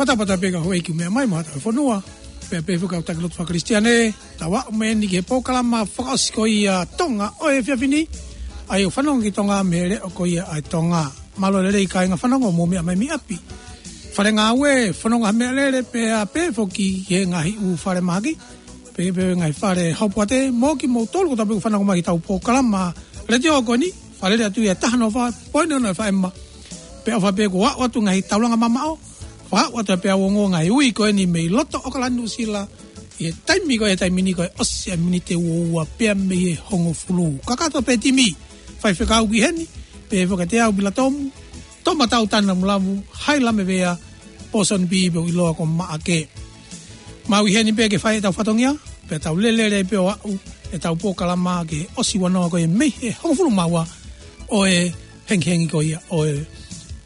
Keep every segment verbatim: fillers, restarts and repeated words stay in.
Patapata pē ka houʻeiki meʻa mai mo haʻatau fonua. Pea pehē foki ʻetau taki lotu fakakalisitiane, tau aʻu mai eni ki he polokalama fakaʻosi ko ia Tonga ʻo e efiafi ni. ʻA ia ʻoku fanongo ki Tonga mei he leʻo ko ia ʻa e Tonga. Mālō e lelei kāinga fanongo mou meʻa mai mei ʻapi. Fale ngāue, fanongo ha meʻalele pea pehē foki ki he ngaahi ʻū fale mahaki. Pehē pē ngaahi fale haupuate, mo kimoutolu kotoa pē ʻoku fanongo mai ki heʻetau polokalama letiō ko eni, Fale Alea atu ia taha noa fā poini ono F M. Pea ʻofa pē kuo aʻu atu ngaahi taulanga mamaʻo, fakaaʻu atu pē ʻa e ongo ngaahi ui ko eni mei loto ʻAokalani Nuʻusila, ʻi he taimi ko e taimi ni ko e ʻosi ʻa e miniti ua ua pea mei he hongofulu. Kakato pē timi, faifekau ki heni, pehē foki ʻa Teau Pilatomu, Tomatau Tanamulavu, Hailame Vea, Pōsoni Pī pea ʻoku ʻiloa ko Maʻake. Mau ʻi heni pē ke fai ʻetau fatongia, pea tau lele pē ʻo aʻu ʻetau polokalama ki he ʻosi ua noa ko ia mei he hongofulu mā ua ʻo e hengihengi ko ia ʻo e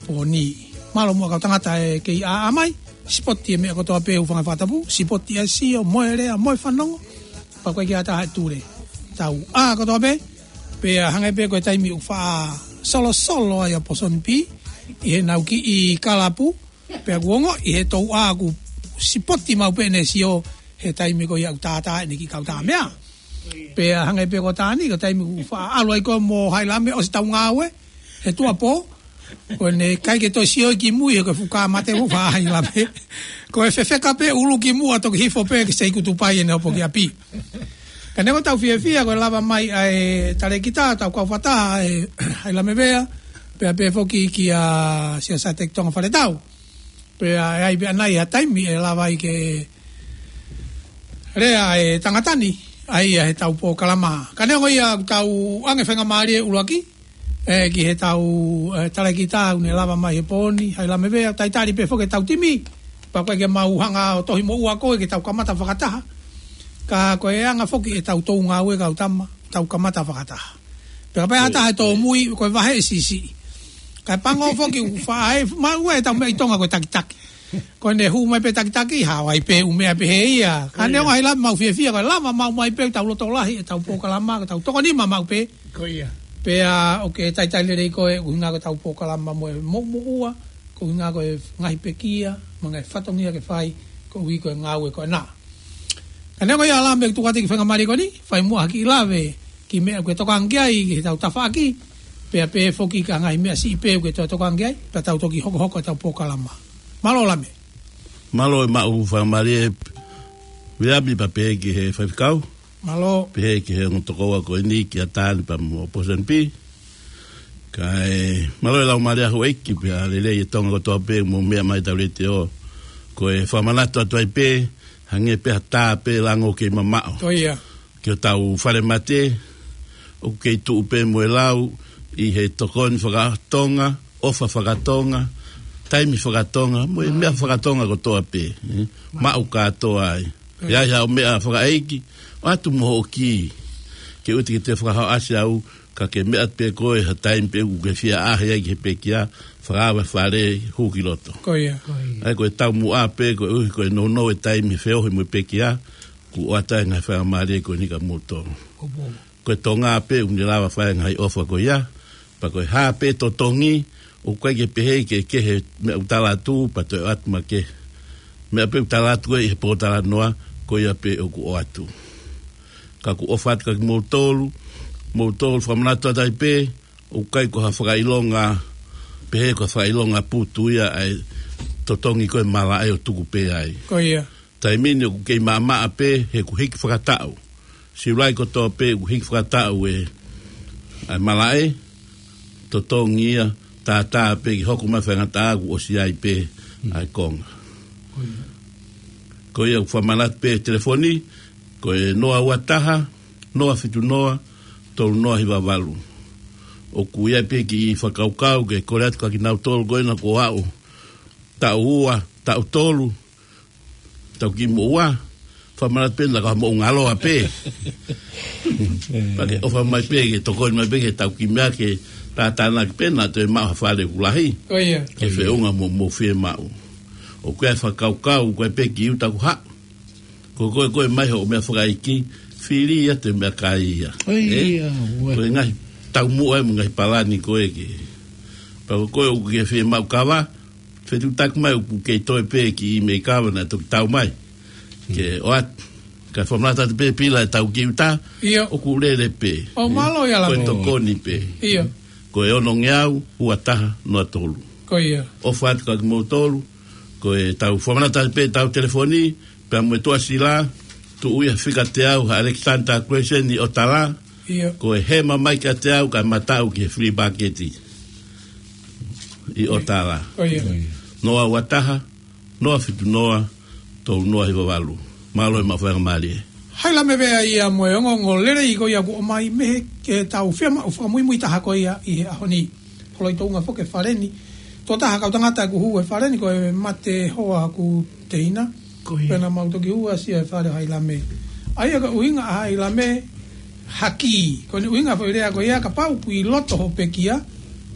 pō ni. Mālō muʻa kau tangata ʻe kei ʻāʻā mai, sipoti e meʻa kotoa pē ʻoku fanga fakatapu, sipoti ʻa e sio, mo e lea, mo e fanongo, pea ko e kiʻi ʻatā ʻe tule. Tau ʻā kotoa pē, pea hangē pē ko e taimi ʻoku faʻa solosolo ai ʻa Pōsoni Pī, ʻi heʻenau kiʻi kalapu, pea kuo ongoʻi he touʻā ʻoku sipoti maʻu pē ʻene sio he taimi ko ia ʻoku tātā ʻene kiʻi kautaha meʻa. Pea hangē pē ko Tani, ko e taimi ʻoku faʻa ʻalu ai ko ē mo Hailame ʻosi ʻetau ngāue, he tuʻuapō, ko ʻene ʻikai ke toe sio ki mui, he ko e fuka mate mo Hailame. Ko e fefeka pē ʻulu ki muʻa toki hifo pē ke sei kutupai ʻene hopo ki ʻapi. Ka neongo ʻetau fiefia ko e lava mai ʻa e talēkita, ʻetau kau fakataha ʻa e Hailame Vea, pea pehē foki kia Siaosi Tonga Faletau. Pea ʻe ʻi ai pē ʻanai ha taimi ʻe lava ai ke lea ʻa e tangata ni, ʻa ia heʻetau polokalama. Ka neongo ia ʻoku tau ʻoange faingamālie ʻuluaki, ē, ki heʻetau, ē, talēkita ʻoku ne lava mai he pō ni, Hailame Vea, talitali pē foki ʻetau timi, pea ko e ke mau hanga ʻo tohi moʻua koe ke tau kamata fakataha. Ka ko e anga foki ʻetau tou ngāue kau tama, tau kamata fakataha. Pea kapau ʻe ʻatā he tōmui, ko e vahe ʻe siʻisiʻi. Kae pango foki ʻoku faʻa ʻai, maʻu ʻetau meʻa ʻi Tonga ko e takitaki. Ko ʻene hū mai pē takitaki, haʻu ai pē ʻū meʻa pehē ia. Ka neongo Hailame mau fiefia, ko e lava maʻu mai pē ʻetau loto lahi, ʻetau polokalama, ko ʻetau toko nima maʻu pē. Ko ia. Pea ʻoku ke talitali lelei koe, ʻuhinga ko ʻetau polokalama mo e moʻumoʻua, ko e ʻuhinga ko e ngaahi pekia, mo e ngaahi fatongia ke fai, koeʻuhi ko e ngāue ko ena. Ka neongo ia Hailame ʻoku tuku atu e kiʻi faingamālie ko eni, fai muʻa ha kiʻi lave, kiʻi meʻa ʻoku ke tokanga ki ai, ki heʻetau tafaʻaki, pea pehē foki ki ha ngaahi meʻa siʻi pē ʻoku ke toe tokanga ki ai, pea tau toki hokohoko ʻetau polokalama. Mālō Hailame. Mālō e maʻu faingamālie, Viliami, pea pehē ki he faifekau. Mālō. Pehē ki he ongo tokoua ko eni kia Tani pea mo Pōsoni Pī. Kae mālō e laumālie ʻa houʻeiki pea lelei e Tonga kotoa pē mou meʻa mai ʻetau letiō. Ko e fakamanatu atu ai pē, hangē pē ha tā pē lango kei mamaʻo. Ko ia. Ki hotau fale mate, ʻoku kei tuʻu pē mo e lau, ʻi he tokoni fakatonga, ʻofa fakatonga, taimi fakatonga, mo e meʻa fakatonga kotoa pē, ē? Maʻu kātoa ai. ʻI ai haʻo meʻa fakaʻeiki, ʻoatu mo hoʻo kī, ke ʻoua te ke toe fakahoʻasi au, ka ke meʻa pē koe ha taimi pē ʻoku ke fie ʻaʻahi ai ki he pekia, fakaava fale hū ki loto. Ko ia. Ko ia. ʻA ia ko e taumuʻa pē, koeʻuhi ko e nounou e taimi feohi mo e pekia, kuo ʻoatu ai e ngaahi faingamālie ko eni kia moutolu. Ko ia. Ko e Tonga pē ʻoku ne lava fai e ngaahi ʻofa ko ia, pea ko e hā pē totongi, ʻoku ʻikai ke pehē ke kehe meʻa ʻoku tala atu, pea toe ʻoatu makehe. Meʻa pē ʻoku tala atu ʻi he pōtalanoa, ko ia pē ʻoku ʻoatu. Ka ʻoku ou ʻofa atu kia kimoutolu, moutolu fakamanatu atu ai pē, ʻoku ʻikai ko ha fakaʻilonga, pehē ko ha fakaʻilonga putu ia ʻa e totongi ko e malaʻe ʻo tuku pē ai. Ko ia. Taimi ni ʻoku kei maʻamaʻa pē he ʻoku hiki fakataʻu. Siulai kotoa pē ʻoku hiki fakataʻu e, ʻa e malaʻe, totongi ia, tātā pē ke hoko mai faingataʻa kuo ʻosi ai pē ʻa e konga. Ko ia ʻoku fakamanatu pē telefoni, ko e noa ua taha, noa fitu noa, tolu noa hiva valu. ʻOku ʻi ai pē kiʻi fakakaukau ke kole atu kia kinautolu ko ena kuo aʻu taʻu ua, taʻu tolu, tau kiʻi moʻua, fakamanatu pē naʻa ka moʻungaloa pē. Pea ke ʻofa mai pē, ke tokoni mai pē, ke tau kiʻi meʻa ke tātānaki pē, naʻa toe maʻu ha fale ʻoku lahi. Ko ia. Ke feʻunga mo, mo fiemaʻu. ʻOku ʻi ai e fakakaukau, ko e pē kiʻi uta ʻoku haʻu. Ko koe, ko e mai hoʻo meʻa fakaʻeiki, fili ia te meʻakai ia. Ko ia, ē? Ko e ngaahi taumuʻa mo e ngaahi palani ko ē ke. Pea ko koe ʻoku ke fiemaʻu kava, Fetuʻutaki mai ʻoku kei toe pē ki ʻImeikava naʻe toki tau mai. Ke ʻoatu. Ka fakamanatu atu pē Pila ʻetau kiʻi uta. ʻIo. ʻOku lele pē. ʻO mālō ia. Ko e Lamo. Tokoni pē. ʻIo. Ko e onongeau, ua taha, noa tolu. Ko ia. ʻOfa atu kia kimoutolu. Ko ʻetau fakamanatu atu pē ʻetau telefoni, pea mo e tuʻasila, tuʻu ia fika teau, ha Alexander Crescent ʻi ʻOtala. ʻIo. Ko e hema mai kiate au, kae mataʻu ki he flea market ʻi ʻOtala. Ko ia. Noa ua taha, noa fitu noa, tolu noa hiva valu. Mālō e maʻu faingamālie. Hailame pea ia mo e ongoongo lelei ko ia kuo ʻomai mei he ke tau fiemaʻu fakamuimui taha ko ia ʻi he ʻaho ni. Holo ʻi Tonga foki e fale ni. Tuʻo taha kau tangata ʻoku hū he fale ni ko e Mate Hoa Kuteina. Ko ia. Pea naʻa mau toki ʻosi ʻa e fale Hailame. ʻA ia ko e ʻuhinga ʻa Hailame haki. Ko ʻene ʻuhinga foʻi lea ko ia kapau ʻoku ʻi loto hoʻo pekia.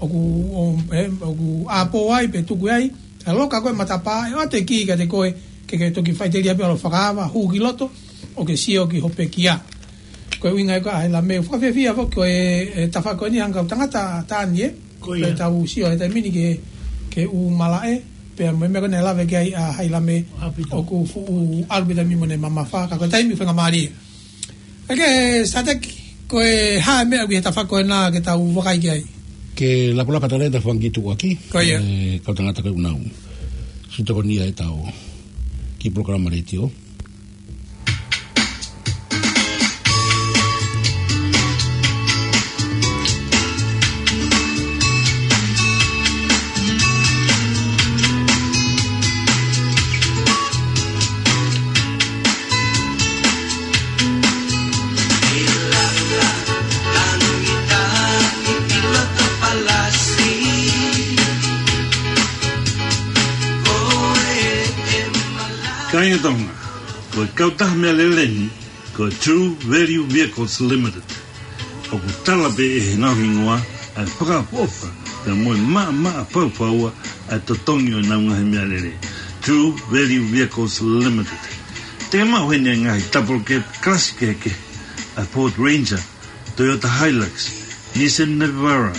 ʻOku, ʻo, e, ʻoku ʻāpō ai pe tuku ai. ʻE loka ko e matapā, ʻe ʻoatu e kī kiate koe, ke ke toki faʻiteliha pē ʻalu ʻo fakaava, hū ki loto, ʻo ke sio ki hoʻo pekia. Ko e ʻuhinga ia ko ē ʻa Hailame, fakafiefia foki ko e, e tafaʻaki ko eni hangē ko e tangata tāni ē. Ko ia. Pea tau sio he taimi ni ki he, ki he ʻū malaʻe, pea mo e meʻa ko ē naʻe lave ki ai ʻa Hailame, ʻaupito. ʻOku fuʻu ʻalu pē taimi mo ʻene mamafa, ka ko e taimi faingamālie. ʻEke Sateki, ko e hā e meʻa ʻoku ʻi he tafaʻaki ko ena ke tau vakai ki ai? Ke lapalapa tala e tafaʻaki tuʻuaki. Ko ia. E, kau tangata ko ē ʻoku nau siʻi tokoni ʻi heʻetau kiʻi polokalama letiō. Kāinga Tonga, ko e kautaha meʻalele ni, ko e True Value Vehicles Limited. ʻOku tala pē ʻe he ngaahi hingoa ʻa e fakaʻofoʻofa, pea mo e maʻamaʻa faufaua ʻa e totongi ʻo ʻenau ngaahi meʻalele. True Value Vehicles Limited. Te maʻu heni e ngaahi double cab kalasi kehekehe, ʻa e Ford Ranger, Toyota Hilux, Nissan Navara.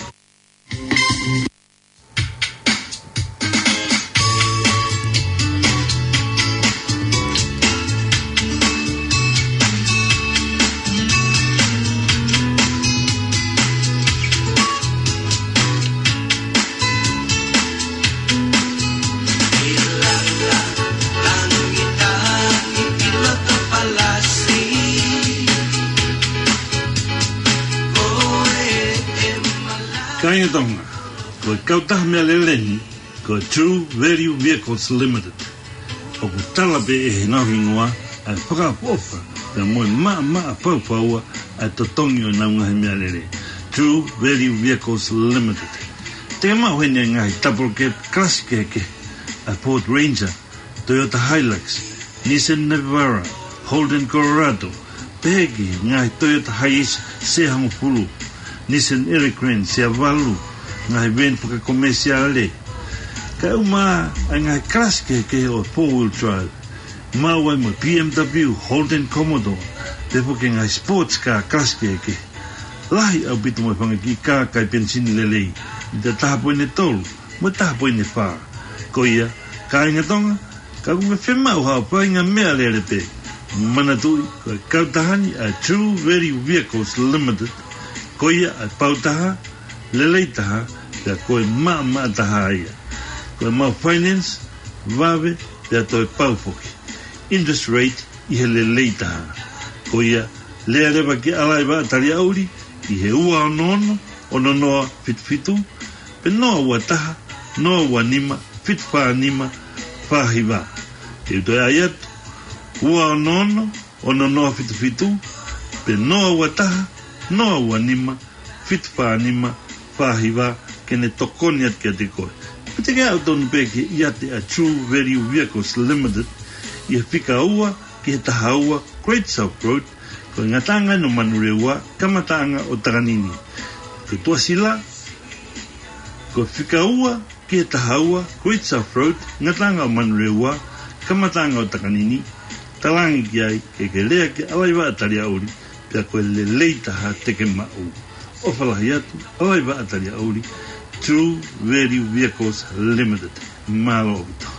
Kāinga Tonga, ko e kautaha meʻalele ni, ko e True Value Vehicles Limited. ʻOku tala pē ʻe he ngaahi hingoa ʻa e fakaʻofoʻofa, pea mo e maʻamaʻa faufaua ʻa e totongi ʻo ʻenau ngaahi meʻalele. True Value Vehicles Limited. Te maʻu heni e ngaahi double cab kalasi kehekehe, ʻa e Ford Ranger, Toyota Hilux, Nissan Navara, Holden Colorado, pehē ki he ngaahi Toyota Hiace sea hongofulu, Nissan Elgrand sea valu, ngaahi veni fakakomesiale. Kae ʻumaʻā e ngaahi kalasi kehekehe ʻo e four wheel drive, maʻu ai mo e B M W, Holden Commodore, pea foki e ngaahi sports car kalasi kehekehe. Lahi ʻaupito mo e fanga kiʻi kā kai penisini lelei, ʻi he taha poini tolu mo e taha poini fā. Ko ia, kāinga Tonga, ka ʻoku ke fiemaʻu haʻo faʻahinga meʻalele pē, manatuʻi, ko e kautaha ni ʻa e True Value Vehicles Limited, ko ia ʻa e pau taha, lelei taha, pea ko e maʻamaʻa taha ia. Ko e maʻu finance, vave, pea toe pau foki. Interest rate ʻi he lelei taha. Ko ia, lea leva ki he ʻalaivaʻa taliʻauli, ʻi he ua ono ono, ono noa fitu fitu, pe noa ua taha, noa ua nima, fitu fā nima, fā hiva. Te u toe ʻai atu, ua ono ono, ono noa fitu fitu, pe noa ua taha, noa ua nima, fitu fā nima, fā hiva, ke ne tokoni atu kiate koe. Pe te ke aʻu tonu pē ki he ʻiate ʻa e True Value Vehicles Limited, ʻi he fika ua ki he taha ua Great South Road, ko e ngataʻanga ʻo Manurewa, kamataʻanga ʻo Takanini. Ko e tuʻasila, ko e fika ua ki he taha ua Great South Road, ngataʻanga ʻo Manurewa, kamataʻanga ʻo Takanini, talaange ki ai ke ke lea ki he ʻalaivaʻa taliʻauli, pea ko e lelei taha te ke maʻu. ʻOfa lahi atu, ʻalaivaʻa taliʻauli, True Value Vehicles Limited. Mālō ʻaupito.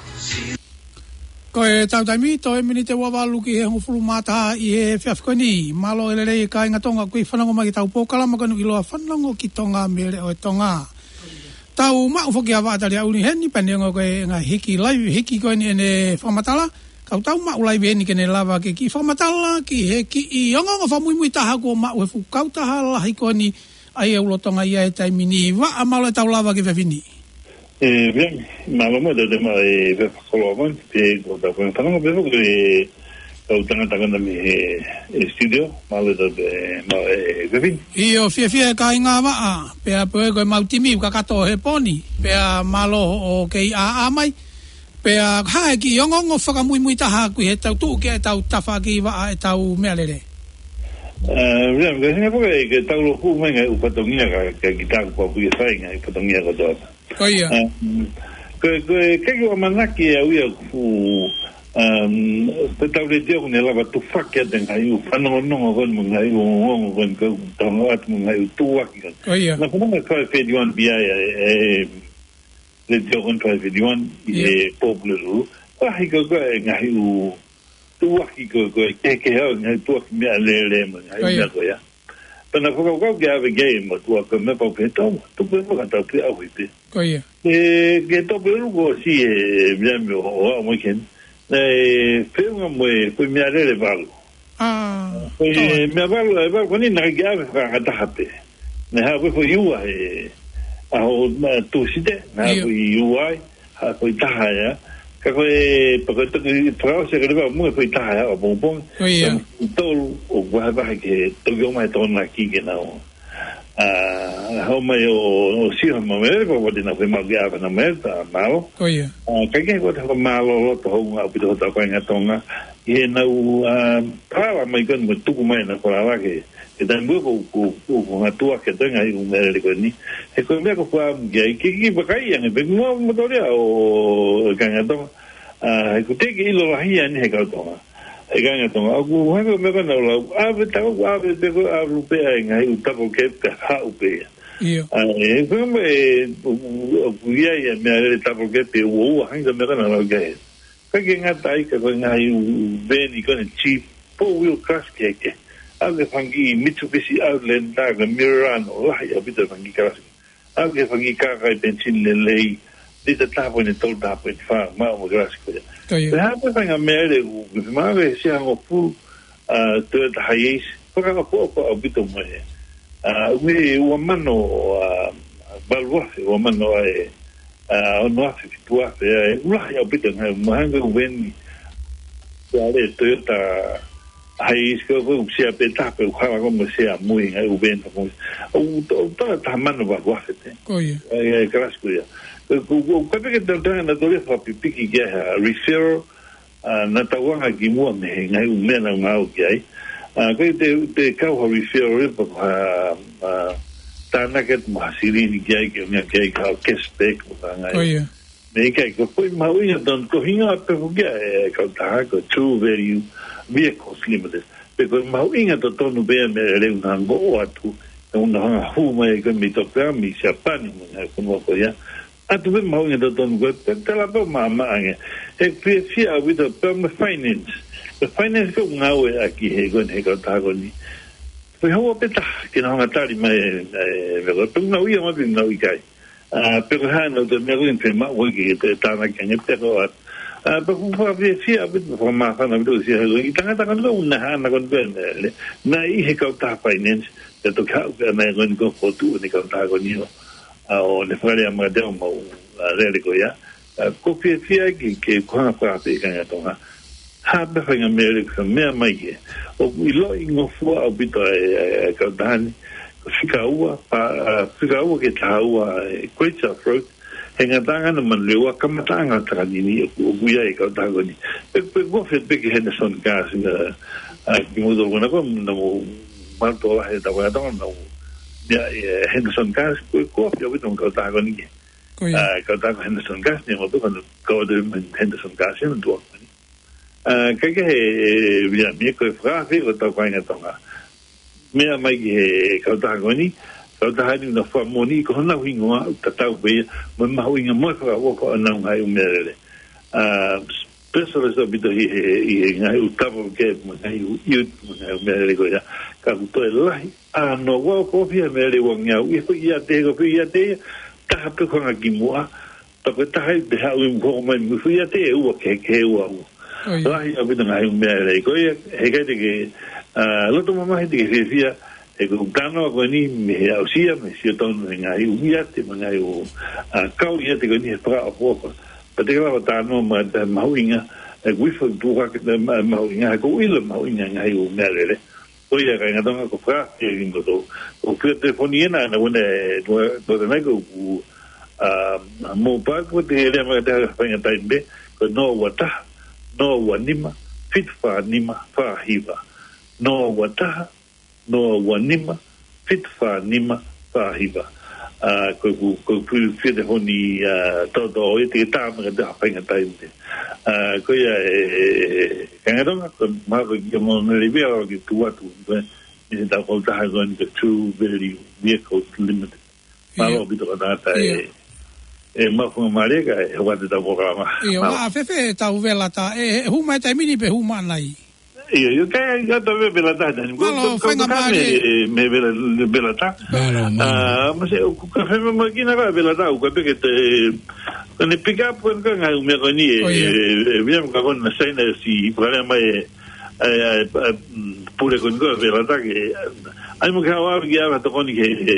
Ko e tau taimi, toe miniti ua valu ki he hongofulu mā taha ʻi he efiafi ko eni. Mālō e lelei kāinga Tonga, ʻoku fanongo mai ki heʻetau polokalama ko eni ʻiloa Fanongo ki Tonga mei he Leʻo ʻo Tonga. Tau maʻu foki ʻa Vaʻa Taliaʻuli heni, pea neongo ko e ngaahi hiki live, hiki ko eni ʻene fakamatala, ka ʻoku tau maʻu live heni ke ne lava ke kiʻi fakamatala ki he kiʻi ongoongo fakamuimui taha kuo maʻu he fuʻu kautaha lahi ko eni ʻa ia ʻoku lolotonga ʻi he taimi ni. Vaʻa, mālō e tau lava ki he efiafi ni. ʻE, pea, mālō mo e tau te ma e pe fakoloa kon, pe ko tau kon fanongo pe ko e kau tangata ko ena mei he, e studio, mālō e tau te ma e efiafi ni. ʻIo, fiefia e kāinga Vaʻa, pea pē ko e mau timi kakato he pō ni, pea mālō hoʻo kei ʻā mai, pea hā e kiʻi ongoongo fakamuimui taha ʻoku ʻi he tau tuʻu ki he tau tafaʻaki Vaʻa e tau meʻalele. ʻE, pea, ka singa poke ke tau loku mai ngaahi ʻū fatongia ka, ka ki taku pau pui e fai ngaahi ʻū fatongia kotoa. Ko ia. Um, ko, ko e kei ʻamanaki ʻe au ia ku, um, ko e tau letiō ʻoku ne lava tufaki atu e ngaahi ʻū fanongonongo ko eni mo e ngaahi ʻū ongoongo ko eni ko e tau ngāue atu mo e ngaahi ʻū tuʻuaki ko eni. Ko ia. Na kona me five thirty-one B I, e, e, letiō ko eni five thirty-one, ʻi he Pōpula Lulu. Lahi ko, ko e ngaahi ʻū tuʻuaki ko, ko e kehekehe ʻa e ngaahi tuʻuaki meʻalele mo e ngaahi meʻa ko ia. Pea na fakakaukau ke ʻave ki ai mo tuʻuaki meʻa pau pē tau, tuku e fakatau pē au i pē. Ko ia. E, ke tau pē luko si e meʻa meʻa ʻo, ʻo, ʻo, mo ken. Na e feʻunga mo e, ko e meʻalele valu. Ko e meʻa valu, e valu ko eni na ke ʻave fakataha pē. Na ha ko e foʻi ua e, ʻaho, na Tūsite, na ha ko e ua ai. Ha ko e taha ia. Ka ko e, pea ko e toki fakaʻosi ka leva mo e ko e taha ia, ʻapongipongi. Ko ia. Ka tolu, ʻo vahevahe ke toki ʻomai e Tokonaki ke nau. ʻA, hau mai ʻo, ʻo sio ma mele, pea ko e tena ko e mau ke ʻave na mele, ta mālō. Ko ia. ʻA, ka ke ko e taha mālō loto hounga ʻaupito hota ko e ngaahi Tonga. ʻI heʻenau, ʻa, pala mai ko eni mo tuku mai na ko la la ke. He taimi ko, ko, ko, ko ngā tuʻuaki ʻa e ngaahi ʻū meʻalele ko eni. He ko e meʻa ko e fua mu ki ai, ke, ke vakai ange, pe mua mo torea ʻo, ʻo e kāinga Tonga. ʻA, he ko e teʻeki ʻilo lahi ʻeni he kau Tonga. He kāinga Tonga, ʻoku hanga meʻa ko ena ʻo lau, ʻave tau, ʻave pe ko, ʻave pē ʻa e ngaahi ʻū double cab ka haʻu pē ia. ʻIo. ʻA, he ko e meʻa, e, ʻoku, ʻoku ʻi ai e meʻalele double cab pe ua ua, hanga meʻa ko ena ʻo lau ki ai. Ka ke ngata ai ka ko e ngaahi ʻū veni ko eni cheap, four wheel cars ke ke. ʻAve fanga kiʻi Mitsubishi Outlander, ka Murano, lahi ʻaupito fanga kiʻi kalasi. ʻAve fanga kiʻi kākā ʻi penisini lelei, lita taha poini tolu, taha poini fā, maʻu mo e kalasi ko ia. Ko ia. Pea hā pē fanga meʻalele ʻoku, ke maʻu e sia hangofulu, ʻa, Toyota Hiace, fakaʻofoʻofa ʻaupito mo e. ʻA, ʻoku ʻi he ua mano, ʻa, valu afe, ua mano ʻa e, ʻa, ono afe, fitu afe, ʻa e, ʻoku lahi ʻaupito ngaahi, mahalo ʻoku veni. Ko e Toyota Hiace ko, ko e sia pē tape, ʻoku hala ko mo sia mui, ngaahi ʻū veni ko. ʻOku to, ʻoku tala taha mano valu afe pē. Ko ia. ʻA e, ʻa e kalasi ko ia. Ko, ko, ko, ka peke tau tanga na tole fakapipiki ki ai ha referral, ʻa, na tauanga ki muʻa mei he ngaahi ʻū meʻa naʻa ngāue ki ai. ʻA, ko e te, te kau ha referral ia pe ko ha, ʻa, tānaki atu mo ha silini ki ai, ke ʻomai ki ai ka cashback mo e ngaahi. Ko ia. Mei kai, ko e foʻi mahuʻinga tonu, ko e hingoa pē foki ia e kautaha ko e True Value Vehicles Limited. Pea ko e mahuʻinga totonu pē ia meʻalele ʻoku nau ō atu, ʻoku nau hanga hū mai ko ē mei Tokā, mei Siapani, mo e ngaahi fonua ko ia. ʻAtu pē mahuʻinga totonu ko ē, pea tala pē maʻamaʻa ange. He fiefia ʻaupito pē mo e finance. Ko e finance ko ē ʻoku ngāueʻaki he ko eni he kautaha ko eni. Ko e haʻu pē taha, ke nau hanga tali mai, e, e, meʻa ko ē, pe ʻoku nau ʻi ai mo pe ʻoku nau ʻikai. ʻA, pe ko e hā nau te meʻa ko eni pe maʻu ko ē ke te tānaki ange pe ko e hā. ʻA, pea ʻoku fakafiefia ʻaupito, fakamāfana ʻaupito sia he ko e tangata ko eni ʻoku na hana ko eni pē, ne, ne, na ʻi he kautaha finance, pea toki haʻu pē ʻana ko eni ko e fotu ʻo e kautaha ko eni ʻo. ʻA, ʻo ne fakalea mai te au mau, ʻa, lele ko ia. ʻA, ʻoku ou fiefia ke, ke u hanga fakapē kāinga Tonga. Hā pē fanga meʻalele ʻoku meʻa mai ke. ʻOku ʻiloʻi ngofua ʻaupito e, e, e kautaha ni. Ko e fika ua, pa, ʻa, fika ua ki he taha ua, e, Great South Road. He ngataʻanga ʻa Manurewa, kamataʻanga ʻo Takanini, ʻoku, ʻoku ʻi ai e kautaha ko eni. Pe, pe ko e fē pē ki he Henderson Cars, ʻa, ʻa, kimoutolu ko ena ko, naʻa mou mālō lahi he tau kātoa, naʻa mou, ia, e, Henderson Cars, ko, ko e fē ʻaupito e kautaha ko eni ke. Ko ia. ʻA, kautaha ko Henderson Cars, ne mo tuka, ko e Henderson Cars, ne tuʻa ko eni. ʻA, ka ke he, ia, mei ko e fakaafe ko e tau kāinga Tonga. Meʻa mai ki he kautaha ko eni, Kautaha ni naʻa nau fakamoʻoni ko honau hingoa, tatau pē ia mo e mahuʻinga mo e fakaʻofoʻofa ʻo honau ngaahi ʻū meʻalele. ʻA, specialist ʻaupito ʻi he, ʻi he ngaahi ʻū tapa ke mo e ngaahi ʻū, ʻi he mo e ngaahi ʻū meʻalele ko ia. Ka ʻoku toe lahi ʻa hono ʻofa ʻi he meʻalele ʻoku ngeau. ʻI he foʻi ʻiate, ko e foʻi ʻiate ia, taha pē ko e hanga ki muʻa, pea ko e taha ia pē haʻu ʻo hoko mai mo e foʻi ʻiate ʻe ua, kehekehe ua ua. ʻIo. Lahi ʻaupito ngaahi ʻū meʻalele. Ko ia, heʻikai te ke, ʻa, loto mamahi te ke fiefia, he ko e talanoa ko eni mei he aʻusia, mei he sio tonu he ngaahi ʻū ʻiate, mo e ngaahi ʻū, ʻa, kau ʻiate ko eni he fakaʻofoʻofa. Pea te ke lava talanoa mo e mahuʻinga, ʻe kuifo tuka ke te ma-, mahuʻinga, he ʻoku ou ʻilo mahuʻinga ngaahi ʻū meʻalele. Ko ia kāinga Tonga, ko e fakaafe ia kiate kimoutolu. Ko e fika telefoni ena, naʻa ku ne, ko, ko e nai ko ʻeku, ʻa, mobile, ko e te lea mai te ha faingataʻa pē, ko e noa ua taha, noa ua nima, fitu fā nima, fā hiva. Noa ua taha, noa ua nima, fitu fā nima, fā hiva. ʻA, ko ʻeku, ko ʻeku fika telefoni, ʻa, toto, ʻo ia te ke tā mai kiate au ha faingataʻa pē. ʻA, ko ia ē, ē, ē, kāinga Tonga, ko e mahalo ko e kiʻi moʻoni lelei pē ʻa e ʻalu ki tuʻa atu, ko e, ʻi he tau kautaha ko eni ko e True Value Vehicles Limited. Mālō ʻaupito ka tangata ē, ē, maʻu faingamālie ka ē, hoko atu ʻetau polokalama. ʻIo, mālō. Maʻa fēfē ʻetau Velata, ē, ē, hū mai taimi ni pe hū mai ʻanai? ʻIo, ʻio, ka, ka tau ve-, Velata, Dani. Mālō, ko, ko, ko faingamālie. Ka me, me Vela-, Velata. Mālō, mālō. ʻA, ma se, ʻoku ka fai mai kina ka Velata, ʻoku ka peke te, ka ne pick up, ka ngaahi ʻū meʻa ko eni, ē, ʻo, ʻio. ʻE, ʻe, ʻe, meʻa ka ko ena Saina si, pale mai, ē, ʻa e, ʻa e, ʻa e, mm, pule ko eni ko e Velata ke, ʻa, ʻai mo ke haʻu ʻo ʻave ki ʻave tokoni ke, ke,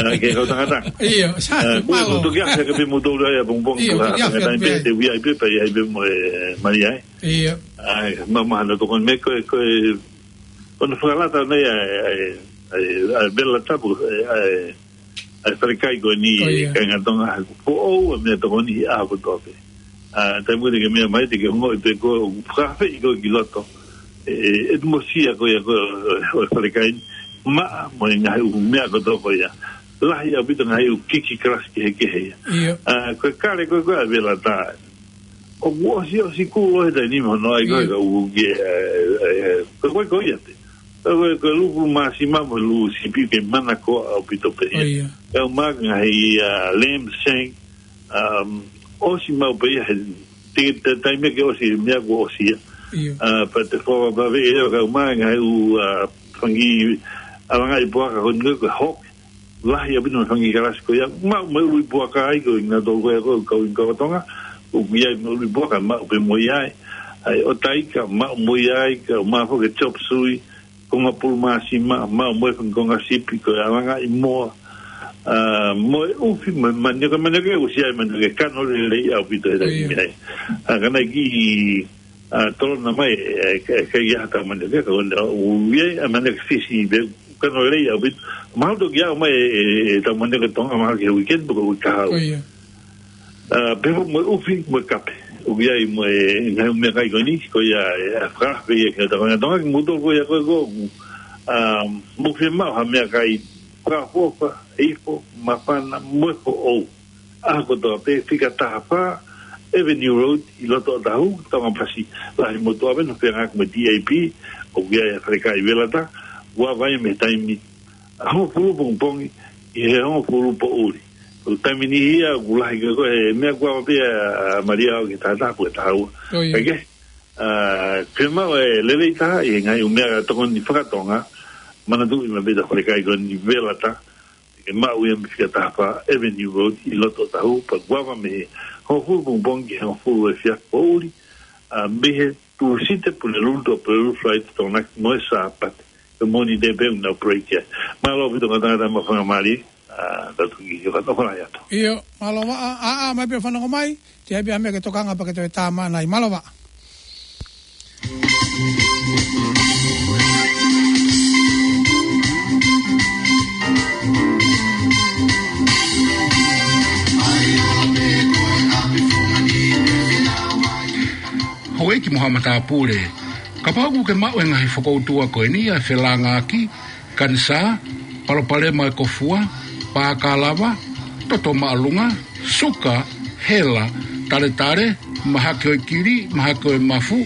ʻa, ke kau tangata. ʻIo, sa, ʻa, ko e mālō. Ko e toki ʻafe ke pē mo tolu ai ʻapongipongi ʻIo, ko e toki ʻafe tangata ke pē pē. Te ui ai pē, pea ʻi ai pē mo e Malia ai. ʻIo. ʻAi, ma, ma, na tokoni mai ko e, ko e, ko hono fakalata nei ʻa e, ʻa e, ʻa e, ʻa e Velata pē, ʻa e, ʻa e, ʻa e falekai ko eni, ʻIo. Kāinga Tonga, ko e foʻou ʻa e meʻatokoni ʻi he ʻaho kotoa pē. ʻA, taimi ko ē te ke meʻa mai te ke ongoʻi pē ko e ʻoku fakafeʻi koe ki loto. ʻE, ʻe, ʻe mosia ko ia ko e, ʻo e falekai ni. Maʻa mo e ngaahi ʻū meʻa kotoa ko ia. Lahi ʻaupito ngaahi ʻū kiki kalasi kehekehe ia. ʻIo. ʻA, ko e kale ko ē ko ē ʻa e Velata. ʻOku ʻosi, ʻosi kuo ʻi he taimi ni mo hono ʻai ko ē ʻIo. ka u ke, ē, ē, ē, ko e, ko e, ko ia te. Ko e, ko e, ko e lufu māsima mo e lufu sipi ke manakoa ʻaupito pē ia. ʻIo. Ka u maka ngaahi, ʻa, lamb shank, um, ʻosi maʻu pē ia he, te, te taimi ke ʻosi, meʻa kuo ʻosi ia. ʻIo. ʻA, pea te fua pea ve ia ka u maka ngaahi ʻū, ʻa, fanga ʻalangaʻi puaka ko eni ko e hawk. Lahi ʻaupito mo e fanga kalasi ko ia. Maʻu mo e ʻuluʻi puaka ai ko e ngaahi tolu ko ia ko e kau ʻi kau Tonga. ʻOku ʻi ai mo e ʻuluʻi puaka, maʻu pē mo ia ai. ʻAi, ʻo taika, maʻu mo ia ai, ka maʻu foki e chop suey, konga pulu māsima, maʻu mo e fanga konga sipi, ko e ʻalangaʻi moa. ʻA, mo e ʻufi, mo e manioke, manioke, ʻosi ai manioke, kano lelei ʻaupito he taimi ʻIo. ai. ʻA, ka naʻe kiʻi ʻa, tolona mai, ʻe, ʻe, ʻe, ke ia ha tau manioke, ka ʻoku ne, ʻo, ʻo, ia, ʻa, manioke Fisi, pea, kano lelei ʻaupito. Mahalo toki ʻomai, ʻe, ʻe, ʻe, tau manioke Tonga, mahalo ki he weekend, pe ko e week ka haʻu. ʻIo. ʻA, pea mo e ʻufi, mo e kape. ʻOku ʻi ai mo e ngaahi meʻakai ko eni, ko ia, ʻe, ʻa, fakafe ia ki he tau kāinga Tonga, ki muto ko ia ko e ko, ʻa, mo fiemaʻu ha meʻakai, fakaʻofoʻofa, ifo, māfana, mo e foʻou. ʻAho kotoa pē fika taha fā Avenue Road ʻi loto ʻOtahuhu, Tongapasi, lahi mo tuʻa pē ʻenau feangaʻaki mo e D A P, ʻoku ʻi ai ʻa e falekai Velata, ʻoku ava ia mei he taimi ʻa e hongofulu pongipongi ki he hongofulu poʻuli. Ko e taimi ni ia, ʻoku lahi ka ko e meʻa ʻoku ava pē ʻa Malia ʻo ki he taha taha pe ko e taha ua. ʻIo. Ka ke, ʻa, ke maʻu e lelei taha ʻi he ngaahi ʻū meʻatokoni fakatonga, manatuʻi maʻu pē ʻe he falekai ko eni Velata, ke maʻu ia mei he fika taha fā Avenue Road ʻi loto ʻOtahuhu, pea ʻoku ava mei he hongofulu pongipongi ki he hongofulu efiafi poʻuli, ʻa, mei he Tūsite, Pulelulu, Tuʻapulelulu, Falaite, Tokonaki, mo e Sāpate. Ko e Mōnite pē ʻoku nau break ia. Mālō ʻaupito kāinga Tonga, maʻu faingamālie, ʻa, tau toki kiʻi fanongo atu. ʻIo, mālō ā, ā, ʻā mai pē fanongo mai, ʻe ʻi ai pē ha meʻa ke tokanga pea ke toe tā mai ʻanai. Mālō ā. Houʻeiki mo haʻa matāpule, kapau ʻoku ke maʻu e ngaahi fokoutua ko eni, ʻa e felāngaaki, kanisā, palopalema e kofua, pākalava, toto māʻolunga, suka, hela, taletale, mahaki ʻo e kili, mahaki ʻo e mafu,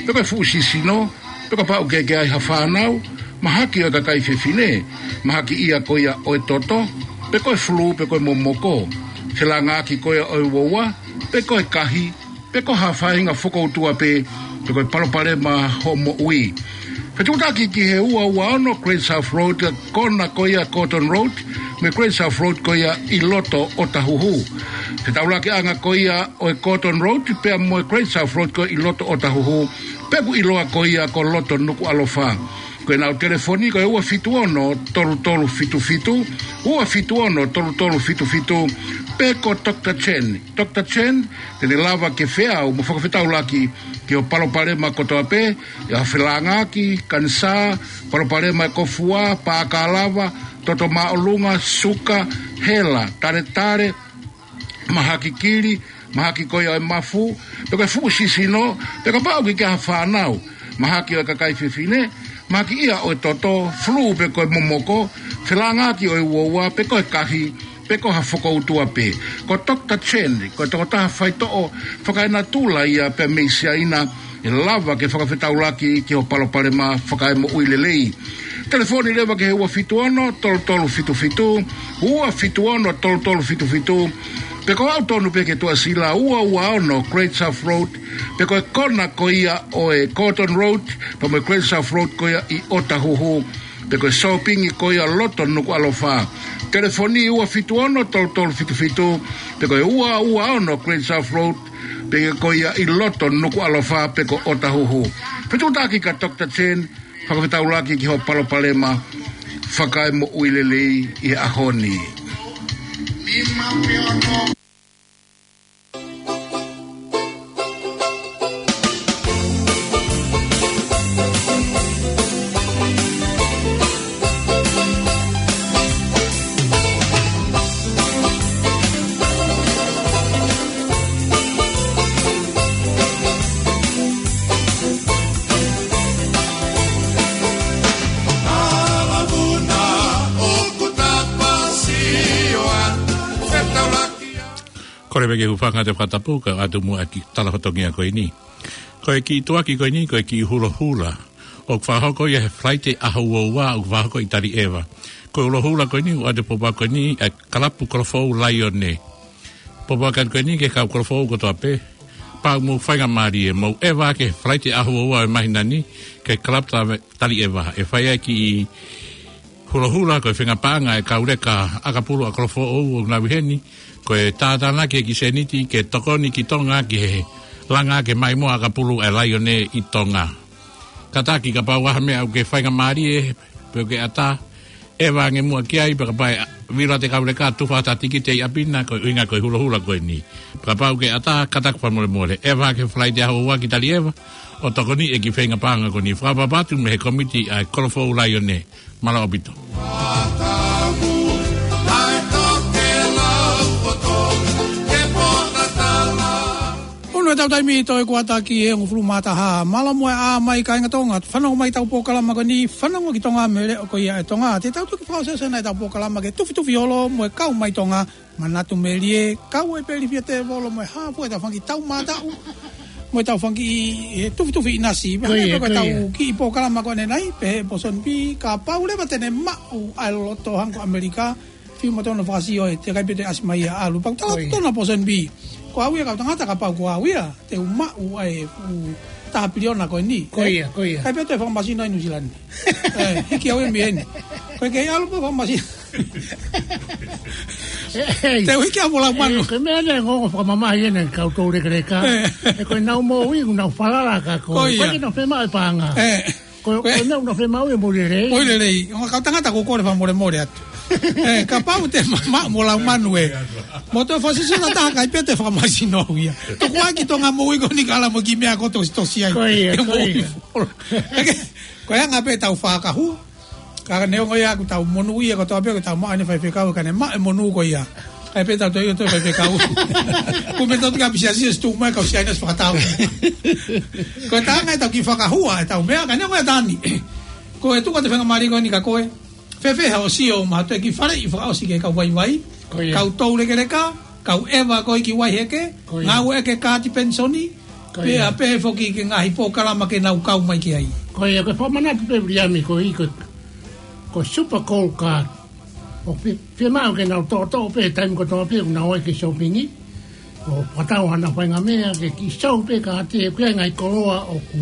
pe ko e fuʻu sisino, pe kapau ʻoku ke ʻi ai ha fānau, Mahaki ʻo e kakai fefine, mahaki ia ko ia ʻo e toto, pe ko e fulū, pe ko e momoko. Felāngaaki ko ia ʻo e uaua, pe ko e kahi, pe ko ha faʻahinga fokoutua pē, pe ko e palopalema hoʻo moʻui. Fetuʻutaki ki he ua ua ono Great South Road, kona ko ia Gordon Road, mo e Great South Road ko ia ʻi loto ʻOtahuhu. Fetaulakiʻanga ko ia ʻo e Gordon Road, pea mo e Great South Road ko ia ʻi loto ʻOtahuhu, pea ʻoku ʻiloa ko ia ko loto Nukuʻalofa. Ko ʻenau telefoni ko e ua fitu ono tolu tolu fitu fitu, ua fitu ono tolu tolu fitu fitu, pe ko Doctor Chen. Doctor Chen, te ne lava ke feau mo fakafetaulaki ki hoʻo palopalema kotoa pē, ʻi ha felāngaaki, kanisā, palopalema e kōfua, pākalava, toto māʻolunga, suka, hela, taletale, mahaki kili, mahaki ko ia ʻo e mafu, pe ko e fuʻu sisino, pe kapau ʻoku ke ʻi ai ha fānau, mahaki ʻo e kakai fefine, mahaki ia ʻo e toto, fulū pe ko e momoko, felāngaaki ʻo e uaua, pe ko e kahi, pe ko ha fokoutua pē. Ko Doctor Chen, ko e tokotaha faitoʻo fakaenatula ia pea mei Siaina, ʻe lava ke fakafetaulaki ki hoʻo palopalema fakaemoʻui lelei. Telefoni leva ki he ua fitu ono tolu tolu fitu fitu, ua fitu ono tolu tolu fitu fitu, pe ko au tonu pē ki he Tuʻasila ua ua ono Great South Road, pe ko e kona ko ia ʻo e Gordon Road, pea mo e Great South Road ko ia ʻi ʻOtahuhu, pe ko e sōpingi ko ia loto Nukuʻalofa. Telefoni ua fitu ono tolu tolu fitu fitu, pe ko e ua ua ono Great South Road, pe ko ia ʻi loto Nukuʻalofa, pe ko ʻOtahuhu. Fetuʻutaki kia Doctor Chen, fakafetaulaki ki hoʻo palopalema fakaemoʻui lelei ʻi he ʻaho ni. Kole pē ke u hūfanga he fakatapu kae ʻatu muʻa ki he tala fatongia ko eni. Ko e kiʻi tuʻuaki ko eni, ko e kiʻi hulohula ʻoku fakahoko ia he Falaite ʻaho ua ua, ʻoku fakahoko ʻi Taliʻeva. Ko e hulohula ko eni, ʻoku ʻoatu e pōpoaki ko eni ʻa e Kalapu Kolofoʻou Laione. Pōpoaki ko eni ki he kau kolofoʻou kotoa pē. Pea mou faingamālie, mou ʻeva ki he Falaite ʻaho ua ua ʻo e māhina ni, ki he Kalapu Ta-, Taliʻeva. ʻE fai ai e kiʻi hulohula, ko e feinga paʻanga e kau leka ʻakapulu ʻa Kolofoʻou ʻoku nau ʻi heni, ko e tātānaki e kiʻi sēniti ke tokoni ki Tonga ki he langa ke maʻimoa ʻakapulu e Laione ʻi Tonga. Kātaki kapau ʻoku ʻi ai ha meʻa ʻoku ke faingamālie, pe ʻoku ke ʻatā, ʻeva ange muʻa ki ai, pea kapau ʻe vila atu e kau leka tufa atu ha tikite ʻi ʻapi na, ko e ʻuhinga ko e hulohula ko eni. Pea kapau ʻoku ke ʻatā, kātaki fakamolemole, ʻeva ki he Falaite ʻaho ua ua ki Taliʻeva, ʻo tokoniʻi e kiʻi feinga paʻanga ko eni. Fakaʻapaʻapa atu mei he kōmiti ʻa e Kolofoʻou Laione. Mālō ʻaupito. Ono ʻetau taimi, toe kuata ki he hongofulu mā taha. Mālō muʻa e ʻā mai kāinga Tonga. Fanongo mai ki heʻetau polokalama ko eni, Fanongo ki Tonga, mei he Leʻo ko ia ʻo Tonga. Te tau toki fakaʻosi ʻeni ʻetau polokalama ki he tufitufi holo mo e kau mai Tonga. Manatu Melie, kau ai pē ʻa Lifia Tēvolo mo e hā fua ʻetau fanga kiʻi taumātaʻu, mo ʻetau fanga kiʻi, e, tufitufi ʻinasi. Ko ia, ko ia. Pea ko ʻetau kiʻi polokalama ko eni, pehē ʻe Pōsoni Pī, kapau leva te ne maʻu ʻa e loto hangē ko ʻAmelika, fiu mo tona fakasio ē, teʻeki ai pē toe ʻasi mai ia ʻo ʻalu. Pea ʻoku tala atu ʻe Pōsoni Pī, ko au ia kau tangata, kapau ko au ia te u maʻu ʻa e fuʻu taha piliona ko eni. Ko ia, ko ia. ʻIkai pē toe fakamasino ʻi Nuʻusila ni. ʻE, hiki au ia mei heni. Ko e kei ʻalu pē fakamasino. ʻEi. Te u hiki au mo Laumanu. ʻE, ko e meʻa ʻeni ʻoku ongo fakamamahi ʻeni kau toulekeleka. ʻE. ʻE, ko ʻenau moʻui, ʻoku nau falala ka ko. Ko ia. Ko e ke nau fiemaʻu e paʻanga. ʻE. Ko, ko e meʻa ʻoku nau fiemaʻu e moʻui lelei. Moʻui lelei. Ongo kau tangata, ʻoku ou kole fakamolemole atu. ʻE, kapau te ma, ma, mo Laumanu ē. Mo toe fakasisila taha, ʻikai pē toe fakamasino ia. Tuku ai ki Tonga moʻui ko eni kae ʻalu mo e kiʻi meʻa ko ē ʻoku tositosi ai. Ko ia, ko ia. ʻEke, ko e anga pē ʻetau fakahua. Ka neongo ia ʻoku tau monūʻia kotoa pē, ʻoku tau maʻu ʻene faifekau, ka ne maʻu e monū ko ia. ʻIkai pē tau toe ʻi ai ʻo toe faifekau. Ko e meʻa tau tika pisiasi ʻo situ mai kau Siaina ʻo fakatau. Ko e taha ʻetau kiʻi fakahua, ʻetau meʻa, ka neongo ia Tani. Ko e tuku atu e faingamālie ko eni kia koe. Fēfē haʻo sio maʻa e kiʻi faleʻi fakaʻosi ki he kau vaivai. Ko ia. Kau toulekeleka, kau ʻeva ko ē ki Vaiheke, ko ia. Ngāueʻaki e kaati penisoni, ko ia. Pea pehē foki ki he ngaahi polokalama ke nau kau mai ki ai. Ko ia, ko e fakamanatu pē Viliami ko ē, ko e ko Super Gold Card. ʻOku fi-, fiemaʻu ke nau toʻotoʻo pē taimi kotoa pē ʻoku nau ō ki he shopping. ʻO fakatau haʻanau faʻahinga meʻa ke kiʻi sio pē kāti he ʻoku ʻi ai e ngaahi koloa ʻoku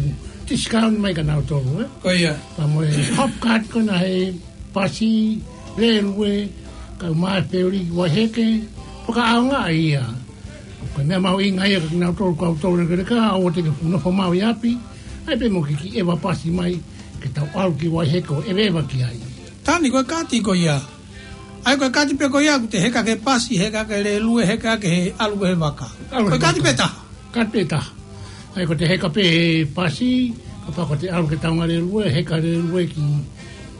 discount mai kia nautolu, ē? Ko ia. Pea mo e Hopcard ko ena he pasi, lēlue, kae ʻumaʻā e feuli ki Waiheke, fakaʻaongaʻi ia. Ko e meʻa mahuʻinga ia kia kinautolu, kau tolu lekeleka, ʻoua te ke fuʻu nofo maʻu ʻi ʻapi, ʻai pē mo ke kiʻi ʻeva pasi mai, ke tau ʻalu ki Waiheke ʻo ʻeveʻeva ki ai. Tani, ko e kaati ko ia. ʻAi, ko e kaati pē ko ia, ʻoku te heka ki he pasi, heka ki he lēlue, heka ki he ʻalu ki he vaka. ʻAlu ki he vaka. Ko e kaati pē taha. Kaati pē taha. ʻAi, ko te heka pē he pasi, kapau ko te ʻalu ki he taunga lēlue, heka lēlue ki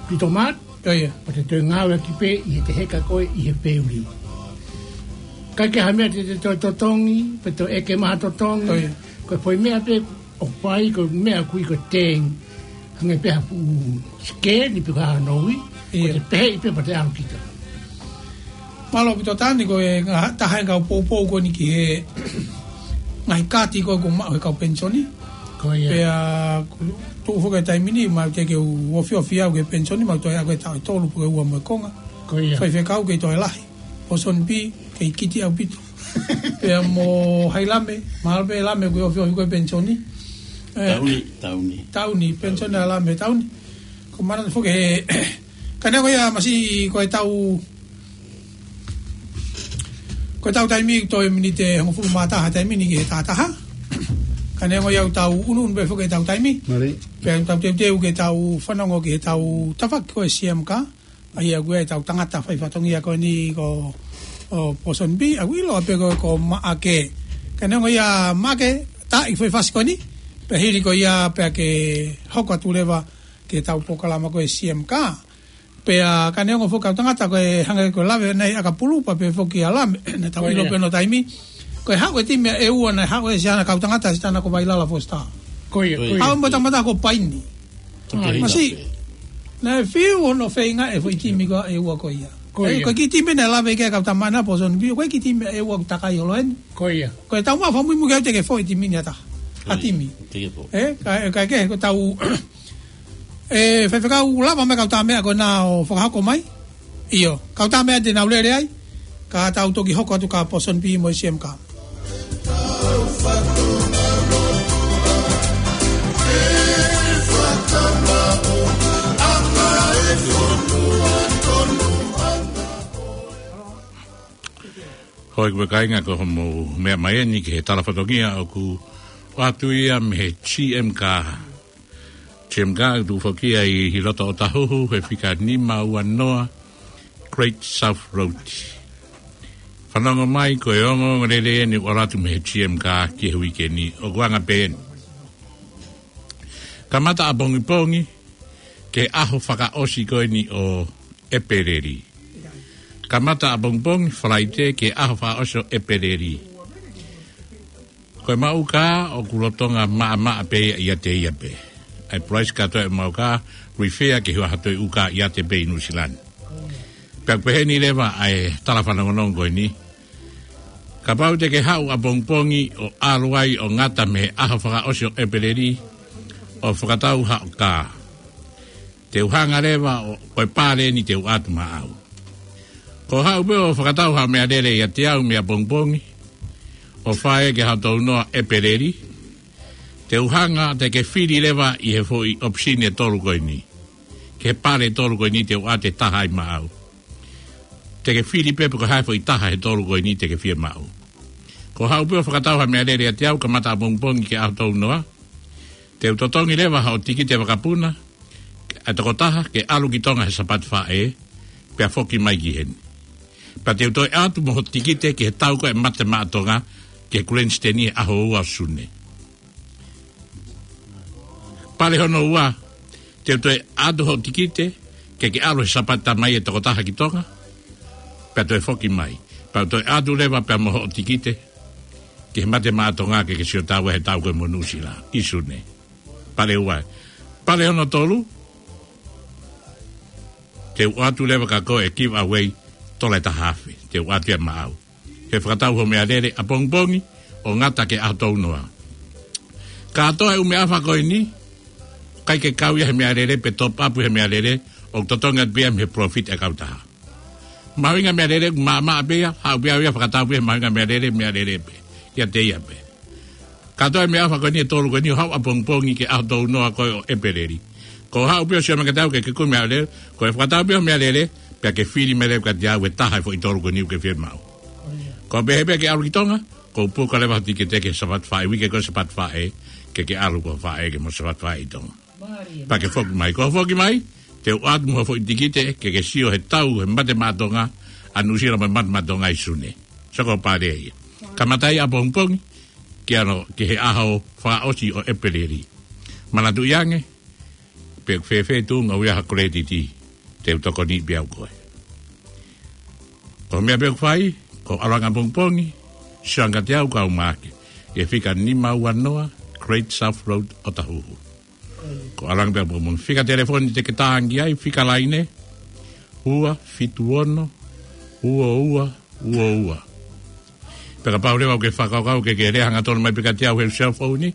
Pito Mart. Ko ia. Ko te toe ngāueʻaki pē ʻi heʻete heka koe ʻi he feuli. ʻIkai ke ʻi ai ha meʻa te te toe totongi, pe toe ʻeke mai ha totongi. Ko ia. Ko e foʻi meʻa pē ʻoku fai ko e meʻa ʻoku ui ko e tēng. Hangē pē ha fuʻu scan pe ko e hā noa ʻi. Ko ia. Te pehē pē pea te ʻalu kita. Mālō ʻaupito Tani, ko e ngaahi taha e kau poupou ko eni ki he ngaahi kaati ko ē ʻoku maʻu he kau penisoni. Ko ia. Pea ʻoku tuʻu foki e taimi ni, mau teʻeki ke u ofiofi au ki he penisoni, mau toe ʻi ai ko e taʻu ʻe tolu pe ko e ua mo e konga. Ko ia. Faifekau kei toe lahi. Pōsoni Bī, kei kiti ʻaupito. Pea mo Haʻi Lame, mahalo pē Lame ʻoku ofiofi ko e penisoni. Eh, Tauni, Tauni. Tauni, penisoni ʻa Lame, Tauni. Ko mana foki he, ka neongo ia masiʻi ko e tau, ko e tau taimi toe miniti hongofulu mā taha taimi ni ki he taha taha. Ka neongo ia ʻoku tau ʻunuʻunu pē foki he tau taimi. Mālie. Pea tau teuteu ke tau fanongo ki he tau tafaʻaki ko e C M K. ʻA ia ko e tau tangata fai fatongia ko eni ko, ʻo Pōsoni Bī, ʻoku ʻiloa pē ko, ko Maʻake. Ka neongo ia Maʻake, tā ʻi fai fasi ko eni, pea hili ko ia pea ke hoko atu leva ki he tau polokalama ko e C M K. Pea ka neongo foki kau tangata ko e hangē ko e lave ʻa e ʻakapulu pea pehē foki ʻa Lame, naʻa tau ʻilo pē hono taimi. Ko e haʻu e timi ʻa ʻEua naʻe haʻu ʻe Siana kau tangata Siana ko Vailala Foster. Ko ia, ko ia. Haʻu mo e tangata ko Paini. Masiʻi. Naʻe fiu hono feinga e foʻi timi ko ē ʻa ʻEua ko ia. Ko ia. Ko e kiʻi timi naʻe lave ki ai kau tama na Pōsoni Bī, ko e kiʻi timi ʻa ʻEua ʻoku takai holo eni. Ko ia. Ko e tau maʻu fakamuimui ke te ke foʻi timi ni ʻa taha. Ha timi. Ē, ka, ka ke, ko tau, ē, faifekau lava mai kau tā meʻa ko ena ʻo fakahoko mai. ʻIo, kau tā meʻa te nau lele ai, ka tau toki hoko atu kia Pōsoni Bī mo e C M K. Hoi, ko e kāinga, ko hoʻomou meʻa mai eni ki he tala fatongia ʻoku ʻoatu ia mei he C M K. C M K ʻoku tuʻu foki ia ʻi loto ʻOtahuhu, he fika nima ua noa Great South Road. Fanongo mai, ko e ongoongolelei eni ʻoku ʻalu atu mei he C M K ki he uike ni, ʻoku anga pē eni. Kamata ʻapongipongi ki he ʻaho fakaʻosi ko eni ʻo ʻEpeleli. Kamata ʻapongipongi Falaite ki he ʻaho fakaʻosi ʻo ʻEpeleli. Ko e maʻu kā ʻoku lolotonga maʻamaʻa pē ia ʻiate ia pē. ʻA e price kātoa e maʻu kā, refer ki he ʻū ʻaho toe ʻū kā ʻiate pē ʻi Nuʻusila ni. Pea ʻoku peheni leva ʻa e tala fanongonongo ko eni. Kapau te ke haʻu ʻapongipongi ʻo ʻalu ai ʻo ngata mei he ʻaho fakaʻosi ʻo ʻEpeleli ʻo fakatau haʻo kā, te u hanga leva ʻo, ko e pale eni te u ʻoatu maʻau. Ko e haʻu pē ʻo fakatau haʻo meʻalele ʻiate au mei ʻapongipongi ʻo fai ki he ʻaho tolu noa ʻEpeleli, te u hanga, te ke fili leva ʻi he foʻi ʻopisini ʻe tolu ko eni, ki he pale ʻe tolu ko eni te u ʻoatu e taha ai maʻau. Te ke fili pē pe ko e hā e foʻi taha he tolu ko eni te ke fiemaʻu. Ko e haʻu pē ʻo fakatau haʻo meʻalele ʻiate au kamata ʻapongipongi ki he ʻaho tolu noa, te u totongi leva haʻo tikite vakapuna ʻa e tokotaha ke ʻalu ki Tonga he Sāpate Faʻē, pea foki mai ki heni. Pea te u toe ʻoatu mo hoʻo tikite ki he tau ko ē Mate Maʻa Tonga, ki he Grandstand he ʻaho ua ʻo Sune. Pale hono ua, te u toe ʻoatu hoʻo tikite ke ke ʻalu he Sāpate Tamai e tokotaha ki Tonga, pea toe foki mai. Pea u toe ʻoatu leva pea mo hoʻo tikite ki he Mate Maʻa Tonga ke ke sio tau he tau ko ē mo Nuʻusila ʻi Sune. Pale ua. Pale hono tolu, te u ʻoatu leva kia koe e giveaway tola ʻe taha afe. Te u ʻoatu ia maʻau. He fakatau hoʻo meʻalele ʻapongipongi ʻo ngata ki he ʻaho tolu noa. Kātoa e ʻū meʻaʻofa ko eni, ʻikai ke kau ia he meʻalele pe top up he meʻalele, ʻoku totongi atu pē ia mei he palōfita ʻa e kautaha. Mahuʻinga meʻalele, maʻamaʻa pē ia, haʻu pē ia, fakatau pē ia, mahuʻinga meʻalele, meʻalele pē. ʻIate ia pē. Kātoa e meʻaʻofa ko eni ʻe tolu ko eni ʻo haʻu ʻapongipongi ki he ʻaho tolu noa ko ē ʻo ʻEpeleli. Ko e haʻu pē ʻo sio mai kiate au ke ke kumi meʻalele, ko e fakatau pē ʻo meʻalele, pea ke fili mai leva kiate au e taha e foʻi tolu ko eni ʻoku ke fiemaʻu. Ko e pehē pē ke ʻalu ki Tonga, ko e puka leva ho tikite ki he Sāpate Faʻē, uike ko ē Sāpate Faʻē, ke ke ʻalu ko e faʻē ke mo Sāpate Faʻē ʻi Tonga. Pea ke foki mai. Ko e foki mai, te u ʻoatu mo ha foʻi tikite, ke ke sio he tau, he Mate Maʻa Tonga, ʻa Nuʻusila mo e Mate Maʻa Tonga ʻi Sune. Soko pale ia. Kamata ia ʻapongipongi, ki ano, ki he ʻaho fakaʻosi ʻo ʻEpeleli. Manatuʻi ange, pe ʻoku fēfē tuʻunga ʻoku ʻi ai ha credit, te u tokoniʻi pē au koe. Ko e meʻa pē ʻoku fai, ko e ʻalu ange ʻapongipongi, sio ange kiate au kau Maʻake. ʻI he fika nima ua noa, Great South Road, Otahuhu. Ko e ʻalu ange pē ʻapongipongi. Fika telefoni te ke tā ange ki ai, fika laine, ua fitu ono, ua ua, ua ua. Pea kapau leva ʻoku ke fakakaukau ke ke lea hangatonu mai pē kiate au he cell phone ni.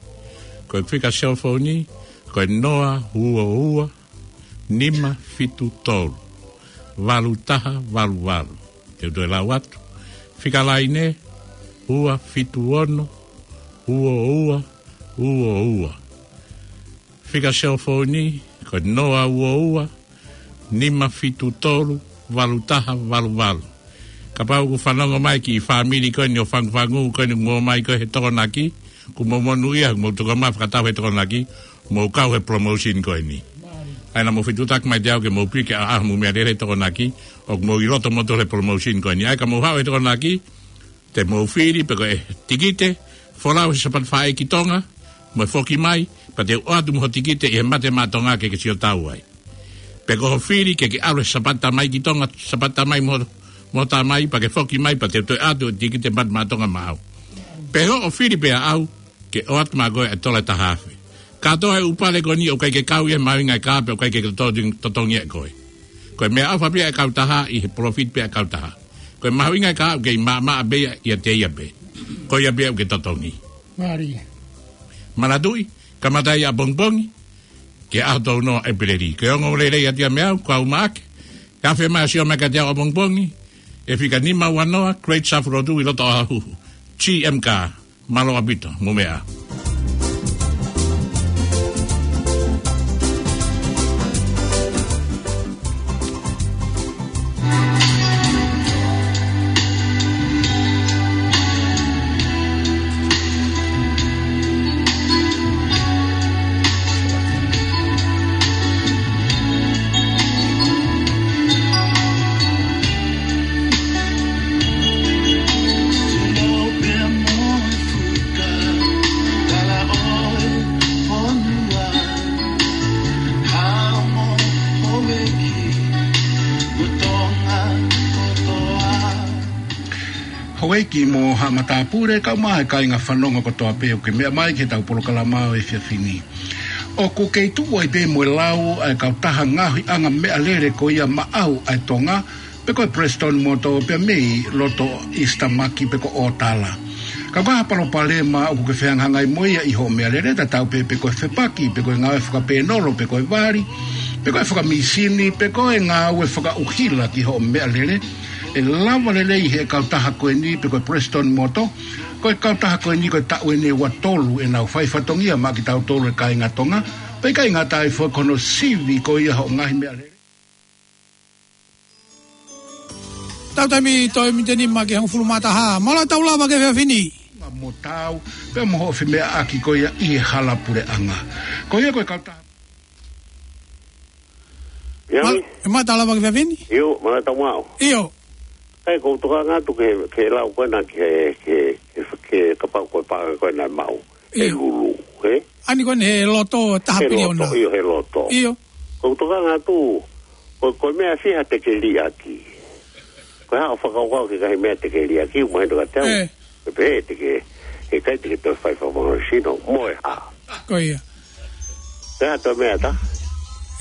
Ko e fika cell phone ni, ko e noa ua ua, nima fitu tolu, valu taha valu valu. Te u toe lau atu. Fika laine, ua fitu ono, ua ua, ua ua. Fika cell phone ni, ko e noa ua ua, nima fitu tolu, valu taha valu valu. Kapau ʻoku fanongo mai ki he fāmili ko eni ʻo Fangufangu ko eni ʻoku mou ō mai ko ē he Tokonaki, ʻoku mou monūʻia, ʻoku mou tuku mai fakatau he Tokonaki, mou kau he promotion ko eni. ʻAi naʻa mou fetuʻutaki mai kiate au ke mou piki ʻa, ʻa hoʻomou meʻalele he Tokonaki, ʻoku mou ʻi loto moutolu he promotion ko eni. ʻAi ka mou haʻu he Tokonaki, te mou fili pē ko e tikite, folau he Sāpate Faʻē ki Tonga, mo e foki mai, pea te u ʻoatu mo ho tikite ʻi he Mate Maʻa Tonga ke ke sio tau ai. Pe ko hoʻo fili ke ke ʻalu he Sāpate Tamai ki Tonga, Sāpate Tamai mo, mo Tamai, pea ke foki mai, pea te u toe ʻoatu e tikite Mate Maʻa Tonga maʻau. Pe hoʻo fili pē ʻaʻau, ke ʻoatu maʻa koe e tola ʻe taha afe. Kātoa e ʻū pale ko eni ʻoku ʻikai ke kau ia he mahuʻinga e kā pea ʻoku ʻikai ke totongi, totongi ʻe koe. Ko e meʻaʻofa pē ia ʻa e kautaha ʻi he palōfita pē ʻa e kautaha. Ko e mahuʻinga e kā ʻoku kei maʻamaʻa pē ia ʻiate ia pē. Ko ia pē ʻoku ke totongi. Mālie. Manatuʻi, kamata ia ʻapongipongi, ki he ʻaho tolu noa ʻEpeleli. Ko e ongoongolelei atu ia meiate au, kau Maʻake. Ke afe mai ʻo sio mai kiate au ʻapongipongi, ʻi he fika nima ua noa, Great South Road ʻi loto Otahuhu. G M Car. Mālō ʻaupito, mo meʻa. Houʻeiki mo haʻa matāpule, kae ʻumaʻā e kāinga fanongo kotoa pē ʻoku ke meʻa mai ki heʻetau polokalama ʻo e efiafi ni. ʻOku kei tuʻu ai pē mo e lau ʻa e kautaha ngaohiʻanga meʻalele ko ia maʻau ʻa e Tonga, pe ko e Prestone Motor pea mei loto East Tamaki pe ko ʻŌtala. Ka ko ha palopalema ʻoku ke fehangahangai mo ia ʻi hoʻo meʻalele, tatau pē pe ko e fepaki, pe ko e ngāue fakapēnolo, pe ko e vali, pe ko e fakamīsini, pe ko e ngāue fakaʻuhila ki hoʻo meʻalele, ʻe lava lelei ʻe he kautaha ko eni pe ko e Prestone Motor, ko e kautaha ko eni ko e taʻu eni ʻe ua tolu ʻenau fai fatongia maʻa kitautolu e kāinga Tonga, pea ʻikai ngata ai foki ko hono sivi ko ia hoʻo ngaahi meʻalele. Tau taimi toe miniti ʻe nima ki he hongofulu mā taha. Mālō e tau lava ki he efiafi ni. Mo tau, pea mo hoʻo femeʻaʻaki ko ia ʻi he hala puleʻanga. Ko ia ko e kautaha. Ia, Ma-, ʻe mata lava ki he efiafi ni? ʻIo, mālō e tau maʻu. ʻIo. ʻAi, ʻoku ou tokanga atu ki he, ki he lau ko ena ki he, ki he, ki he, ki he kapau ko e paʻanga ko ena ʻe maʻu. ʻIo. He lulu, he? ʻAni ko eni he loto taha piliona. He loto, ʻio, he loto. ʻIo. ʻOku ou tokanga atu, ko, ko e meʻa fiha te ke liʻaki. Ko e hā hoʻo fakakaukau ki he ngaahi meʻa te ke liʻaki, ʻoku mahino kiate au. ʻE. Pe pehē te ke, heʻikai te ke toe fai fakamoʻoni sino, mo e hā. Ko ia. Pe hā toe meʻa ta?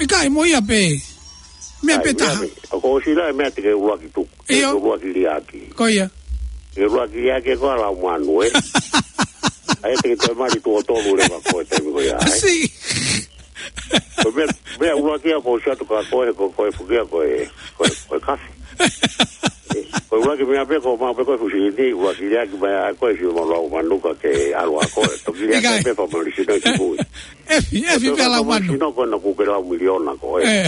ʻIkai, mo ia pē. Meʻa pē taha. ʻAi, meʻa pē. ʻOku ʻosi lau e meʻa te ke ʻuluaki tuku. ʻIo. Te ke ʻuluaki liʻaki. Ko ia. Te ke ʻuluaki liʻaki ko e lau manu, ē? ʻAi, te ke toe mali tuʻo tolu leva ko e taimi ko ia, ē? Siʻi. Ko e meʻa, meʻa ʻuluaki ia ʻoku ou sio atu kia koe, ko, ko e fukia ko e, ko e, ko e kafi. Ko e ʻuluaki meʻa pē ko mau pē ko e fusi ni, ʻuluaki liʻaki mai ʻa koe si mo lau manuka ke ʻalu ʻa koe. Toki liʻaki pē fa mali sino ki mui. Efi, efi pē lau manu. Sino ko na ku ke lau miliona ko e.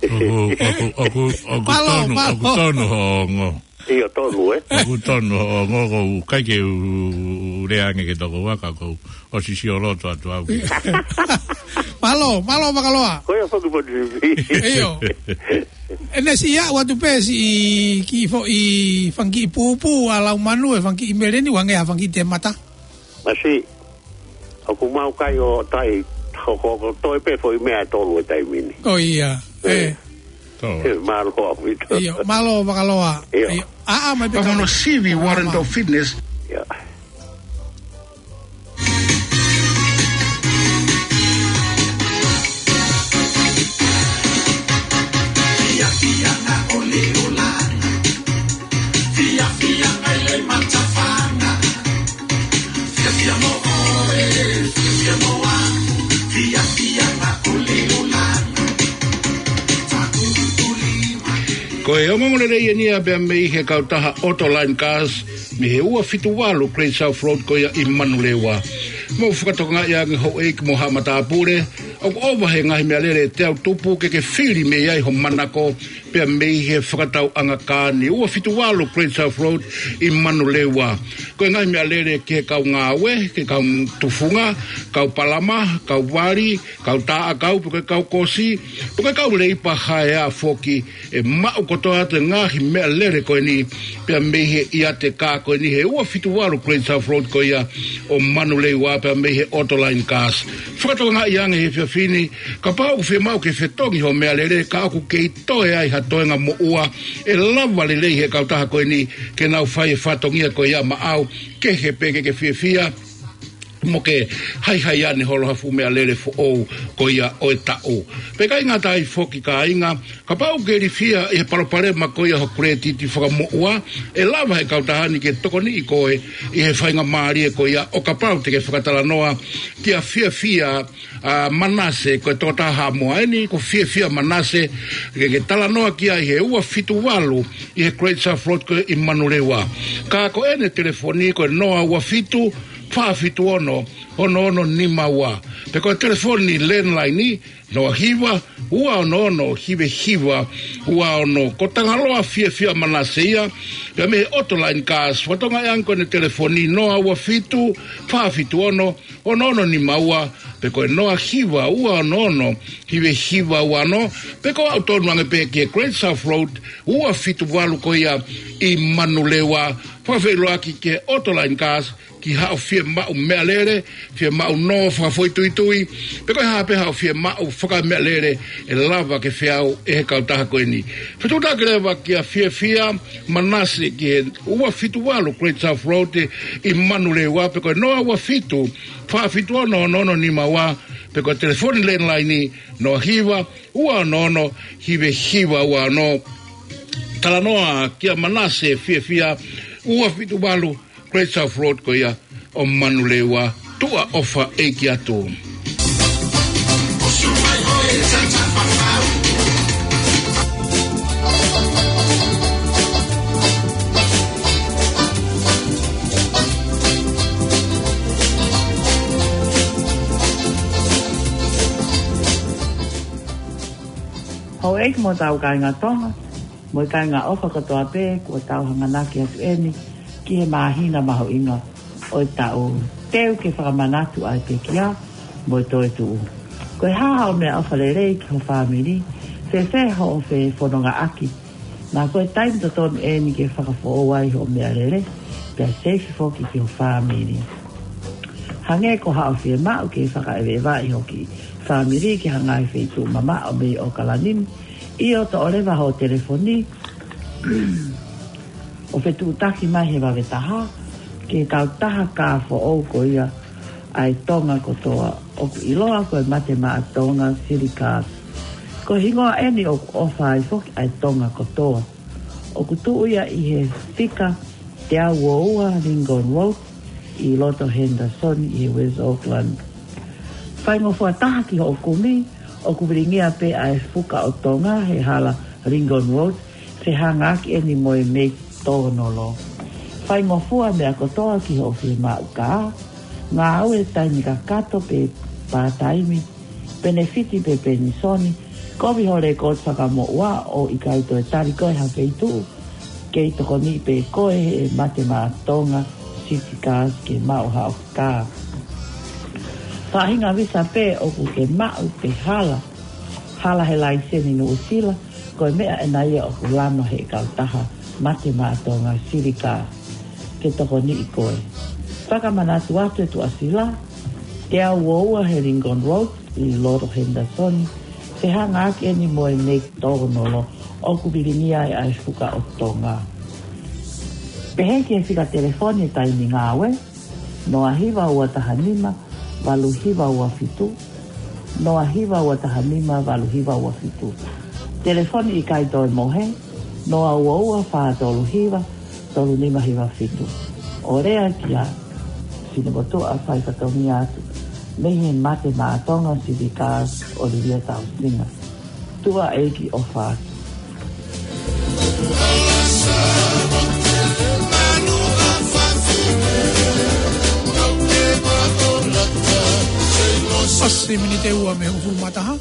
ʻOku, ʻoku, ʻoku, ʻoku tonu, ʻoku tonu hoʻo ongo. ʻIo, tonu, ē? ʻOku tonu hoʻo ongo, ʻoku ʻikai ke u, u lea ange ke toko ua ka ʻoku ou sio loto atu au ki. Mālō, mālō Makaloa. Ko ia foki po ni. ʻIo. ʻEne siʻi aʻu atu pē siʻi kiʻi foʻi fanga kiʻi pūpū ʻa lau manu ʻe fanga kiʻi meleni, ʻoange ha fanga kiʻi temata. Masi, ʻoku mau kai ʻo tai, ko, ko, ko toe pē foʻi meʻa ʻe tolu ʻi he taimi ni. Ko ia, ē. Mālō ʻaupito. ʻIo, mālō Makaloa. ʻIo. ʻIo. ʻA, ʻa, mai pē ka. Sivi Warrant of Fitness. ʻIo. Ko e ongoongo lelei eni ia pea mei he kautaha Autoline Cars, mei he ua fitu valu Great South Road ko ia ʻi Manurewa. Mou fakatokangaʻi ange houʻeiki mo haʻa matāpule, ʻoku ʻova he ngaahi meʻalele te u tupu ke ke fili mei ai ho manako, pea mei he fakatauʻanga kā ni ua fitu valu Great South Road ʻi Manurewa. Ko e ngaahi meʻalele ki he kau ngāue, ki he kau tufunga, kau palama, kau vali, kau taʻakau, pe ko e kau kosi, pe ko e kau leipa haeā foki, ʻe maʻu kotoa atu e ngaahi meʻalele ko eni, pea mei he ʻiate kā ko eni he ua fitu valu Great South Road ko ia ʻo Manurewa pea mei he Autoline Cars. Fakatokangaʻi ange he efiafi ni, kapau ʻoku fiemaʻu ke fetongi hoʻo meʻalele, ka ʻoku kei toe ai ha toenga moʻua, ʻe lava lelei he kautaha ko eni ke nau fai e fatongia ko ia maʻau, kehe pē ke ke fiefia, mo ke haihai ane holo ha fuʻu meʻalele foʻou ko ia ʻo e taʻu. Pea ʻikai ngata ai foki kāinga, kapau ʻoku ke ilifia ʻi he palopalema ko ia ho kuletiti fakamoʻua, ʻe lava he kautaha ni ke tokoniʻi koe ʻi he faingamālie ko ia ʻo kapau te ke fakatalanoa kia Fiafia, ʻa, Manase, ko e tokotaha Haʻamoa eni, ko Fiafia Manase, ke ke talanoa ki ai he ua fitu valu ʻi he Great South Road ko ē ʻi Manurewa. Ka ko ʻene telefoni ko e noa ua fitu, fā fitu ono, ono ono nima ua. Pe ko e telefoni landline, noa hiva, ua ono ono, hiva hiva, ua ono. Ko Tangaloa Fiafia Manase ia, pea mei he Autoline Cars, fakatokangaʻi ange ko ʻene telefoni noa ua fitu, fā fitu ono, ono ono nima ua, pe ko e noa hiva, ua ono ono, hiva hiva ua ono, pe ko e aʻu tonu ange pē ki he Great South Road, ua fitu valu ko ia ʻi Manurewa, fakafeʻiloaki ki he Autoline Cars, ki haʻo fiemaʻu meʻalele, fiemaʻu nō fakafoʻituitui, pe ko e hā pē haʻo fiemaʻu fakameʻalele ʻe lava ke feau ʻe he kautaha ko eni. Fetuʻutaki leva kia Fiafia Manase ki he ua fitu valu Great South Road ʻi Manurewa, pe ko e noa ua fitu, fā fitu ono, ono ono nima ua, pe ko e telefoni landline noa hiva, ua ono ono, hiva hiva ua ono. Talanoa kia Manase Fiafia, ua fitu valu Great South Road ko ia ʻo Manurewa, tuʻa ʻofa ʻeiki atu. Houʻeiki mo hotau kāinga Tonga, mo e kāinga ʻofa kotoa pē, kuo tau hanganaki atu eni ki he māhina mahuʻinga ʻo e taʻu. Teu ke fakamanatu ʻa e pekia mo e toetuʻu. Ko e hā haʻo meʻaʻofa lelei ki ho fāmili, fēfē hoʻo fefonongaʻaki? Naʻa ko e taimi totonu eni ke fakafoʻou ai hoʻo meʻalele, pea seifi foki ki ho fāmili. Hangē ko haʻo fiemaʻu ke fakaʻeveʻeva ʻi hoʻo kiʻi fāmili ki ha ngaahi feituʻu mamaʻo mei ʻOkalani, ʻio, toʻo leva ho telefoni ʻo fetuʻutaki mai he vave taha ki he kautaha kā foʻou ko ia ʻa e Tonga kotoa, ʻoku ʻiloa ko e Mate Maʻa Tonga City Cars. Ko e hingoa eni ʻoku ʻofa ai foki ʻa e Tonga kotoa. ʻOku tuʻu ia ʻi he fika teau ua ua Lincoln Road ʻi loto Henderson ʻi he West Auckland. Faingofua taha ki hoʻo kumi, ʻOku vilingia pē ʻa e Fuka ʻo Tonga he hala Lincoln Road, fehangaaki eni mo e Meki Tōnolo. Faingofua meʻa kotoa ki hoʻo fiemaʻu kā, ngāue taimi kakato pe pātaimi, penefiti pe penisoni, kovi ho lekooti fakamoʻua ʻo ʻikai toe tali koe ha feituʻu, kei tokoniʻi pē koe ʻe Mate Maʻa Tonga City Cars ke maʻu haʻo kā. Faʻahinga visa pē ʻoku ke maʻu pe hala, hala he laiseni Nuʻusila, ko e meʻa ena ia ʻoku lama he kautaha Mate Maʻa Tonga City Cars ke tokoniʻi koe. Fakamanatu atu e tuʻasila, teau ua ua he Lincoln Road ʻi loto Henderson, fehangaaki eni mo e Meki Tōnolo, ʻoku vilingia ai ʻa e Fuka ʻo Tonga. Pehē ki he fika telefoni e taimi ngāue, noa hiva ua taha nima, valu hiva ua fitu, noa hiva ua taha nima, valu hiva ua fitu. Telefoni ʻikai toe mohe, noa ua ua fā tolu hiva, tolu nima hiva fitu. ʻO lea kia Sine Motuʻa, fai fatongia atu mei he Mate Maʻa Tonga City Cars, ʻo Livia Tausinga. Tuʻa ʻEiki ʻofa atu. ʻOsi miniti ʻe ua mei he hongofulu mā taha.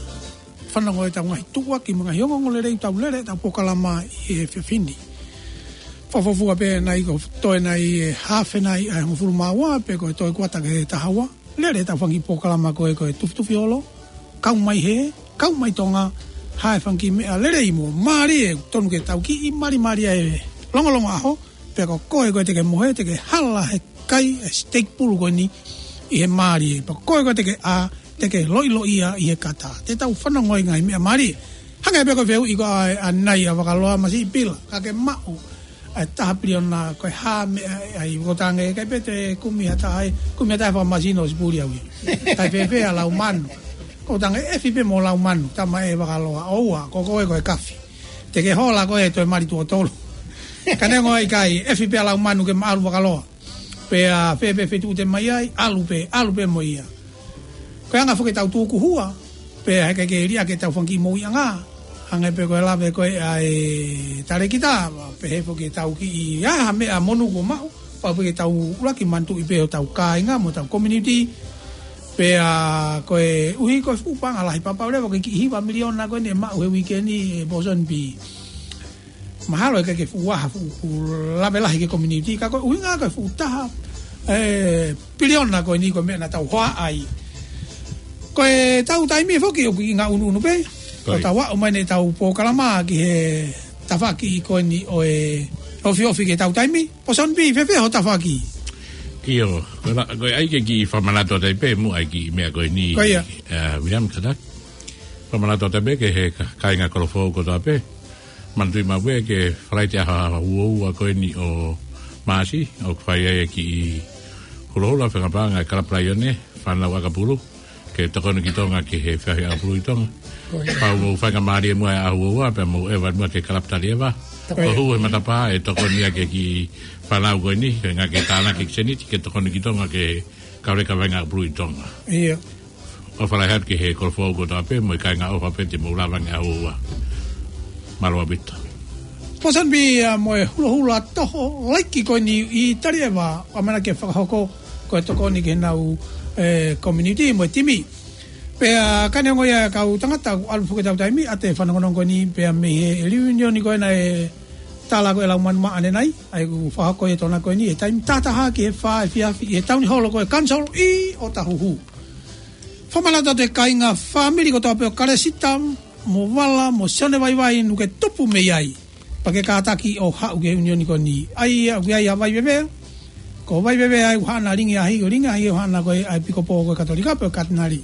Fanongo ʻetau ngaahi tuʻuaki mo e ngaahi ongoongolelei ʻoku tau lele ʻetau polokalama ʻi he efiafi ni. Fakafuofua pē ʻanenai ko e toe ʻanenai e hafe ʻanenai ʻa e hongofulu mā ua pe ko e toe kuata ki he taha ua. Lele ʻetau fanga kiʻi polokalama ko e, ko e Tufitufi Holo, Kau Mai Hē, Kau Mai Tonga, ha e fanga kiʻi meʻa lelei mo mālie, tonu ke tau kiʻi malimali ai e longolongo ʻaho, pea ko koe ko ē te ke mohe, te ke hala he kai e siteiki pulu ko eni ʻi he mālie, pea ko koe ko ē te ke ʻā, te ke loʻiloʻia ʻi he kata. Te tau fanongo ʻi he ngaahi meʻa mālie. Hangē pē ko e fehuʻi ko ē ʻanenai ʻa Vakaloa, masiʻi pila, ka ke maʻu ʻa e taha piliona, ko e hā meʻa ʻe ʻai? Ko e tangi, ʻikai pē te kumi ha taha ʻe, kumi ha taha ʻe fakamasino ʻo sipuli au ia. Kae fēfē ʻa Laumanu? Ko e tangi, ʻefi pē mo Laumanu, tama ē Vakaloa, ʻoua, ko koe ko e kafi. Te ke hola koe ʻo toe mali tuʻo tolu. Ka neongo ʻikai, ʻefi pē ʻa Laumanu ke maʻalu Vakaloa. Pea fēfē feituʻu te mai ai, ʻalu pē, ʻalu pē mo ia. Ko e anga foki ʻetau tukuhua, pea heʻikai ke liʻaki ʻetau fanga kiʻi moʻuiʻanga. Hangē pē ko e lave ko ē ʻa e talēkita, pehē foki ʻetau kiʻi, ʻa e meʻa monū kuo maʻu, pau pē ke tau ʻuluaki manatuʻi pē hotau kāinga mo hotau community. Pea koeʻuhi ko e fuʻu paʻanga lahi, pau pē leva ko e kiʻi hiva miliona ko eni ʻe maʻu he uike ni ʻe Pōsoni Pī. Mahalo ʻe ʻikai ke fuʻu ʻaha, fuʻu, fuʻu lave lahi ki he community, ka ko e ʻuhinga ko e fuʻu taha, ē, piliona ko eni ko e meʻa naʻa tau hohaʻa ai. Ko ʻetau taimi foki ʻoku kiʻi ngaʻunu pē. Ko ia. Ko ʻetau aʻu mai eni ʻetau polokalama ki he tafaʻaki ko eni ʻo e ofiofi ki heʻetau taimi. Pōsoni Pī, fēfē hoʻo tafaʻaki? ʻIo, ko e la-, ko e ʻai ke kiʻi fakamanatu atu ai pē muʻa e kiʻi meʻa ko eni. Ko ia. Ē, William Katak. Fakamanatu atu ai pē ki he ka-, kāinga Kolofoʻou kotoa pē. Manatuʻi maʻu pē ki he Falaite ʻaho ua ua ko eni ʻo Maʻasi, ʻoku fai ai e kiʻi hulohula fakapaʻanga e Kalapu Laione, fānau ʻakapulu, ke tokoni ki Tonga ki he feohi ʻakapulu ʻi Tonga. Ko ia. Pea mou faingamālie muʻa he ʻaho ua ua, pea mou ʻeva muʻa ki he Kalapu Talieva. Ko ia. Ko e hū he matapā ʻe tokoni ʻaki e kiʻi fānau ko eni, ke ngāue ke tānaki e kiʻi sēniti, ke tokoni ki Tonga ki he kau leka vaʻinga ʻakapulu ʻi Tonga. ʻIo. ʻOfa lahi atu ki he Kolofoʻou kotoa pē, mo e kāinga ʻofa pē te mou lava ange ʻaho ua. Mālō ʻaupito. Pōsoni Pī, ā, mo e hulohula toho laiki ko eni ʻi Talieva, ʻoku ʻamanaki ke fakahoko ko e tokoni ki heʻenau, ē, community mo e timi. Pea ka neongo ia e kau tangata ʻoku ʻalu foki ʻetau taimi, ʻa e fanongonongo ko eni pea mei he reunion ko ena ʻe tala ko ē ʻe Laumanu Maʻa ʻanenai, ʻa ia ʻoku fakahoko ʻi he Tonga ko eni, he taimi taha taha ki he fā efiafi, ʻi he tauniholo ko e Council ʻi ʻŌtāhuhu. Fakamanatu atu e kāinga fāmili kotoa pē ʻo Kalesita, mo Vala, mo Sione Vaivai, ʻoku ke tupu mei ai. Pea ke kātaki ʻo haʻu ki he ʻiunioni ko eni. ʻA ia, ʻoku ʻi ai ʻa Vaiveve. Ko Vaiveve ʻa ia ʻoku haʻana Lingiahi, ko Lingiahi ʻoku haʻana ko e ʻaepikopō ko e Katolika pe ko e Katinali.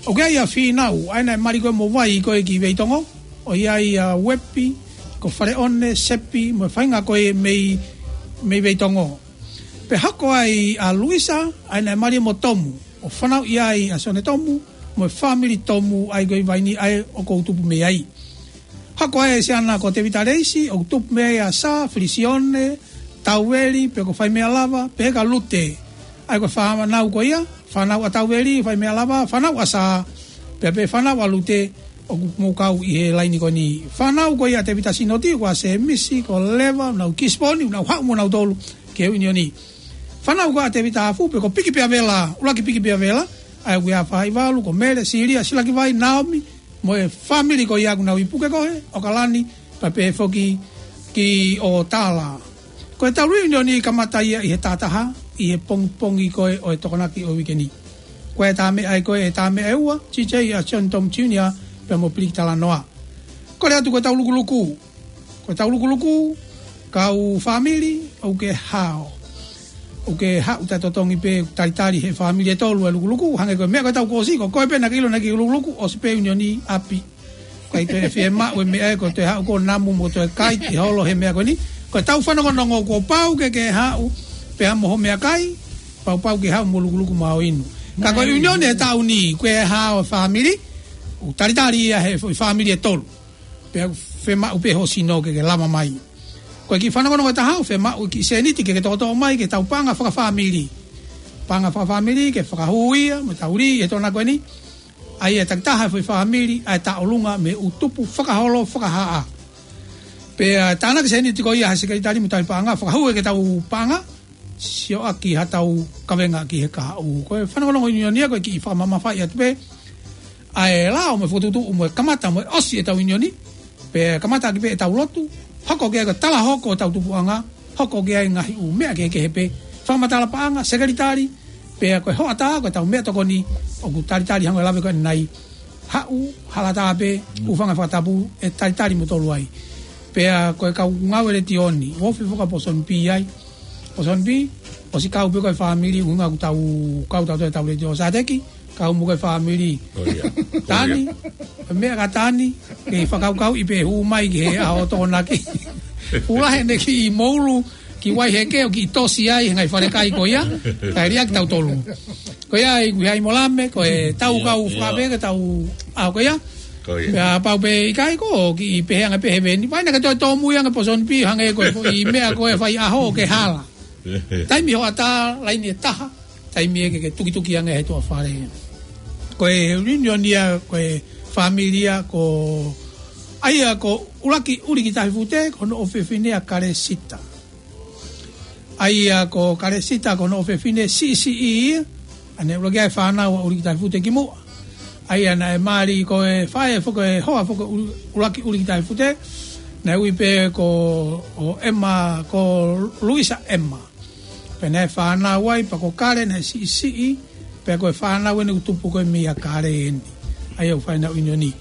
ʻOku ʻi ai ʻa Fīnau, ʻa ia naʻe mali ko ē mo Vai ko ē ki Veitongo. ʻOku ʻi ai ʻa Uepi, ko Faleʻone, Sepi, mo e faʻahinga ko ē mei, mei Veitongo. Pea hoko ai ʻa Luisa, ʻa ia naʻe mali mo Tomu. ʻO fanauʻi ai ʻa Sione Tomu, mo e fāmili Tomu ʻa ia ko ē ʻi Vaini ʻa ia ʻoku ou tupu mei ai. Hoko ai e siana ko Tevita Leisi, ʻoku tupu mei ai ʻa Sā, Felisione, Tauveli, pea ko Faimealava, pehē kia Lute. ʻA ia ko e fānau ko ia, fānau ʻa Tauveli, Faimealava, fānau ʻa Sā, Pea pē fānau ʻa Lute ʻoku mou kau ʻi he laini ko eni. Fānau ko ia ʻa Tevita Sinoti, ko ʻa Semisi, ko Leva, nau Kisiponi, nau haʻu mo nautolu ki he ʻiunioni. Fānau ko ia ʻa Tevita Afu, pe ko Piki Peavela, ʻUluaki Piki Peavela, ʻa ia ʻoku ʻi ai ʻa Faivalu, ko Mele, Silia, Silakivai, Naomi, mo e fāmili ko ia ʻoku nau ʻi Pukekohe, ʻAokalani, pea pehē foki ki ʻOtala. Ko ʻetau reunion ʻe kamata ia ʻi he taha taha, ʻi he pongipongi ko ē ʻo e Tokonaki ʻo e uike ni. Ko e tā meʻa ē ko ē, tā meʻa ʻe ua, T J ʻa John Tom Junior, pea mo Piliki Talanoa. Kole atu ko ʻetau lukuluku. Ko ʻetau lukuluku, kau fāmili, ʻoku ke hao. ʻOku ke haʻu taʻetotongi pē, talitali he fāmili ʻe tolu ʻa e lukuluku, hangē ko e meʻa ko ʻetau kōsi, ko koe pē naʻa ke ʻilo naʻa ke lukuluku, ʻosi pē ʻiunioni ʻapi. ʻIkai toe fiemaʻu e meʻa ē, ko e toe haʻu ko namu mo toe kai ʻi holo he meʻa ko eni. Ko ʻetau fanongonongo kuo pau ke ke haʻu, pea mo ho meʻakai, pau pau ke haʻu mo lukuluku maʻu inu. Ka ko e ʻiunioni he taʻu ni, ko e hao fāmili, ʻoku talitali ia he foʻi fāmili ʻe tolu. Pea fiemaʻu pē ho sino ke ke lava mai. Ko e kiʻi fanongonongo ʻe taha, fiemaʻu e kiʻi sēniti ke ke toʻotoʻo mai ke tau paʻanga fakafāmili. Paʻanga fakafāmili ke fakahū ia, mo tau lī, ʻi he Tokonaki ko eni. ʻA ia ʻe takitaha e foʻi fāmili, ʻa e taʻolunga mei he ʻū tupu fakaholo, fakahā. Pea tānaki sēniti ko ia ha sekelitali mo tau paʻanga, fakahū ia ke tau paʻanga, sioʻaki ha tau kavenga ki he kahaʻu. Ko e fanongonongo ʻiunioni ia, ko e kiʻi fakamamafaʻi atu pē. ʻA e lao mo e fokotuʻutuʻu mo e kamata mo e ʻosi ʻetau ʻiunioni. Pea kamata ʻaki pē ʻetau lotu. Hoko ki ai ko e talahoko ʻetau tupuʻanga. Hoko ki ai ngaahi ʻū meʻa kehekehe pē. Fakamatala paʻanga, sekelitali. Pea ko e hoʻatā, ko ʻetau meʻatokoni. ʻOku talitali hangē ko e lave ko eni. Haʻu, hala tā pē, ʻū fanga fakatapu, ʻe talitali mo tolu ai. Pea ko e kau ngāue letiō ni, ʻoku ofi foki ʻa Pōsoni Pī ai. Pōsoni Pī, ʻosi kau pē ko e fāmili, ʻuhinga ʻoku tau, kau tau toe tau letiō Sateki, kau mo ko e fāmili. Ko ia. Tani, meʻa ka Tani, ke fakakaukauʻi pē hū mai ki he ʻaho Tokonaki. Ula he ne ki moulu, ki Vaiheke ʻo kiʻi tosi ai, he ngaahi falekai ko ia, kae liʻaki tautolu. Ko ia, ʻi he ʻi Molame, ko e tau kau fakape, ke tau, ʻa, ko ia. Ko ia. Pea pau pē ʻikai ko, kiʻi pehē ange pē he veni. Vai naʻa ke toe tōmui ange Pōsoni Pī, hangē ko e foʻi meʻa ko e fai ʻaho ke hala. Taimi hoʻatā, laini ʻe taha, taimi ē ke ke tukituki ange he tuʻa fale. Ko e reunion ia, ko e fāmili ia, ko, ʻa ia ko ʻUluaki ʻUlikitahifute, ko hono ʻofefine ʻa Kalesita. ʻA ia ko Kalesita ko hono ʻofefine siʻisiʻi ia, ʻa ia naʻe ʻuluaki ʻa e fānau ʻa ʻUlikitahifute kimuʻa. ʻA ia naʻe mali ko e faʻē foki e hoa foki ʻo ʻUlu-, ʻUluaki ʻUlikitahifute, naʻe ui pē ko, ʻo Ema, ko Luisa Ema. Pea naʻe fānau ai, pea ko Kale naʻe siʻisiʻi, pea ko e fānau eni ʻoku tupu ko ē meia Kale eni. ʻA ia ʻoku fai ʻenau ʻiunioni.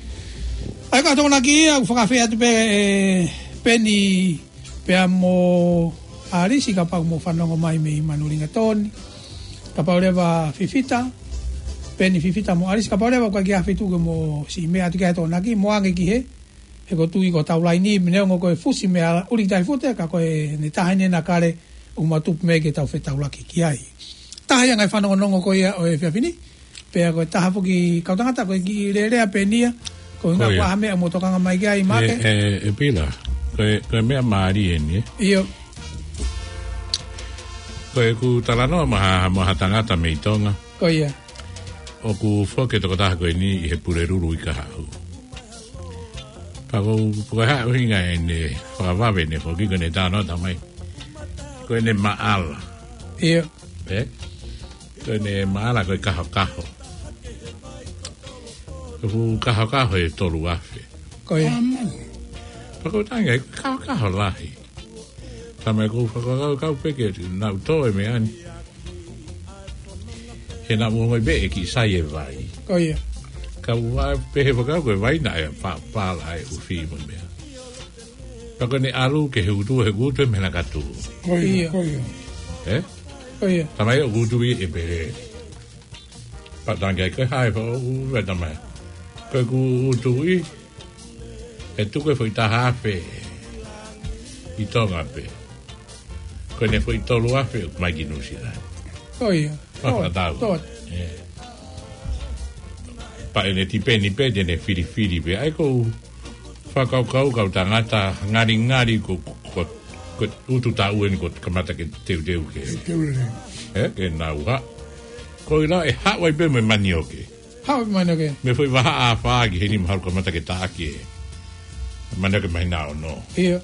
ʻA ia ko e Tokonaki ia, ʻoku fakafeʻao atu pē, ē, Peni pea mo ʻAlisi kapau ʻoku mou fanongo mai mei Manulingatoni. Kapau leva Fifita, Peni Fifita mo ʻAlisi, kapau leva ʻoku ʻikai ke ʻi ai ha feituʻu ke mou siʻi meʻa atu ki ai he Tokonaki, mou ange ki hē, he ʻoku ou tui ko hotau laini, neongo ko e fusi meia ʻUlikitahifute, ka ko ʻene taha eni ʻa Kale, ʻoku mau tupu mei ai ke tau fetaulaki ki ai. Taha ia ngaahi fanongonongo ko ia ʻo e efiafi ni, pea ko e taha foki kau tangata ko e kiʻi lelea Peni ia, ko e ʻuhinga ko ia. Ko ha meʻa mou tokanga mai ki ai, Maʻake? ʻE, ʻe, ʻe Pila, ko e, ko e meʻa mālie eni, ē? ʻIo. Ko ʻeku talanoa mo ha, mo ha tangata mei Tonga. Ko ia. ʻOku foki e tokotaha ko eni ʻi he Pulelulu ʻi Kahaʻu. Pea ko, ko e hā e ʻuhinga ʻene fakavave ʻene foki ko ʻene talanoa mai. Ko ʻene maʻala. ʻIo. Ē? Ko ʻene maʻala ko e kahokaho. Ko e fuʻu kahokaho ʻe tolu afe. Ko ia. Pea ko e tangi ai, kahokaho lahi. Talamai ʻoku ou fakakaukau pē ke naʻu tō e meʻa ni. He naʻa mou ongoʻi pē ʻe kiʻi sai e vai. Ko ia. Ka ʻoku ou pehē fakau ko e vai naʻe fa-, pala ai ʻufi mo e meʻa. Pea ko ʻene ʻalu ki he utu, he utu ʻe meʻa naʻa ka tuʻu. Ko ia, ia. Ko ia. Ē? Ko ia. Talamai ʻoku tuʻu ʻi he pele. Pea tangi ai ko e hā e fakaʻuhinga talamai. Ko ʻeku tuʻu ʻi, ʻe tuku e foʻi taha afe ʻi Tonga pē. Ko ʻene foʻi tolu afe ʻoku mai ki Nuʻu Sila. Ko ia. Pea fakatau. Ē. Pea ʻene tipeni pē, te ne filifili pē. ʻA ia ʻoku ou fakakaukau kau tangata ngalingali ko, ko, ko, ko utu taʻu eni ko e kamata ke teuteu ke. Teuteu. Ē, ke nau haʻu. Ko ʻilā ʻe haʻu ai pē mo e manioke. Haʻu e manioke. Mei he foʻi vahaʻa ʻe fā ki he nima haʻu kamata ke taʻaki e manioke mahina ono. ʻIo.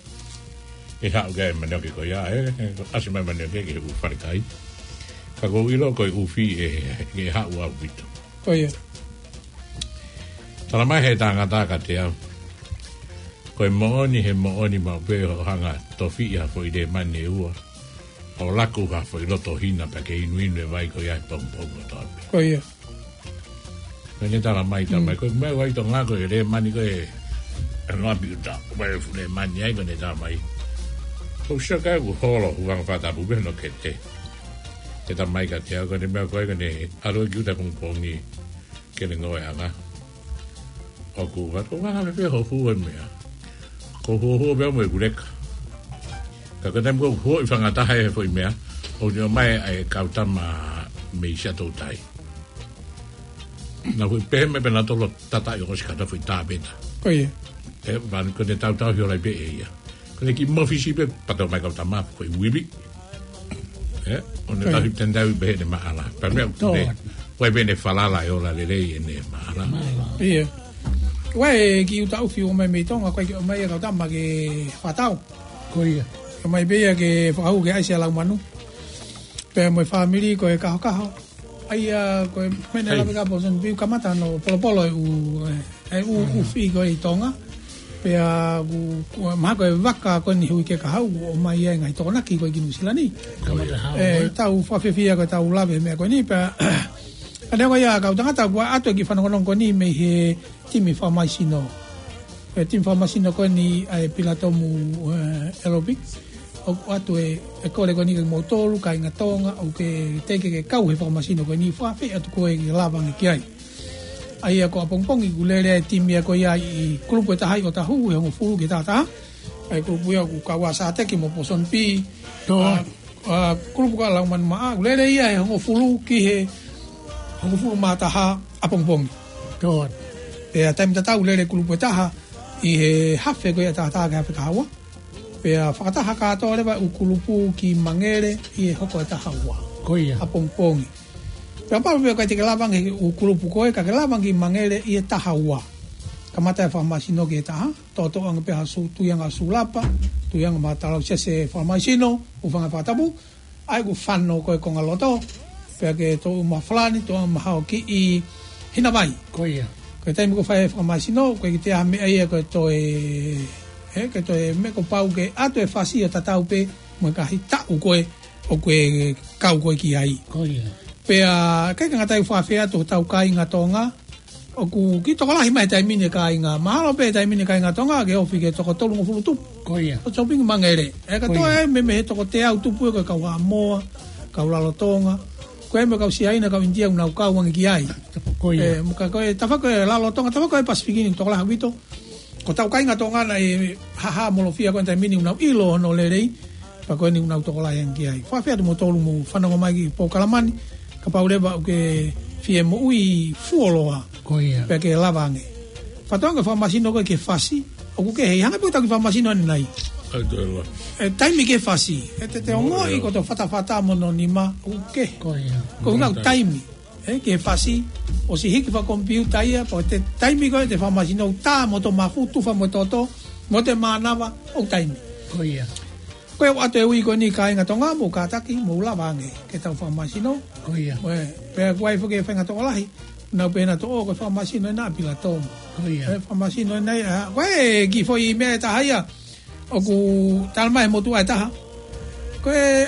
ʻE haʻu ki ai e manioke ko ia, ē, ē, ʻasi mai e manioke ki he ʻū falekai. Ka ʻoku ou ʻilo ko e ʻufi ē, ʻe haʻu ʻaupito. Ko ia. Tala mai he tangata kiate au, ko e moʻoni, he moʻoni maʻu pē hoʻo hanga ʻo tofiʻi ha foʻi lēmani ʻe ua, ʻo laku ha foʻi loto hina pea ke inuinu e vai ko ia he pongipongi kotoa pē. Ko ia. Ko ʻene tala mai, tala mai, ko e meʻa ʻoku ʻi Tonga ko e lēmani ko ē, ʻa e ʻapi ʻuta, ko e fuʻu lēmani ai ko ʻene tala mai. Ko u sio ki ai ʻoku holo, ʻoku anga fakatapu pē hono kete. ʻE tala mai kiate au, ko ʻene meʻa ko ē, ko ʻene ʻalu ki ʻuta pongipongi, ke ne ngoue ʻanga. ʻOku vatu, ʻoku anga pē hoʻo hū e meʻa. Ko hoʻo hū pē mo e kuleka. Ka ko e taimi ko ē ʻoku hū ʻi he fanga taha e foʻi meʻa, ʻoku ne ʻomai ʻa e kau tama mei Siaʻatoutai. Naʻa ku pehē mai pē naʻa tolo tataʻi ʻo sika ta foʻi tāpeta. Ko ia. ʻE, vanu ko ʻene tautau hio lai pē ʻe ia. Ko ʻene kiʻi mafisi pē pato mai kau tama ko e uivi. ʻE, ʻo ne Ko ia. tahi tendau pē ʻene maʻala. Pea meʻa Tō. ʻoku ne, ʻoku ʻi ai pē ʻene falala ʻe ola lelei ʻene maʻala. Maʻala. Ia. ʻOku ʻi ai e kiʻi ʻuta ʻufi ʻomai mei Tonga, ʻoku ʻikai ke ʻomai ia kau tama ke fakatau. Ko ia. ʻOmai pē ia ke fakahū ke ʻai ʻa e lau manu. Pea mo e fāmili ko e kahokaho. ʻA ia, ko e meʻa naʻe Hei. lave ki ai Pōsoni Piu kamata hono polopolo e ʻū, e, e ʻū, Mm. ʻufi ko ē ʻi Tonga. Pea ʻoku, ʻoku mahalo ko e vaka ko eni he uike kahaʻu, ʻomai ai e ngaahi tokonaki ko ē ki Nuʻusila ni. Kamata Hau, ʻE, ē? tau fakafiefia ko ʻetau lave he meʻa ko eni, pea, ka neongo ia kau tangata, ʻoku ʻoatu e kiʻi fanongonongo ko eni mei he timi fakamaisino. Ko e timi fakamaisino ko eni ʻa e Pilatomu, ē, Aerobic. ʻOku ʻoatu e, e kole ko eni kiate kimoutolu, kāinga Tonga, ʻoku ke teʻeki ke kau he fakamaisino ko eni, fakaafeʻi atu koe ke lava ange ki ai. ʻA ia ko ʻapongipongi ʻoku lele e timi ia ko ia ʻi kulupu ʻe taha ʻi ʻOtahu, ʻe hongofulu ki he taha taha. ʻA e kulupu ia ʻoku kau ai ʻa Sateki mo Pōsoni Piu. Tō. ʻA, ʻa, kulupu ko ē ʻa Laumanu Maʻa, ʻoku lele ia he hongofulu ki he hongofulu mā taha ʻapongipongi. Tō. Pea taimi tatau ʻoku lele kulupu ʻe taha ʻi he hafe ko ia ʻe taha taha ki he hafe kahaua. Pea fakataha kātoa leva e ʻū kulupu ki Mangele ʻi he hoko ʻe taha ua. Ko ia. ʻApongipongi. Pea kapau pē ʻoku ʻikai te ke lava ange he ʻū kulupu ko ē, ka ke lava ange ki Mangele ʻi he taha ua. Kamata e fakamaisino ki he taha, toʻotoʻo ange pē ha sū, tui ange ha sūlapa, tui ange mo ha talausiasi fakamaisino, hūfanga he fakatapu, ʻai ʻeku fano ko ē konga loto, pea ke toʻo mo ha falani, toʻo mo ha kiʻi hina vai. Ko ia. Ko e taimi ʻoku fai ai e fakamaisino, ʻoku ʻikai ke toe ʻi ai ha meʻa ia ko e toe, ē, ke toe meʻa kuo pau ke ʻoatu e fasi ʻo tatau pē mo e ngaahi taʻu ko ē ʻoku ke kau ko ē ki ai. Ko ia. Pea, ʻikai ke ngata ai, fakaafeʻi atu hotau kāinga Tonga, ʻoku kiʻi tokolahi mai he taimi ni e kāinga. Mahalo pē he taimi ni e kāinga Tonga ke ofi ki he toko tolungofulu tupu. Ko ia. ʻO shopping Mangele. ʻE, ka Ko ia. toe ai mei, mei he toko teau tupu ē ko e kau Haʻamoa, kau Lalotonga. Ko e meʻa kau Siaina, kau ʻInitia ʻoku nau kau ange ki ai. Ko ia. ʻE, mo ka ko e tafaʻaki ko ē Lalotonga, tafaʻaki ko ē Pasifiki ni tokolahi ʻaupito. Ko hotau kāinga Tonga naʻe hāhāmolofia ko ē he taimi ni ʻoku nau ʻilo hono lelei, pea ko eni ʻoku nau tokolahi ange ki ai. Fakaafeʻi atu kimoutolu hoʻomou fanongo mai ki he polokalama ni, kapau leva ʻoku ke fie moʻui fuoloa, Ko ia. pea ke lava ange. Fakatauange e fakamaisino ko ē ki he fasi, ʻoku kehe, hangē pē ko ʻetau kiʻi fakamaisino ʻanenai. ʻAi toe loa. ʻE, taimi ki he fasi, ʻe te te Mo ongoʻi ia. ko hoto fatafata mo hono nima, ʻoku kehe. Ko ia. Ko e ʻuhinga ʻoku Taimi. taimi. ʻE, ki he fasi, ʻosi hiki fakakomipiuta ia, pea ko e taimi ko ē ʻete fakamaisino ʻoku tā mo hoto mafu, tufa mo e toto, mo hoto mānava, ʻoku taimi. Ko ia. Ko ia ʻoku ʻoatu e ui ko eni kāinga Tonga, mou kātaki, mou lava ange ke tau fakamaisino. Ko ia. Ko e, pea ʻoku ʻi ai foki e faʻahinga tokolahi, nau pehē naʻa toʻo, ko e fakamaisino ʻena ʻa Pilatomu. Ko ia. ʻE, fakamaisino ʻena ia, ko e kiʻi foʻi meʻa ʻe taha ia, ʻoku tala mai he motuʻa ʻe taha. Ko e,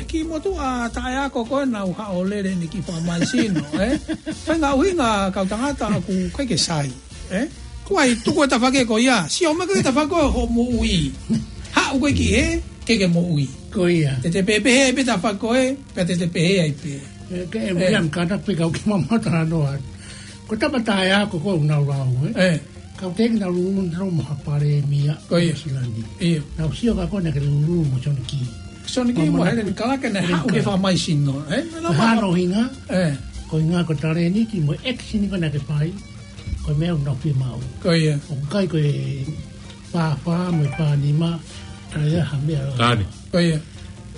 kiʻi motuʻa taʻeako ko ē naʻa nau haʻu ʻo lele ʻene kiʻi fakamaisino, ē? Faʻahinga ʻuhinga kau tangata ʻoku ʻikai ke sai, ē? Ko hai tuku e tafaʻaki ko ia, sio mai ki he tafaʻaki ko ē hoʻo moʻui. Haʻu koe ki hē, ke ke moʻui. Ko ia. Te te pehē pē tafaʻaki ko ē, pea te te pehē ai pē. ʻE, ke e Ē. William Carter pē kau ke mamata noa. Ko e tama taʻeako ko ē ʻoku nau lau, ē? Ē. Kau teki nau lulu nau mo ha palēmia Ko ia. Nuʻusila ni. Ia. Nau sio ka ko ē naʻa ke lulu mo Soni Kī. Soni Kī mo Helen Kalake naʻe haʻu ke fakamaisino, ē? Ko e hā hono ʻuhinga? Ē. Ko e ʻuhinga ko e talēniti mo e ʻekisini ko ē naʻa ke fai. Ko e meʻa ʻoku nau fiemaʻu. Ko ia. ʻOku ʻikai ko e fāfā mo e fānima. ʻA ia ha meʻa. Tani. Ko ia.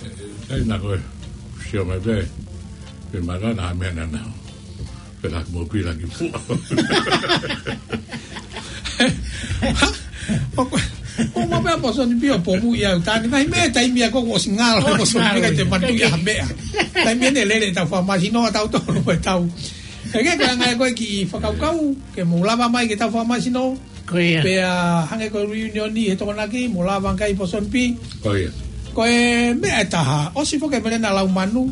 ʻE, ʻe, ʻe, naʻa ko e sio mai pē. Pē mara na ha meʻa naʻa nau. Laki mo pila ki fua. ʻO, ʻo, ʻo, ma pea Posoni Pi ʻo pomu ia ʻo tani. Mai me taimi ia ko ʻosi ngalo, ʻosi Posoni Pi ngalo, ka te ia. Matu ia ha meʻa. Taimi ʻene lele ʻetau fakamāsino ʻa tautolu ʻe tau. ʻE ke ko e anga ʻe ko e kiʻi fakakaukau, ke mou lava mai ke tau fakamāsino. Ko ia. Pea hangē ko e reunion ni he Tokonaki, mou lava ngaahi Posoni Pi. Ko ia. Ko e meʻa ʻe taha, ʻosi foki e melena lau manu.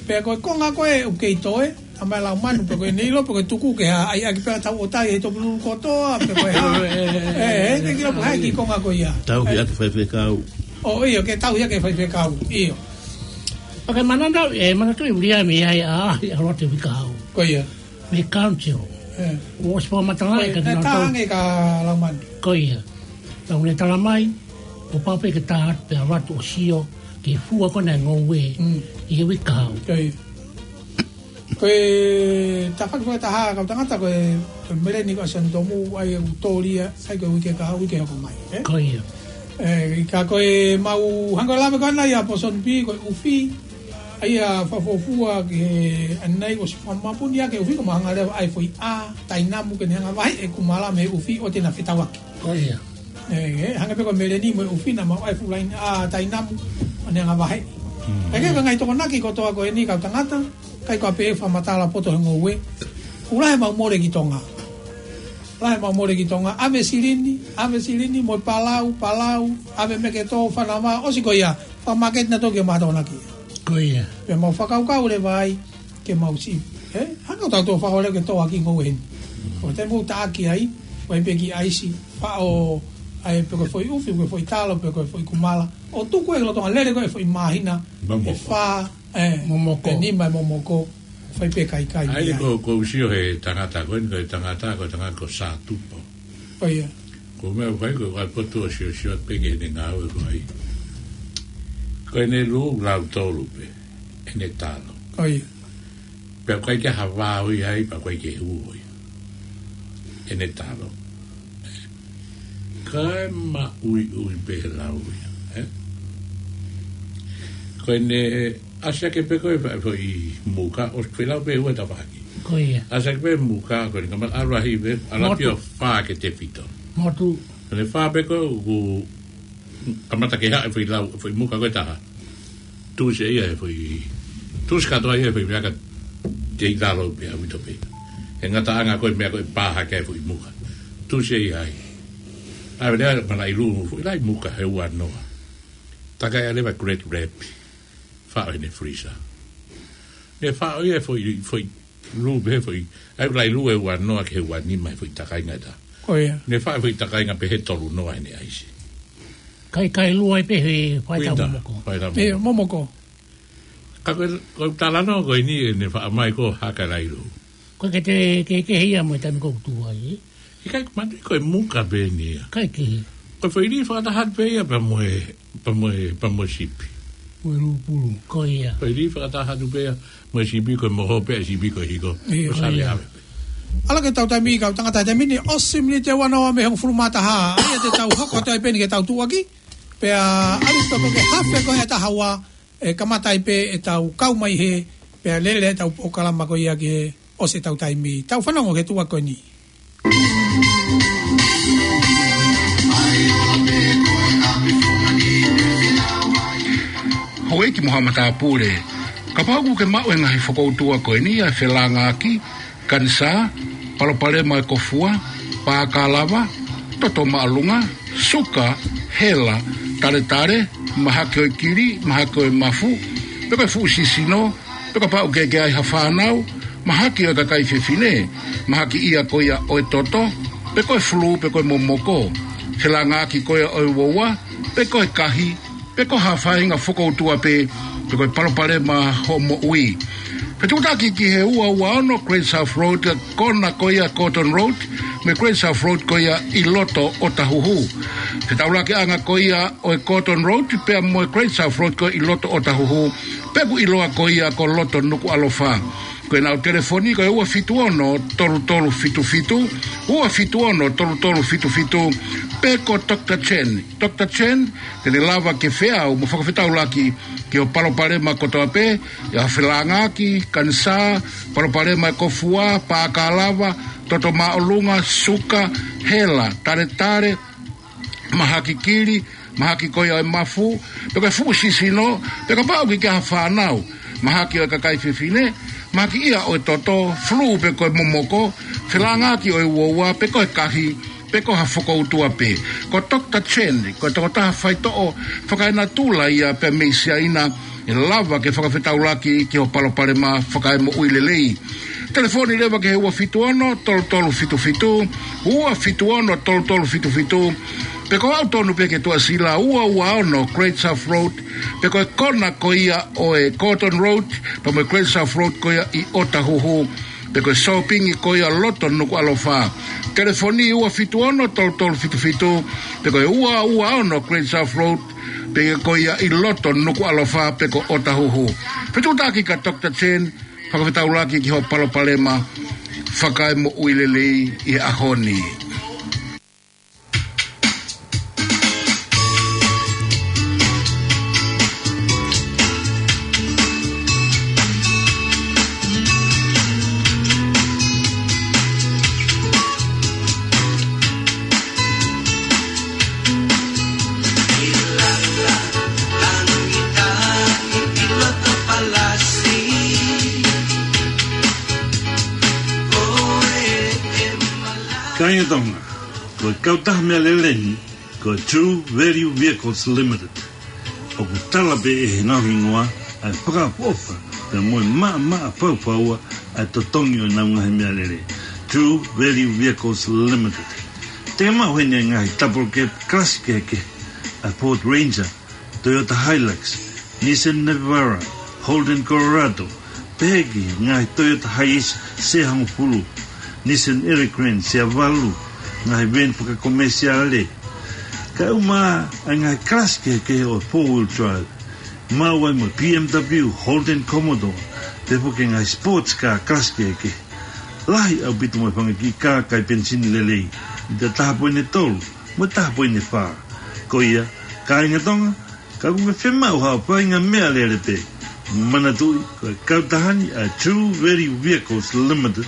Pea ko e konga ko ē ʻoku kei toe, ʻa mai lau manu, pe ko e neilo, pe ko e tuku ke ha, ʻai ʻaki pea tau ʻotai he topululu kotoa, pe ko e ha. ʻE, ʻe, ke kilo pe hai ki konga ko ia. Tau ki ʻaki faifekau. ʻO, ʻio, ke tau ia ke faifekau. ʻIo. ʻOku ke manatu, ʻe, manatu ʻi Viliami ai ʻa, ʻa Lote Vikau. Ko ia. Mei he council. ʻE. ʻOsi fakamatala ʻe, ka ʻe, tau. Tānge ka lau manu. Ko ia. Tau ne tala mai, ʻo pape ke tā atu pea vatu ʻo sio, ke fua ko ena e ngoue, mm, ʻi he uike kahaʻu. Ko ia. Ko e tafaʻaki fakataha kau tangata ko e, ko e meleni ko ʻAsani Tomu, ʻai e utolia, sai ko e uike kahaʻu, uike hoko mai, ʻe? Ko ia. ʻE, ka ko e mau hangē ko e lave ko ena ia Posoni Pi, ko e ʻufi, ʻa ia fakafuofua ke ʻanai ʻosi fakamapuni ʻa e ʻufi ko mahanga leva ʻai foʻi ʻā tainamu ke ne hanga vaheʻi e kumala mei he ʻufi ʻo te na fetauaki. Ko ia. ʻE, ʻe, hangē pē ko e meleni mo e ʻufi naʻa mau ʻai fuʻu laine ʻā tainamu ʻo ne hanga vaheʻi. Mm. ʻE ke ko e ngaahi Tokonaki kotoa ko eni kau tangata, ʻikai ko e pē fakamatala poto he ngoue. Ula he mau mole ki Tonga. Lahi mau mole ki Tonga, ʻave silini, ʻave silini, mo e palau, palau, ʻave meketō, fanava, ʻosi ko ia, fakamāketi na toki e maha Tokonaki. Ko ia. Pea mau fakakaukau leva ai, ke mau si. ʻE, hangē ʻoku tau tō fakaʻolea ke tō ʻaki ngoue heni. ʻO te mau taʻaki ai, vai pe ki ʻaisi, faʻo, ʻai pe ko e foʻi ʻufi, pe ko e foʻi talo, pe ko e foʻi kumala. ʻO tuku e lolotonga lele ko e foʻi māhina, momoko. ʻE fā, ʻe, momoko. ʻE nima ʻe momoko, fai pe kaikai. ʻAi, ai. Ko, ko u sio he tangata, ko eni ko e tangata, ko e tangata ko Sātupo. Ko ia. Ko e meʻa fai ko, ko e potu ʻo siosio pe ke ne ngāue ko ai. Ko ʻene lū lau tolu pē, ʻene talo. Ko ia. Pea ʻikai ke ha vao ia ai, pea ʻikai ke hū ia. ʻEne talo. Kae maʻuiʻui pē lau ia, ʻe? Ko ʻene ʻasi hake pē ko e fa-, foʻi muka, ʻosi foʻi lau pē ua tafaʻaki. Ko ia. ʻAsi hake pē muka, ko ʻene kamata ʻalu ʻahi pē, ʻalu ʻapi ʻo fā ke tefito. Motu. Ko ʻene fā pē ko ē, ʻoku kamata ke haʻi foʻi lau, foʻi muka ko ē taha. Tuʻusi ia he foʻi, tuʻusi kātoa ia he foʻi meʻa ka tei lalo pē ʻaupito pē. He ngataʻanga ko e meʻa ko e pā hake ai foʻi muka. Tuʻusi ia ai. ʻAve leva mana ʻi lū foʻi lai muka he ua noa. Takai ʻa leva Great Rapi. Faʻo ʻene freezer. Ne faʻo ia foʻi, foʻi lū pē foʻi, ʻai ʻoku lai lū ʻe ua noa ki he ua nima he foʻi takainga ʻe taha. Ko ia. Ne faʻo foʻi takainga pē he tolu noa ʻene ʻaisi. Kai, kai lū ai pē he faitau winter, momoko. Faitau ʻIo, momoko. Ka ko e, ko e talanoa ko eni ʻene faʻo mai ko haka lai lū. Ko e ke te, ke, ke hia mo e taimi ko ʻoku tuʻu ai, ʻe? ʻIkai, mate, ko e muka pē eni ia. Kai kehe. Ko e foʻi lī fakataha pē ia pea mo e, pea mo e, pea mo e sipi. Mo e lūpulu, ko ia. Foʻi lī fakataha pē ia mo e sipi, ko e moho pē ʻa e sipi ko e hiko. ʻIo, ko e sale ia. ʻAve pē. ʻAlu ke tau taimi kau tangata taimi ni, ʻosi miniti ʻe ua noa mei he hongofulu mā taha. ʻAi ʻa te tau hoko atu ai pē eni ke tau tuʻuaki. Pea ʻalu toko ke hafe ko e taha ua, ʻe kamata ai pē ʻetau kau mai he, pea lele ʻetau polokalama ko ia ke ʻosi ʻetau taimi. Tau fanongo ki he tuʻuaki ko eni. Houʻeiki mo haʻa matāpule, kapau ʻoku ke maʻu e ngaahi fokoutua ko eni ʻa e felāngaaki, kanisā, palopalema e kofua, pākalava, toto māʻolunga, suka, hela, taletale, mahaki ʻo e kili, mahaki ʻo e mafu, pe ko e fuʻu sisino, pe kapau ʻoku ke ʻi ai ha fānau, mahaki ʻo e kakai fefine, mahaki ia ko ia ʻo e toto, pe ko e fulū, pe ko e momoko, felāngaaki ko ia ʻo e uaua, pe ko e kahi, pe ko ha faʻahinga fokoutua pē, pe ko e palopalema hoʻo moʻui. Fetuʻutaki ki he ua ua ono Great South Road, kona ko ia Cotton Road, mo e Great South Road ko ia ʻi loto ʻOtahuhu. Fetaulakiʻanga ko ia ʻo e Gordon Road pea mo e Great South Road ko ē ʻi loto ʻOtahuhu, pea ʻoku ʻiloa ko ia ko loto Nukuʻalofa. Ko ʻenau telefoni ko e ua fitu ono tolu tolu fitu fitu, ua fitu ono tolu tolu fitu fitu, pe ko Doctor Chen. Doctor Chen, te ne lava ke feau mo fakafetaulaki ki hoʻo palopalema kotoa pē, ʻi ha felāngaaki, kanisā, palopalema e kōfua, pākalava, toto māʻolunga, suka, hela, taletale, mahaki kili, mahaki ko ia ʻo e mafu, pe ko e fuʻu sisino, pe kapau ʻoku ke ʻi ai ha fānau, mahaki ʻo e kakai fefine, mahaki ia ʻo e toto, flu pe ko e momoko, felāngaaki ʻo e uaua, pe ko e kahi, pe ko ha fokoutua pē. Ko Doctor Chen, ko e tokotaha faitoʻo fakaenatula ia pea mei Siaina, ʻe lava ke fakafetaulaki ki hoʻo palopalema fakaemoʻui lelei. Telefoni leva ki he ua fitu ono tolu tolu fitu fitu, ua fitu ono tolu tolu fitu fitu, pe ko aʻu tonu pē ki he Tuʻasila ua ua ono Great South Road, pe ko e kona ko ia ʻo e Gordon Road, pea mo e Great South Road ko ia ʻi ʻOtahuhu, pe ko e sōpingi ko ia loto Nukuʻalofa. Telefoni ua fitu ono tolu tolu fitu fitu, pe ko e ua ua ono Great South Road, pe ko ia ʻi loto Nukuʻalofa pe ko ʻOtahuhu. Fetuʻutaki kia Doctor Chen, fakafetaulaki ki hoʻo palopalema fakaemoʻui lelei ʻi he ʻaho ni. Kāinga Tonga, ko e kautaha meʻalele ni, ko e True Value Vehicles Limited. ʻOku tala pē ʻe heʻenau hingoa ʻa e fakaʻofoʻofa pea mo e maʻamaʻa faufaua ʻa e totongi ʻo ʻenau ngaahi meʻalele. True Value Vehicles Limited. Te ke maʻu heni e ngaahi double cab class kehekehe, ʻa e Ford Ranger, Toyota Hilux, Nissan Navara, Holden Colorado, pehē ki he ngaahi Toyota Hiace Sea hongofulu, Nissan Elgrand Sea valu, ngaahi van fakakomesiale. Kae ʻumaʻā ʻa e ngaahi class kehekehe ʻo e four wheel drive, maʻu ai mo e B M W, Holden Commodore, pea foki e ngaahi sports car class kehekehe. Lahi ʻaupito mo e fanga kiʻi kā kai penisini lelei, ʻi he taha poini tolu mo e taha poini fā. Ko ia, kāinga Tonga, ka ʻoku ke fiemaʻu haʻo faʻahinga meʻalele pē, manatuʻi, ko e kautaha ni ʻa e True Value Vehicles Limited,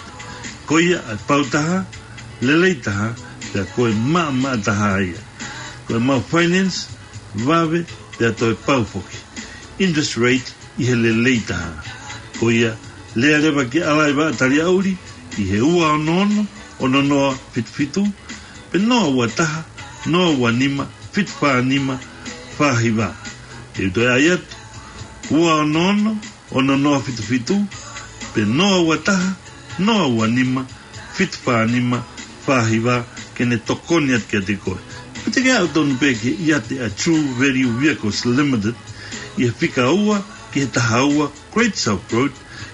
ko ia ʻa e pau taha, lelei taha, pea ko e maʻamaʻa taha ia. Ko e maʻu finance, vave, pea toe pau foki. Interest rate ʻi he lelei taha. Ko ia, lea leva ki he ʻalaivaʻa taliʻauli ʻi he ua ono ono, ono noa fitu fitu, pe noa ua taha, noa ua nima, fitu fā nima, fā hiva. Te u toe ʻai atu, ua ono ono, ono noa fitu fitu, pe noa ua taha, noa ua nima, fitu fā nima, fā hiva, ke ne tokoni atu kiate koe. Pe te ke aʻu tonu pē ki he ʻiate ʻa e True Value Vehicles Limited, ʻi he fika ua ki he taha ua Great South Road,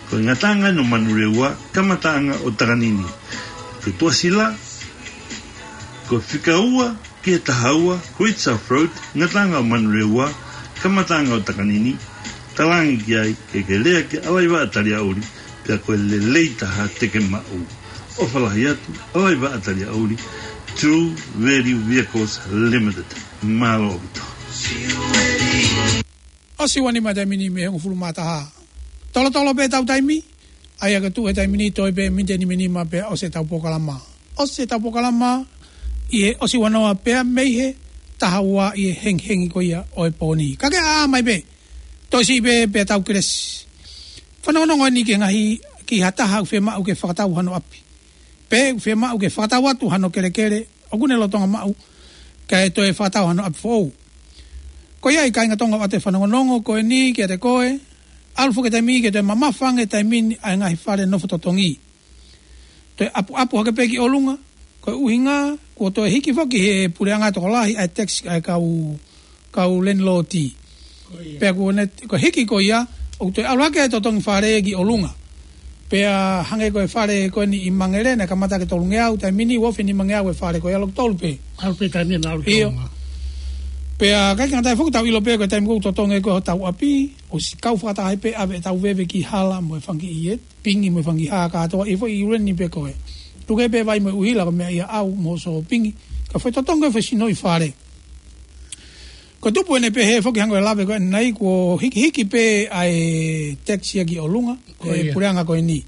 ko e ngataʻanga ʻo Manurewa, kamataʻanga ʻo Takanini. Ko e Tuʻasila, ko e fika ua ki he taha ua Great South Road, ngataʻanga ʻo Manurewa, kamataʻanga ʻo Takanini, talaange ki ai, ke ke lea ki he ʻalaivaʻa taliʻauli, pea ko e lelei taha te ke maʻu. ʻOfa lahi atu, ʻalaivaʻa taliʻauli, True Value Vehicles Limited. Mālō ʻaupito. ʻOsi ua nima taimi ni mei he hongofulu mā taha. Tolotolo pē ʻetau taimi, ʻa ia ka tuʻu he taimi ni toe pē miniti ʻe nimanima pea ʻosi ʻetau polokalama. ʻOsi ʻetau polokalama ʻi he ʻosi ua noa pea mei he taha ua ʻi he hengihengi ko ia ʻo e pō ni. Ka ke ʻā mai pē, toe siʻi pē pea tau kelesi. Fanongonongo eni ki he ngaahi, ki ha taha ʻoku fiemaʻu ke fakatau hano ʻapi. Pe ʻoku fiemaʻu ke fakatau atu hano kelekele, ʻoku ne lolotonga maʻu, kae toe fakatau hano ʻapi foʻou. Ko ia ai kāinga Tonga ʻoatu e fanongonongo ko eni kiate koe, ʻalu foki e taimi ke toe mamafa ange e taimi ni ʻa e ngaahi fale nofo totongi. Toe ʻapuʻapu hake pē ki ʻolunga, ko e ʻuhinga, kuo toe hiki foki he puleʻanga tokolahi ʻa e tax ʻa e kau, kau landlord. Ko ia. Pea kuo ne, ko e hiki ko ia, ʻoku toe ʻalu hake e totongi fale ki ʻolunga. Pea hangē ko e fale ko eni ʻi Mangere, naʻe kamata ki he tolungeau, taimi ni ua afe nimangeau e fale ko ia, ʻalu ki he tolu pē. ʻAlu pē taimi ni ʻalu ki ʻIo. ʻOlunga. Pea ʻikai ke ngata ai foki, tau ʻilo pē ko e taimi ʻoku totongi ai ko ē hotau ʻapi, ʻosi kau fakataha ai pē ʻave ʻetau veve ki hala mo e fanga kiʻi pingi mo e fanga kiʻi hā kātoa, ʻi he foʻi reni pē ko ē. Tuku pē vai mo e ʻuhila ko e meʻa ia ʻau mo e sōpingi. Ka foʻi totongi ko ē foʻi sinoʻi fale. Ko e tupu ʻene pehē foki, hangē ko e lave ko ē ʻanenai, kuo hikihiki pē ʻa e tax ia ki ʻolunga, ko e Ko ia. puleʻanga ko eni.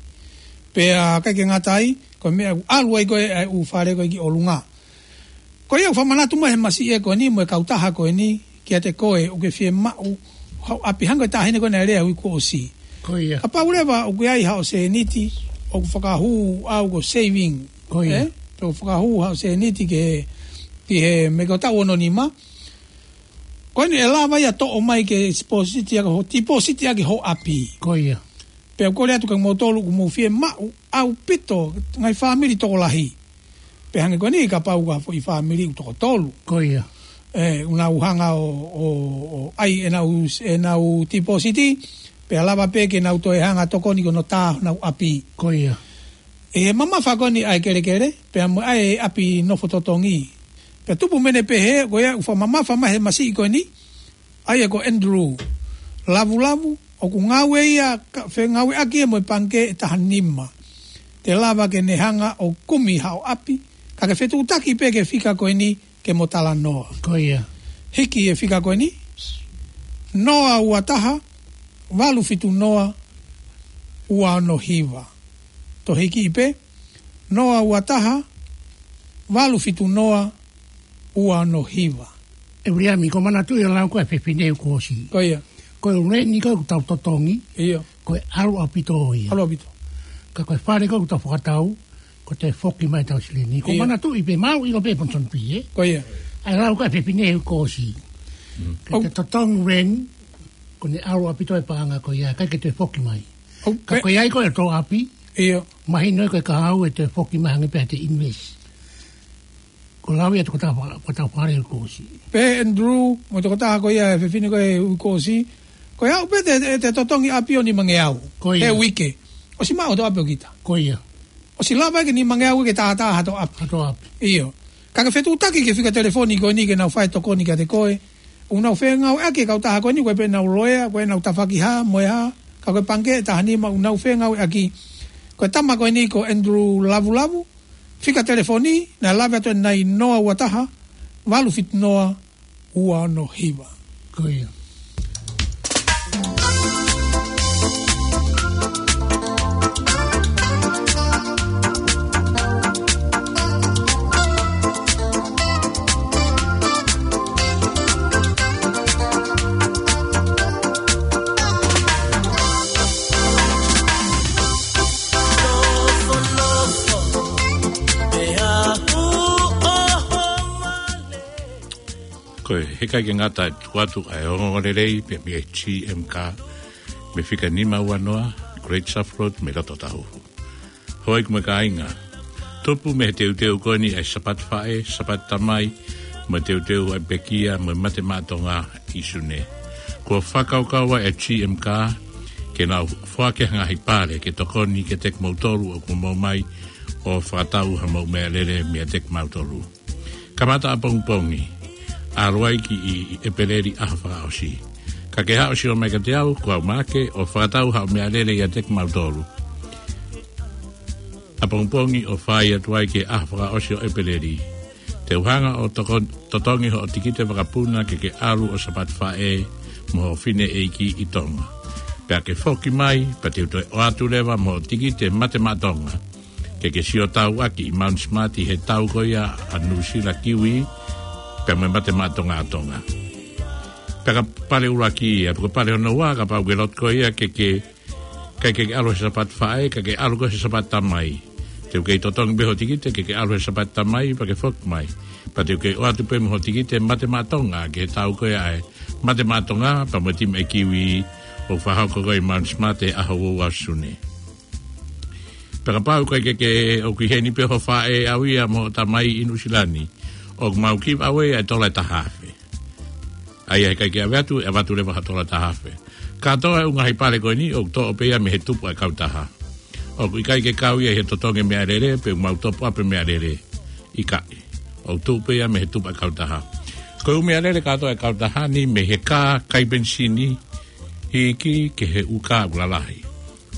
Pea ʻikai ke ngata ai, ko e meʻa ʻoku ʻalu ai ko ē ʻa e ʻū fale ko ē ki ʻolunga. Ko ia ʻoku fakamanatu mai he masiʻi ko eni mo e kautaha ko eni, kiate koe ʻoku ke fiemaʻu haʻo ʻapi, hangē ko e taʻahine ko ē naʻe lea he uike kuo ʻosi. Ko ia. Kapau leva ʻoku ʻi ai haʻo sēniti ʻoku fakahū ʻau ko e saving. Ko ia. ʻE? Pe ʻoku fakahū haʻo sēniti ke, ki he meʻa ko e taʻu ono nima. Ko eni ʻe lava ia ʻo toʻo mai ke tipōsiti ʻaki ho, tipōsiti ʻaki ho ʻapi. Ko ia. Pea ʻoku ou kole atu kia moutolu ʻoku mou fiemaʻu ʻaupito, ngaahi fāmili tokolahi. Pea hangē ko eni kapau ko ha foʻi fāmili ʻoku toko tolu. Ko ia. ʻE, ʻoku nau hanga ʻo, ʻo, ʻo ʻai ʻenau, ʻenau tipōsiti, pea lava pē ke nau toe hanga ʻo tokoni ki hono tā honau ʻapi. Ko ia. ʻI he mamafa ko eni ʻa e kelekele, pea mo e ʻapi nofo totongi. Pea tupu mei heʻene pehē, ko ia ʻoku fakamamafa mai he masiʻi ko eni, ʻa ia ko Andrew Lavulavu, ʻoku ngāue ia, ka, fengāueʻaki ia mo e pangikē ʻe taha nima. Te lava ke ne hanga ʻo kumi haʻo ʻapi, ka ke fetuʻutaki pē ki he fika ko eni ke mo talanoa. Ko ia. Hiki e fika ko eni, noa ua taha, valu fitu noa, ua ono hiva. Toe hiki pē, noa ua taha, valu fitu noa, ua ono hiva. ʻE Viliami, ʻoku ou manatuʻi ʻa e lau ko ē ʻa e fefine kuo ʻosi. Ko ia. Ko e reni ko ē ʻoku tau totongi, ʻIo. ko e ʻalu ʻaupito ia. ʻAlu ʻaupito. Ka ko e fale ko ē ʻoku tau fakatau, ko e toe foki mai ʻetau silini. ʻOku ou Ia. manatuʻi pē, mau ʻilo pē Ponson P, ʻe? Ko ia. ʻA e lau ko ē ʻa e fefine kuo ʻosi. Mm. Ke ʻOu. te totongi reni, ko ʻene ʻalu ʻaupito e paʻanga ko ia, ʻikai ke toe foki mai. ʻOu, Ka pe- ko ia ko e tō ʻapi, ʻIo. mahino ko e kahaʻu ʻe toe foki mai hangē pē ʻete invest. Ko e lau ia ʻa e tokotaha fa-, ko e tokotaha fale kuo ʻosi. Pehē ʻe Andrew, mo e tokotaha ko ia ʻa e fefine ko ē kuo ʻosi. Ko ia ʻoku pehē te, te, te totongi ʻapi ʻo nimangeau. Ko ia. He uike. ʻOsi maʻu hoto ʻapi ʻo kita. Ko ia. ʻOsi lava ke nimangeau ke tātā hato ʻapi. Hato ʻapi. ʻIo. Ka ke fetuʻutaki ki he fika telefoni ko eni ke nau fai tokoni kiate koe. ʻOku nau fengāueʻaki e kautaha ko eni, ko e pē ʻenau loea, ko ʻenau tafaʻaki hā, mo e hā, ka ko e pangikē ʻe taha nima ʻoku nau fengāueʻaki. Ko e tama ko eni ko Andrew Lavulavu, fika telefoni, naʻe lave atu ʻanenai noa ua taha, valu fitu noa, ua ono hiva. Ko ia. Ko e heʻikai ke ngata atu atu ʻa e ongoongolelei pē mei he G M Car, mei he fika nima ua noa, Great South Road, mei loto Tahuhu. Hoi ko e kāinga. Tupu mei he teuteu ko eni ʻa e Sapati Faʻē, Sapati Tamai, mo e teuteu ʻa e pekia, mo e mate maʻa Tonga ʻi Sune. Kuo fakakaukau ʻa e G M Car, ke nau foaki ha ngaahi pale, ke tokoni kiate kimoutolu ʻoku mou ō mai, ʻo fakatau haʻamou meʻalele meiate kimautolu. Kamata ʻapongipongi, ʻalu ai ki ʻEpeleli ʻaho fakaʻosi. Ka ke haʻu ʻo sio mai kiate au, ko au Maʻake, ʻo fakatau haʻo meʻalele ʻiate kimautolu. ʻApongipongi ʻo fai atu ai ki he ʻaho fakaʻosi ʻo ʻEpeleli. Te u hanga ʻo toko-, totongi hoʻo tikite vakapuna ke ke ʻalu ʻo Sapati Faʻē mo hoʻo fineʻeiki ʻi Tonga. Pea ke foki mai, pea te u toe ʻoatu leva mo hoʻo tikite mate maʻa Tonga. Ke ke sio tau ʻaki ʻi Mount Smart ʻi he tau ko ia ʻa Nuʻusila Kiwi, pea mo e mate maʻa Tonga ʻa Tonga. Pea ko e pale ʻuluaki ia, pea ko e pale hono ua, kapau ʻoku ke loto ko ia ke ke, ʻikai ke ke ʻalu he Sapati Faʻē, ka ke ʻalu koe he Sapati Tamai. Te u kei totongi pē hoʻo tikite ke ke ʻalu he Sapati Tamai, pea ke foki mai. Pea te u kei ʻoatu pē mo hoʻo tikite mate maʻa Tonga, ki he tau ko ia ʻa e mate maʻa Tonga, pea mo e timi ʻa e Kiwi, ʻoku fakahoko ko ē ʻi Mount Smart he ʻaho ua ua Sune. Pea kapau ʻoku ʻikai ke ke, ʻoku ʻi heni pē hoʻo faʻē ʻau ia mo hoʻo tamai ʻi Nuʻusila ni, ʻoku mau give away ʻa e tola ʻe taha afe. ʻA ia heʻikai ke ʻave atu, ʻe ʻave atu leva ha tola ʻe taha afe. Kātoa e ʻū ngaahi pale ko eni, ʻoku toʻo pē ia mei he tupu ʻa e kautaha. ʻOku ʻikai ke kau ia he totongi meʻalele, pe ʻoku mau top up e meʻalele. ʻIkai. ʻOku tupu pē ia mei he tupu ʻa e kautaha. Ko e ʻū meʻalele kātoa ʻe kautaha ni mei he kā kai penisini hiki ki he ʻū kā ʻoku lalahi.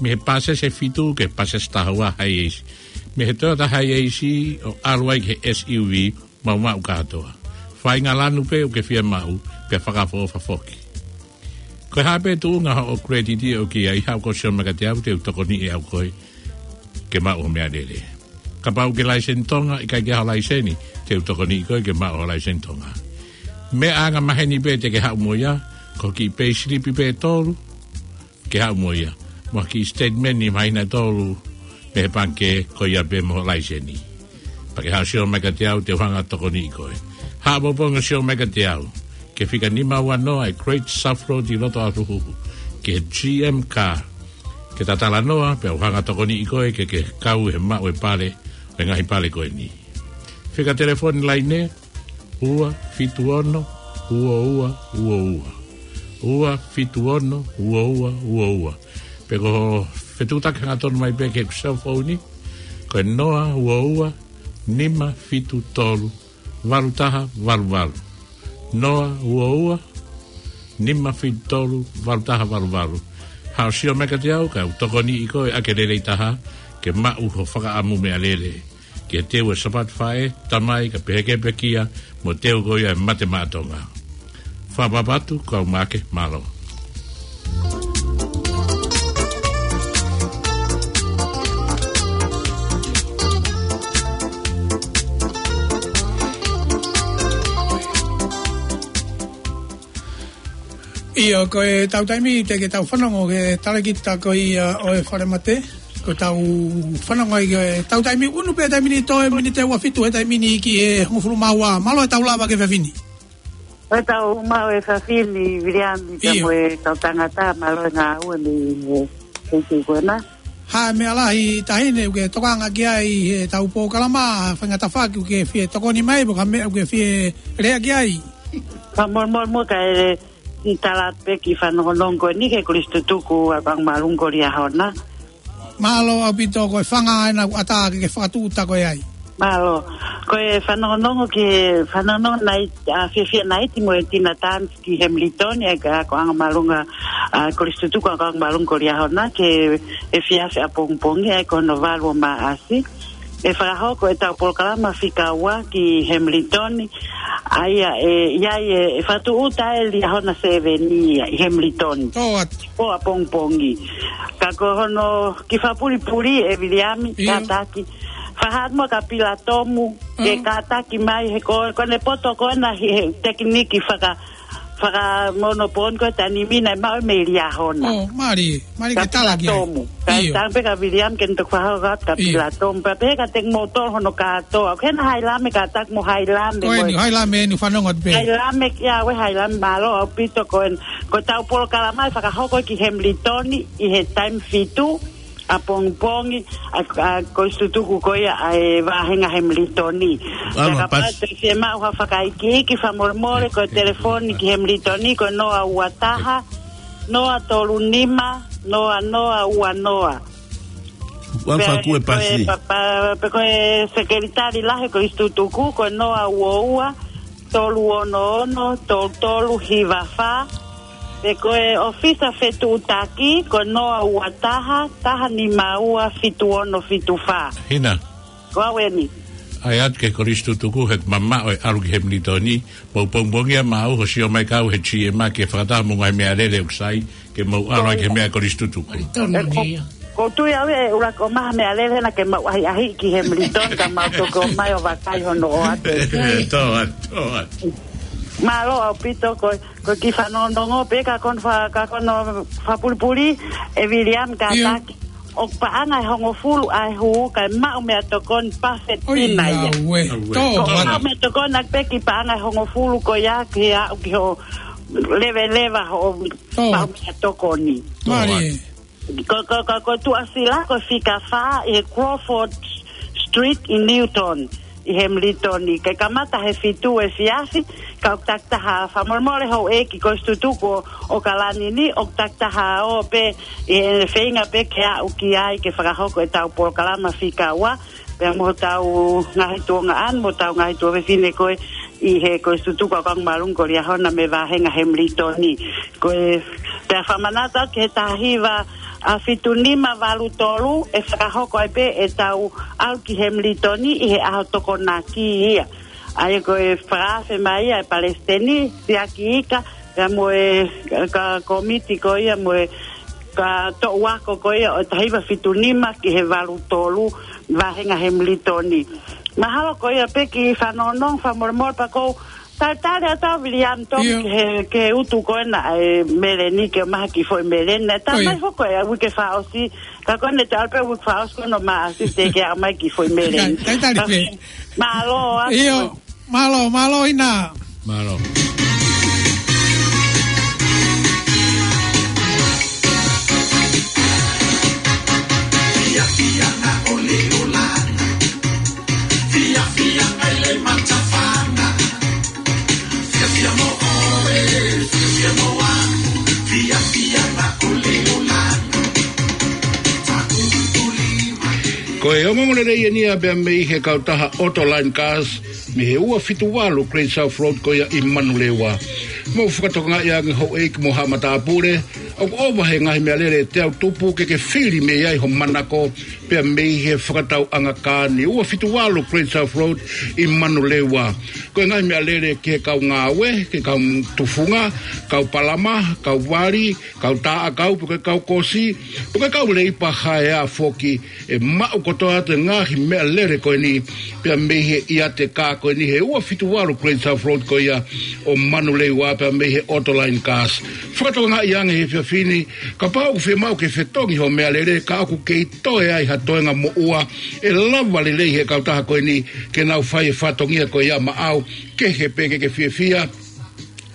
Mei he pāsese fitu ki he pāsese taha ua high ace. Mei he Toyota high ace ʻo ʻalu ai ki he S U V maʻumaʻu kātoa. Faʻahinga lanu pē ʻoku ke fie maʻu, pea fakaʻofoʻofa foki. Ko e hā pē tuʻunga hoʻo credit ʻoku ke ʻi ai, haʻu koe ʻo sio mai kiate au, te u tokoniʻi ʻe au koe ke maʻu hoʻo meʻalele. Kapau ʻoku ke laiseni Tonga, ʻikai ke ʻi ai ho laiseni, te u tokoniʻi koe ke maʻu ho laiseni Tonga. Meʻa angamaheni pē te ke haʻu mo ia, ko e kiʻi payslip pē ʻe tolu, ke haʻu mo ia. Mo e kiʻi statement ʻi māhina ʻe tolu mei he pangikē, ko ia pē mo ho laiseni. Pea ke haʻu ʻo sio mai kiate au, te u hanga ʻo tokoniʻi koe. Haʻu ʻapongipongi ʻo sio mai kiate au ki he fika nima ua noa ʻa e Great South Road ʻi loto ʻAhohuhu, ki he G M car. Ke ta talanoa, pea u hanga ʻo tokoniʻi koe ke ke kau he maʻu e pale, e ngaahi pale ko eni. Fika telefoni laine, ua fitu ono, ua ua, ua ua. Ua fitu ono, ua ua, ua ua. Pe ko e fetuʻutaki hangatonu mai pē ki he cell phone ni, ko e noa ua ua, nima fitu tolu, valu taha valu valu. Noa ua ua, nima fitu tolu, valu taha valu valu. Haʻu ʻo sio mai kiate au, ka u tokoniʻi koe ʻaki e lelei taha, ke maʻu ho fakaʻamu meʻalele. Ke teu e Sāpate Faʻē, Tamai, kae pehē ki he pekia, mo teu ko ia e Mate Maʻa Tonga. Fakapapauʻi atu, kau Maʻake, mālō. ʻIo, ko e tau taimi te ke tau fanongo ki he talēkita ko ia ʻo e Falemate. Ko e tau fanongo ai ki he tau taimi ʻunu pē taimi ni, toe miniti ʻe ua fitu he taimi ni ki he hongofulu mā ua. Mālō e tau lava ki he efiafi ni. Ko e tau maʻu e efiafi ni, Viliami, pea ʻIo. mo e kau tangata, mālō e ngāue mei he, he, he, ko ena. Hā e meʻa lahi, Taʻahine, ʻoku ke tokanga ki ai he tau polokalama, faingataʻa ʻoku ke fie tokoni mai, pe ko ha meʻa ʻoku ke fie lea ki ai? Ka mo, mo, mo ka e, ʻi he tala pē ki he fanongonongo ko eni ki he Kolisi Tutuku ʻa Kau ʻAngamalū ko Liahona. Mālō ʻaupito, ko e fanga ena ʻoku ʻatā ke ke fakatūʻuta koe ai. Mālō. Ko e fanongonongo ki he fanongonongo nai, ʻa, Fiafia Naiti mo e Tina Tan ki Hamilton, ʻa e Kau ʻAngamalū, ʻa, Kolisi Tutuku ʻa Kau ʻAngamalū ko Liahona, ki he efiafi ʻapongipongi, ʻa ia ko hono valu ʻo Maʻasi. ʻE fakahoko e tau polokalama fika ua ki Hamilton, ʻa ia ʻe, ʻi ai e, ʻe fakatūʻuta e Liahona seven ia ʻi Hamilton. Tō atu. ʻO ʻapongipongi. Ka ko hono kiʻi fakapulipuli ʻe Viliami, ʻIo. kātaki. Fakahaʻu mo Kapila Tomu, ke Mm. kātaki mai he ko, ko ʻene poto ko ena he, he tekiniki faka, fakamono pō ni ko e taimi ni naʻe maʻu mei Liahona. ʻŌ, mālie, mālie ke Kapila tala ki ai. Tomu. Ka ʻIo. tau pē kia Viliami ke ne toki fakahoko atu Kapila ʻIo. Tomu. Pea pehē kiate kimoutolu hono kātoa. Ko ena Hailame, kātaki mo Hailame, Ko eni, mo Hailame eni fanongo atu pē. Hailame, ia ʻoe Hailame, mālō ʻaupito ko ena. Ko e tau polokalama ʻe fakahoko ki Hamilton ʻi he taimi fitu ʻapongipongi, ʻa, ʻa, Kolisi Tutuku ko ia ʻa e vāhenga Hamilton. Alo, Ka kapau pas. te ke fiemaʻu ha fakaikiiki, fakamolemole, ko e telefoni ki Hamilton, ko e noa ua taha, noa tolu nima, noa noa ua noa. Ua Pea faku e ko e pasi. pa-, pa-, pe ko e sekelitali lahi Kolisi Tutuku, ko e noa ua ua, tolu ono ono, tolu tolu hiva fā. Pe ko e ʻōfisa fetuʻutaki, ko e noa ua taha, taha nima ua, fitu ono fitu fā. Hina. Ko au eni. ʻAi atu ki he Kolisi Tutuku, he mamaʻo e ʻalu ki Hamilton, mou pongipongia maʻu, ʻo sio mai kau he G M ke fakataha mo e ngaahi meʻalele ʻoku sai, ke mou ʻalu ai ki he meʻa Kolisi Tutuku. Tonu E ko, ia. ko tui au e ʻuluaki ʻomai ha meʻalele naʻa ke maʻu ʻahiʻahi ki Hamilton, ka mau toki ʻomai ʻo vakai hono ʻoatu. Tō atu, tō atu. Mālō ʻaupito ko, ko e kiʻi fanongonongo pē ka ko hono fa-, ka ko hono fakapulipuli ʻe Viliami ʻIo. kātaki. ʻOku paʻanga ʻe hongofulu ʻa e hū kae maʻu meʻatokoni pafetina ia. ʻOiauē. Tō Ko atu. maʻu meʻatokoni ʻaki pē kiʻi paʻanga ʻe hongofulu ko ia ke aʻu ki hoʻo leveleva hoʻo Tō maʻu atu. meʻatokoni. Mālie. Ko, ko, ko, ko Tuʻasila, ko e fika fā ʻi he Crawford Street ʻi Newton, ʻi Hamilton. Ke kamata he fitu efiafi, ka ʻoku takitaha fakamolemole houʻeiki Kolisi Tutuku ʻo, ʻo Kalani ni, ʻoku takitaha ō pē, ʻi he feinga pē ke aʻu ki ai ke fakahoko e tau polokalama fika ua, pea mo hotau ngaahi tuongaʻane, mo hotau ngaahi tuofefine ko ē, ʻi he ko e sutuku ʻa Kangamalunga ko Liahona mei Vahenga Hemilitoni. Ko e pea fakamanatu ki he taha hiva ʻa fitu nima valu tolu ʻe fakahoko ai pē ʻetau ʻalu ki Hemilitoni ʻi he ʻaho Tokonaki ia. ʻA ia ko e fakaafe mai ia ʻe Palesiteni Siaki Ika, pea mo e ka komiti ko ia mo e ka toʻu ako ko ia ʻo e taha hiva fitu nima ki he valu tolu Vahenga Hemilitoni. Mahalo ko ia pē kiʻi fanongonongo fakamolemole pea kou talitali atu Viliami Tomi ki he, ki he utu ko ena ʻa e meleni ke maha ki foʻi meleni. Naʻe tā mai foki ʻa e uike fakaʻosi, ka ko ena te alpe uike fakaʻosi ko ena ma asiste ke a mai ki foʻi meleni. Talitali pē. Mālō atu. Mālō, mālō ʻIna. Mālō. Ko e ongoongo lelei eni ia pea mei he kautaha Autoline Cars, mei he ua fitu valu Great South Road ko ia ʻi Manurewa. Mou fakatokangaʻi ange houʻeiki mo haʻa matāpule, ʻoku ʻova he ngaahi meʻalele te u tupu ke ke fili mei ai ho manako, pea mei he fakatauʻanga kā ni. Ua fitu valu Great South Road ʻi Manurewa. Ko e ngaahi meʻalele ki he kau ngāue, ki he kau tufunga, kau palama, kau vali, kau taʻakau, pe ko e kau kosi, pe ko e kau leipa haeā foki, ʻe maʻu kotoa atu e ngaahi meʻalele ko eni, pea mei he ʻiate kā ko eni he ua fitu valu Great South Road ko ia ʻo Manurewa pea mei he Autoline Cars. Fakatokangaʻi ange he efiafi ni, kapau ʻoku fiemaʻu ke fetongi ho meʻalele, ka ʻoku kei toe ai ha toenga moʻua, ʻe lava lelei he kautaha ko eni ke nau fai e fatongia ko ia maʻau, kehe pē ke ke fiefia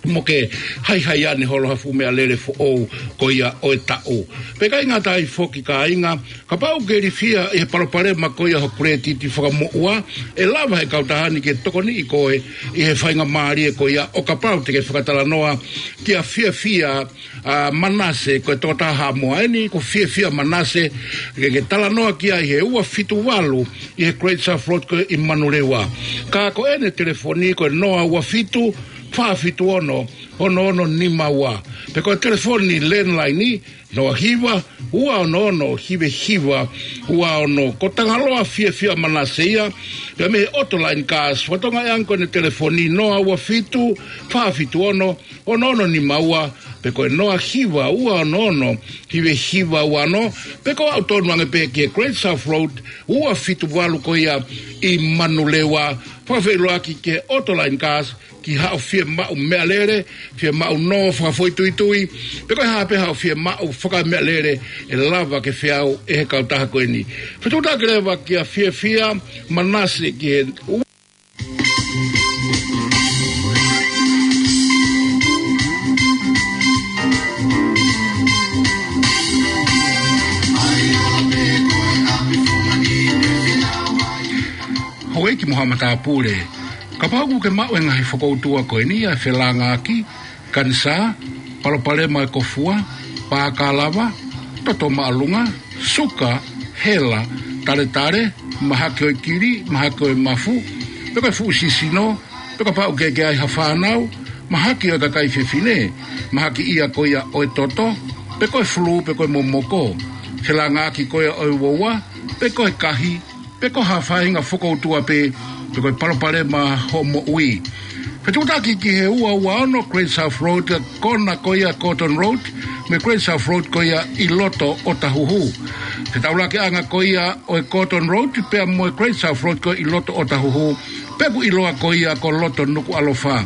mo ke haihai ane holo ha fuʻu meʻalele foʻou ko ia ʻo e taʻu. Pea ʻikai ngata ai foki kāinga, kapau ʻoku ke ilifia ʻi he palopalema ko ia ho kuletiti fakamoʻua, ʻe lava he kautaha ni ke tokoniʻi koe ʻi he faingamālie ko ia ʻo kapau te ke fakatalanoa kia Fiafia, ʻa, Manase, ko e tokotaha Haʻamoa eni, ko Fiafia Manase, ke ke talanoa ki ai he ua fitu valu ʻi he Great South Road ko ē ʻi Manurewa. Ka ko ʻene telefoni ko e noa ua fitu, fā fitu ono, ono ono nima ua. Pe ko e telefoni landline, noa hiva, ua ono ono, hiva hiva, ua ono. Ko Tangaloa Fiafia Manase ia, pea mei he Autoline Cars, fakatokangaʻi ange ko ʻene telefoni noa ua fitu, fā fitu ono, ono ono nima ua, pe ko e noa hiva, ua ono ono, hiva hiva ua ono, pe ko e aʻu tonu ange pē ki he Great South Road, ua fitu valu ko ia ʻi Manurewa, fakafeʻiloaki ki he Autoline Cars, ki haʻo fiemaʻu meʻalele, fiemaʻu nō fakafoʻituitui, pe ko e hā pē haʻo fiemaʻu fakameʻalele ʻe lava ke feau ʻe he kautaha ko eni. Fetuʻutaki leva kia Fiafia Manase ki he Houʻeiki mo haʻa matāpule, kapau ʻoku ke maʻu e ngaahi fokoutua ko eni ʻa e felāngaaki, kanisā, palopalema e kofua, pākalava, toto māʻolunga, suka, hela, taletale, mahaki ʻo e kili, mahaki ʻo e mafu, pe ko e fuʻu sisino, pe kapau ʻoku ke ʻi ai ha fānau, mahaki ʻo e kakai fefine, mahaki ia ko ia ʻo e toto, pe ko e fulū, pe ko e momoko, felāngaaki ko ia ʻo e uaua, pe ko e kahi, pe ko ha faʻahinga fokoutua pē, pe ko e palopalema hoʻo moʻui. Fetuʻutaki ki he ua ua ono Great South Road, kona ko ia Gordon Road, mo e Great South Road ko ia ʻi loto ʻOtahuhu. Fetaulaki ʻanga ko ia ʻo e Gordon Road, pea mo e Great South Road ko ia ʻi loto ʻOtahuhu, pe ʻoku ʻiloa ko ia ko loto Nukuʻalofa.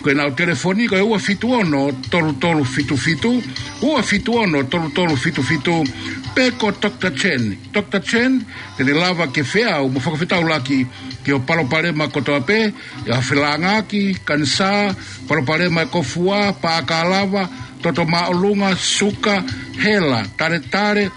Ko ʻenau telefoni ko e ua fitu ono tolu tolu fitu fitu, ua fitu ono tolu tolu fitu fitu, pe ko Doctor Chen. Doctor Chen, te ne lava ke feau mo fakafetaulaki ki hoʻo palopalema kotoa pē, ʻi ha felāngaaki, kanisā, palopalema e kofua, pākalava, toto māʻolunga, suka, hela, taletale,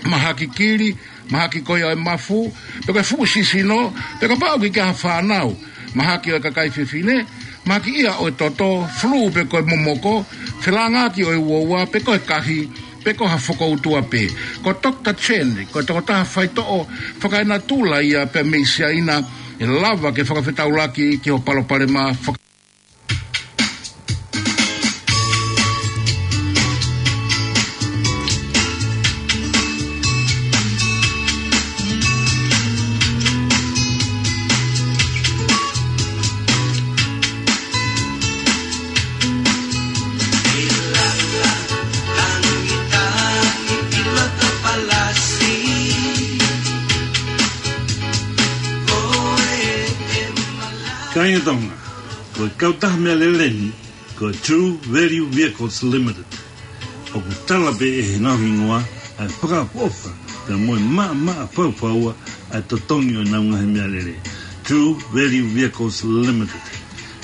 mahaki kili, mahaki ko ia ʻo e mafu, pe ko e fuʻu sisino, pe kapau ʻoku ke ʻi ai ha fānau, mahaki ʻo e kakai fefine, mahaki ia ʻo e toto, fulū pe ko e momoko, felāngaaki ʻo e uaua, pe ko e kahi, pe ko ha fokoutua pē. Ko Doctor Chen, ko e tokotaha faitoʻo fakaenatula ia pea mei Siaina, ʻe lava ke fakafetaulaki ki hoʻo palopalema faka- Kāinga Tonga, ko e kautaha meʻalele ni, ko e True Value Vehicles Limited. ʻOku tala pē ʻe he ngaahi hingoa ʻa e fakaʻofoʻofa, pea mo e maʻamaʻa faufaua ʻa e totongi ʻo ʻenau ngaahi meʻalele. True Value Vehicles Limited.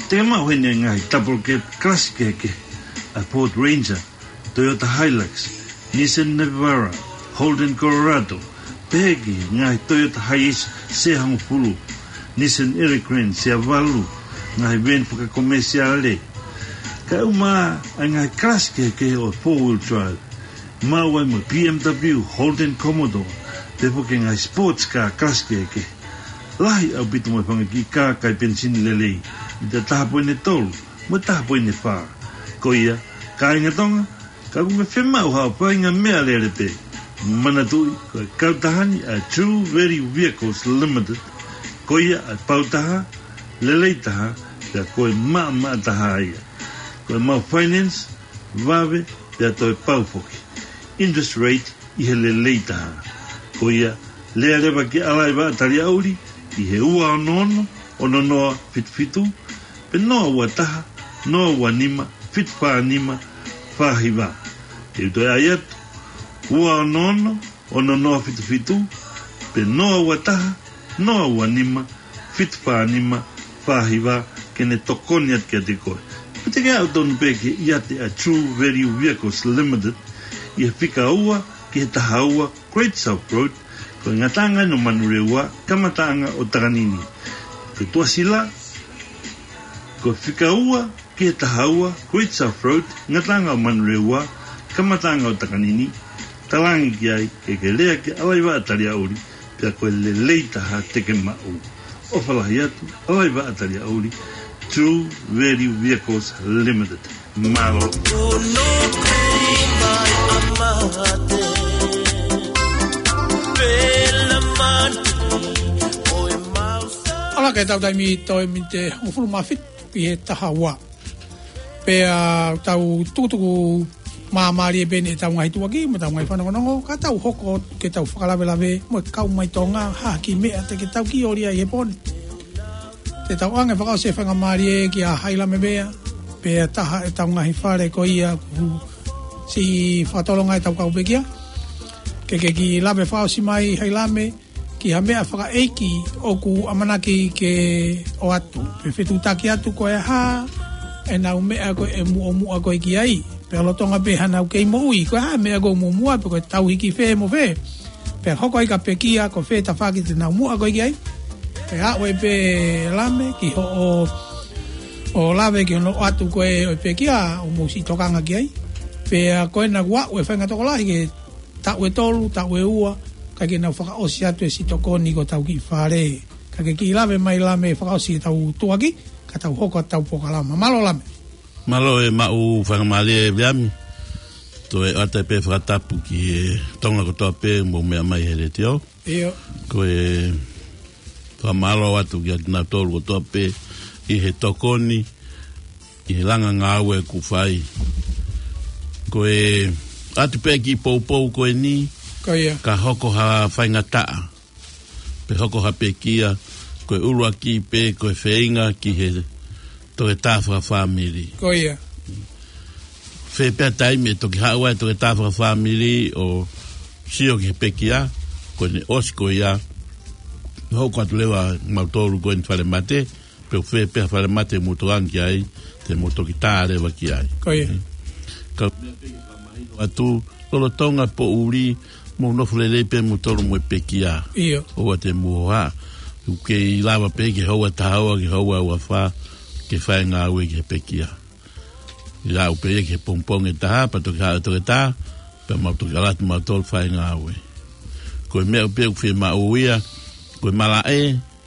Te ke maʻu heni e ngaahi double cab kalasi kehekehe, ʻa e Ford Ranger, Toyota Hilux, Nissan Navara, Holden Colorado, pehē ki he ngaahi Toyota Hiace sea hongofulu, Nissan Elgrand sea valu, ngaahi veeni fakakomesiale. Kae ʻumaʻā ʻa e ngaahi kalasi kehekehe ʻo e four wheel drive, maʻu ai mo e B M W, Holden Commodore, pehē foki ki he ngaahi sports car kalasi kehekehe. Lahi ʻaupito mo e fanga kiʻi kā kai penisini lelei, mita taha poini tolu mo e taha poini fā. Ko ia, kāinga Tonga, ka ʻoku ke fiemaʻu haʻo faʻahinga meʻalele pē, manatuʻi ko e kautaha ni ʻa e True Value Vehicles Limited, ko ia ʻa e pau taha, lelei taha, pea ko e maʻamaʻa taha ia. Ko e maʻu finance, vave, pea toe pau foki. Interest rate ʻi he lelei taha. Ko ia, lea leva ki ʻAlaivaʻa Taliaʻuli, ʻi he ua ono ono, ono noa fitu fitu, pe noa ua taha, noa ua nima, fitu fā nima, fā hiva. Te u toe ʻai atu, ua ono ono, ono noa fitu fitu, pe noa ua taha, noa ua nima, fitu fā nima, fā hiva, ke ne tokoni atu kiate koe. Pe te ke aʻu tonu pē ki he ʻiate ʻa e True Value Vehicles Limited, ʻi he fika ua ki he taha ua, Great South Road, ko e ngataʻanga ʻo Manurewa, kamataʻanga ʻo Takanini. Ko e tuʻasila, ko e fika ua ki he taha ua, Great South Road, ngataʻanga ʻo Manurewa, kamataʻanga ʻo Takanini, talaange ki ai, ke ke lea ki ʻAlaivaʻa Taliaʻuli, pea ko e lelei taha te ke maʻu. ʻOfa lahi atu, ʻAlaivaʻa Taliaʻuli, True Value Vehicles Limited. Mālō. ʻAlā, ke tau taimi toe miniti hongofulu mā fitu ki he taha ua. Pea tau tukutuku māmālie pē eni ʻetau ngaahi tuʻuaki mo ʻetau ngaahi fanongonongo, ka tau hoko ke tau fakalavelave mo e kau mai Tonga, ha kiʻi meʻa te ke tau kiʻi ʻolia ʻi he pō ni. Te tau ʻoange fakaʻosi e faingamālie kia Hailame Vea, pea taha ʻetau ngaahi fale ko ia kuo siʻi fakatolonga ʻetau kau pekia. Ke ke kiʻi lave fakaʻosi mai Hailame, ki ha meʻa fakaʻeiki ʻoku ʻamanaki ke ʻoatu. Pe fetuʻutaki atu ko e hā ʻenau meʻa ko ē ʻe muʻomuʻa ko ē ki ai. Pea lolotonga pē haʻanau kei moʻui, ko e hā e meʻa ko ē ʻoku muʻomuʻa, pe ko e tauhi ki fē mo fē. Pea hoko ai ka pekia, ko fē tafaʻaki te nau muʻa ko ē ki ai. Pea ʻoatu pē Lame ki hoʻo, ʻo lave ki hono ʻoatu ko ē ʻo e pekia, ʻo mou siʻi tokanga ki ai. Pea ko ena kuo aʻu e faʻahinga tokolahi ki he taʻu ʻe tolu, taʻu ʻe ua, kae ke nau fakaʻosi atu e siʻi tokoni ki hotau kiʻi fale. Ka ke kiʻi lave mai Lame fakaʻosi ʻetau tuʻuaki, ka tau hoko atu ʻetau polokalama. Mālō Lame. Mālō e maʻu faingamālie Viliami. Toe ʻoatu pē fakatapu ki he Tonga kotoa pē ʻoku mou meʻa mai he letiō. ʻIo. Ko e fakamālō atu kiate kinautolu kotoa pē ʻi he tokoni, ʻi he langa ngāue ʻoku fai. Ko e ʻoatu pē kiʻi poupou ko eni, ko ia, ka hoko ha faingataʻa, pe hoko ha pekia, ko e ʻuluaki pē ko e feinga ki he toketā fakafāmili. Ko ia. Fē pē taimi ʻe toki haʻu ai e toketā fakafāmili ʻo sio ki he pekia, ko ʻene ʻosi ko ia, hoko atu leva mautolu ko eni falemate, pe ʻoku fē pē ha falemate ʻoku mou tokanga ki ai, te mou toki tā leva ki ai. Ko ia. Ka ʻoatu, lolotonga e poʻuli, mou nofo lelei pē moutolu mo e pekia. ʻIo. ʻOua te mou hohaʻa. ʻOku kei lava pē ke houa taha ua, ke houa ua fā, ke fai e ngāue ki he pekia. ʻE aʻu pē ia ki he pongipongi ʻe taha, pea toki haʻu e toketā, pea mau toki ʻalu atu mautolu fai e ngāue. Ko e meʻa pē ʻoku fiemaʻu ia, ko e malaʻe,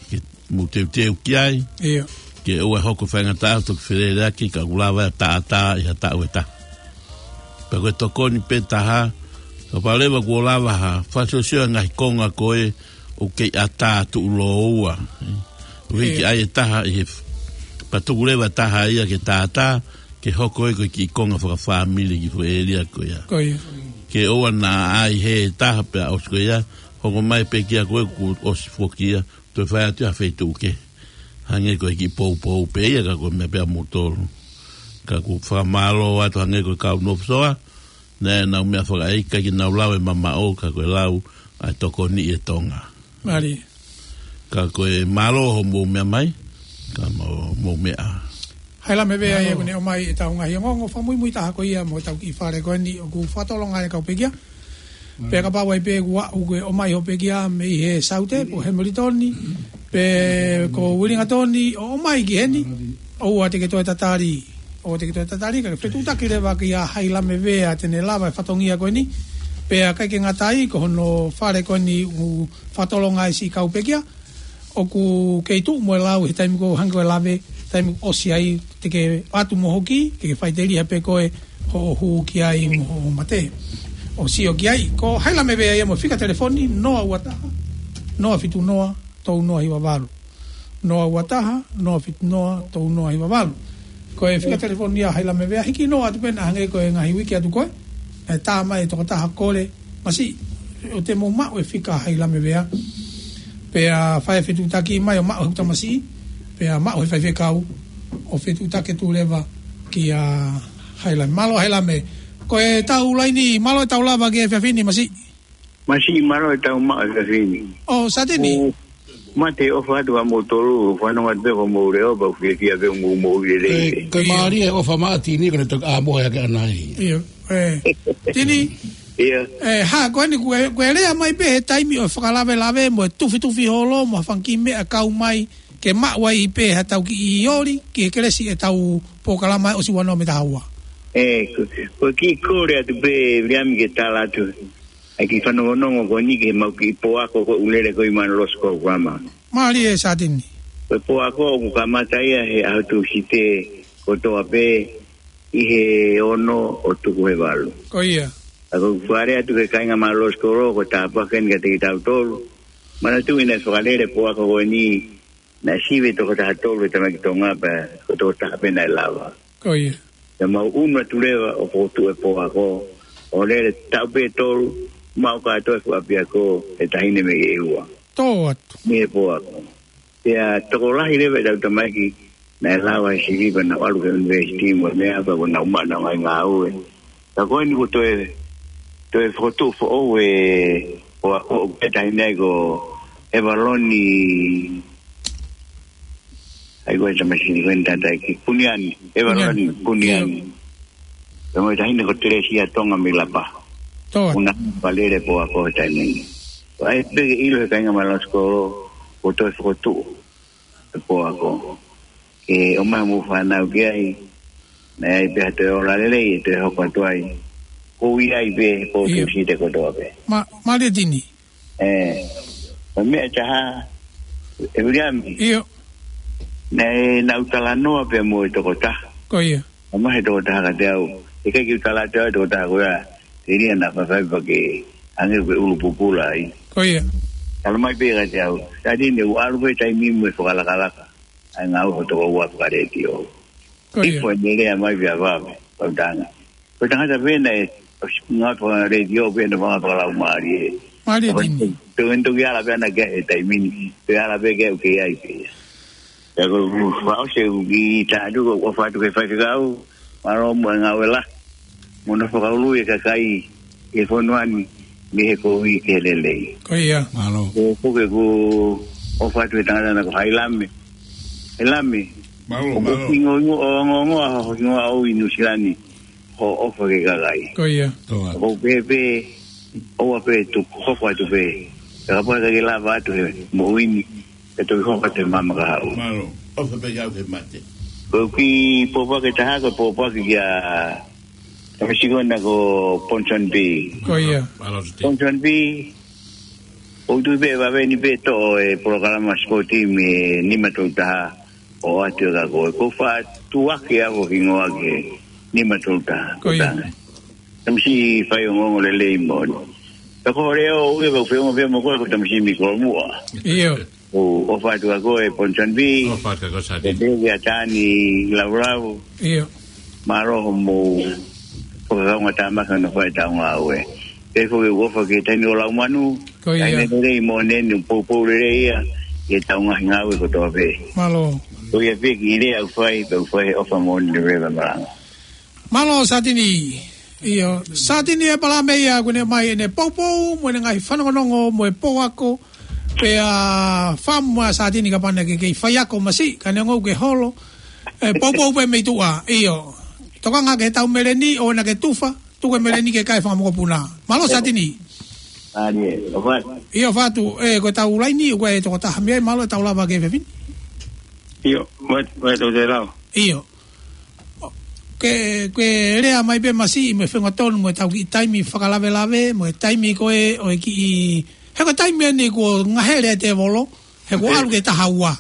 ke Mou teuteu ki ai. Ia. Ke ʻoua ʻe hoko faingataʻa ʻo toki feleleʻaki ka ʻoku lava ʻe taʻataʻa ʻi ha taʻu ʻe taha. Pea ko e tokoni pē taha, ka pau leva kuo lava ha, fasiosio e ngaahi konga ko ē ʻoku kei ʻatā tuʻuloua. ʻUhiki Ia. ai e taha ʻi he f-, pea tuku leva taha ia ke tātā, ke hoko ē ko e kiʻi konga fakafāmili ki he foʻi ʻēlia ko ia. Ko ia. Ke ʻoua naʻa ʻai he taha pea ʻosi ko ia, hoko mai pē kia koe kuo ʻosi foki ia, toe fai atu ha feituʻu kehe. Hangē ko e kiʻi poupou pē ia ka ko e meʻa pē ʻa moutolu. Ka ʻoku fakamālō atu hangē ko e kau nofo soa, naʻe nau meʻa fakaʻeiki ke nau lau e mamaʻo ka ko e lau ʻa e tokoni ʻi e Tonga. Mālie. Ka ko e mālō hoʻomou meʻa mai, ka mou, mou meʻa. Haila Mevea ia Mālō. Kuo ne ʻomai ʻetau ngaahi ongoongo fakamuimui taha ko ia mo ʻetau kiʻi fale ko eni ʻoku fakatolonga e kau pekia. Pea kapau ai pē kuo aʻu ke ʻomai hoʻo pekia mei he Saute, pe ko Hamilton, pe ko Uelingatoni, ʻo ʻomai ki heni, ʻoua te ke toe tatali, ʻoua te ke toe tatali, ka ke fetuʻutaki leva kia Haila Mevea te ne lava e fatongia ko eni, pea ʻikai ke ngata ai, ko hono fale ko eni ʻoku fakatolonga ai siʻi kau pekia, ʻoku kei tuʻu mo e lau he taimi ko ē hangē ko e lave, taimi ʻosi ai, te ke ʻatu mo hoki, ke ke faʻiteliha pē koe hoʻo hū ki ai mo hoʻo mate. ʻO sio ki ai, ko Haila Mevea ia mo e fika telefoni, noa ua taha, noa fitu noa, tolu noa hiva valu. Noa ua taha, noa fitu noa, tolu noa hiva valu. Ko e fika telefoni ia Haila Mevea, hiki noa atu pē naʻa hangē ko e ngaahi uike atu ko ē, ʻe tā mai e tokotaha kole, masiʻi, ʻo te mou maʻu e fika Haila Mevea. Pea fai e fetuʻutaki mai ʻo maʻu he tamasiʻi, pea maʻu he faifekau, ʻo fetuʻutaki atu leva kia Haila. Mālō Haila Mevea. Ko e tau laini, mālō e tau lava ki he efiafi ni masiʻi. Masiʻi mālō e tau maʻu e efiafi ni. ʻO, Satini. ʻO, mate ʻofa atu ʻa moutolu, fanongo atu pē ko mou leo, pea ʻoku fiefia pē mou mou lelei. Ko e, ko e Ia. mālie e ʻofa maʻa Tini, ko ne toki ʻā mohe hake ʻanai. Ia. ʻE, Tini. Ia. ʻE, ha, ko eni, ko e, ko e lea mai pē he taimi ʻo e fakalavelave, mo e tufitufi holo, mo ha fanga kiʻi meʻa kau mai, ke maʻu ai pē ha tau kiʻi oli, ki he kelesi ʻetau polokalama ʻosi ua noa mo e taha ua. ʻE, ko, ko e kiʻi kole atu pē, Viliami ke tala atu. ʻAi kiʻi fanongonongo ko eni ki he mau kiʻi poako ko ʻoku lele ko ē ʻi Manu Losi ko Guama. Mālie Satini. Ko e poako ʻoku kamata ia he ʻaho Tūsite kotoa pē, ʻi he ono ʻo tuku he valu. Ko ia. ʻA ko ʻeku fale atu ki he kāinga Manu Losi ko Guama, ko e tāpuaki eni kiate kitautolu. Manatuʻi naʻe fakalele poako ko eni, naʻe sivi e toko taha tolu he tamaiki Tonga pea ko e toko taha pē naʻe lava. Ko ia. Pea mau ʻunu atu leva ʻo fokotuʻu e poako, ʻo lele taʻu pē tolu, maʻu kātoa e fuʻu ʻapiako he taʻahine mei ʻEua. Tō atu. Mei he poako. Pea tokolahi leva ʻetau tamaiki, naʻe lava he sivi pea nau ʻalu ki he university mo e meʻa pea ko ʻenau maʻu ʻenau ngaahi ngāue. Ka ko eni kuo toe, toe fokotuʻu foʻou e poako ʻoku pehē taʻahine ai ko ʻEvaloni, ʻai ko e tamaiki ko eni tātā ki Puniani, ʻEvaloni Puniani. Puniani. Ia. Pea mo e taʻahine ko Telesia Tonga mei Lapa. Tō atu. ʻOku na fakalele poako he taimi ni. ʻAi pē ke ʻilo he kāinga Manu Losi ko Guama, kuo toe fokotuʻu e poako. Ke ʻomai hoʻomou fānau ki ai, naʻe ʻi ai pē ha toe ola lelei, ʻe toe hoko atu ai. Ko ia ai pē, ko Ia. Tūsite kotoa pē. Mā-, mālie Tini. ʻE, ko e meʻa ʻe taha, ʻe Viliami. Ia. Naʻe, naʻa ku talanoa pē mo e toko taha. Ko ia. ʻOmai he toko taha kiate au. ʻIkai ke u tala atu au e toko taha ko ia. Telia naʻa faifai pea ke hangē ko e ʻulu pupula ai. Ko ia. Tala mai pē kiate au. Satini ʻoku ʻalu pē taimi mo e fakalakalaka. ʻAi ngāue hoʻo tokoua fakalētio. Ko ia. Ifo ʻene lea mai pea vave. Pau tanga. Ko e tangata pē naʻe, ʻosi ngāue fakalētio pē naʻe vanga fakalaumālie. Mālie Tini. Tau ʻenau toki ala pē ʻana ki he taimi ni. Pea ala pē ke u kei ai pē. Pea ko e fakaʻosi ʻeku kiʻi tala atu ko e ʻofa atu ki he faifekau, mālō mo e ngāue lahi. Mo hono fakaului e kakai ʻi he fonua ni, mei he kovi ki he lelei. Ko ia. Mālō. Ko, ko ʻeku ʻofa atu he tangata na ko Hailame. Hailame. Mālō, mālō. ʻOku hingoa, hingoa, ʻo ongoongoa, hingoa ʻo ʻi Nuʻusila ni. Hoʻo ʻofa ki he kakai. Ko ia. Tō atu. ʻOku pehē pē, ʻoua pē tuku hoko atu pē. Pea kapau ʻe ʻikai ke lava atu he moʻui ni, ʻe toki hoko atu he maama kahaʻu. Mālō. ʻOfa pē kau ke mate. Ko e kiʻi pōpoaki ʻe taha, ko e pōpoaki kia Tamasikona ko Ponsonby. Ko ia. Mālō, Tete. Ponsonby, ʻOku ou tui pē ʻe vave ni pē toʻo e polokalama score team ʻe nima tolu taha ʻo ʻoatu ʻe ka ko e ko fa tuake ʻa ko hingoa ke nima tolu taha. Ko ia. Tangata. Tamasiʻi faiongoongo lelei moʻoni. Ka ko Leʻo ʻoku ʻi ai pē ʻeku feongoʻi pē mo koe ko Tamasiʻi Miko muʻa. ʻIo. ʻOku ʻofa atu kia koe Ponson B. ʻOfa atu kia koe Sātini. Pea pehē kia Tani Laulau. ʻIo. Mālō hoʻomou fakakaungātāmaki hono fai ʻetau ngāue. Pea foki ʻoku ou ʻofa ki he taimi ʻo Laumanu. Ko ia. Taimi lelei moʻoni eni ʻoku poupou lelei ia ʻi heʻetau ngaahi ngāue kotoa pē. Mālō. Ko ia pē kiʻi lea ʻoku fai, pea ʻoku fai he ʻofa moʻoni lelei pea malanga. Mālō Sātini. ʻIo, Sātini ʻe palame ia kuo ne ʻomai ʻene poupou, mo ʻene ngaahi fanongonongo, mo e pouako, pea fāmu ʻa Sātini kapau naʻa ke kei faiako masiʻi, ka neongo ʻoku ke holo. ʻE poupou pē mei tuʻa, ʻio. Tokanga ki heʻetau meleni, ʻoua naʻa ke tufa, tuku e meleni ke kai fakamokopuna. Mālō Sātini. Mālie, ʻofa atu. ʻIo, ʻofa atu, ē, ko ʻetau laini, ʻoku ʻi ai e tokotaha mei ai, mālō ʻetau lava ki he fefine. ʻIo, mai, mai tau te lau. ʻIo. Ke, ke lea mai pē masiʻi mo e fengatonu mo ʻetau kiʻi taimi fakalavelave, mo e taimi ko ē ʻo e kiʻi, he ko e taimi eni kuo ngahele e tēvolo, he kuo ʻalu ki he taha ua.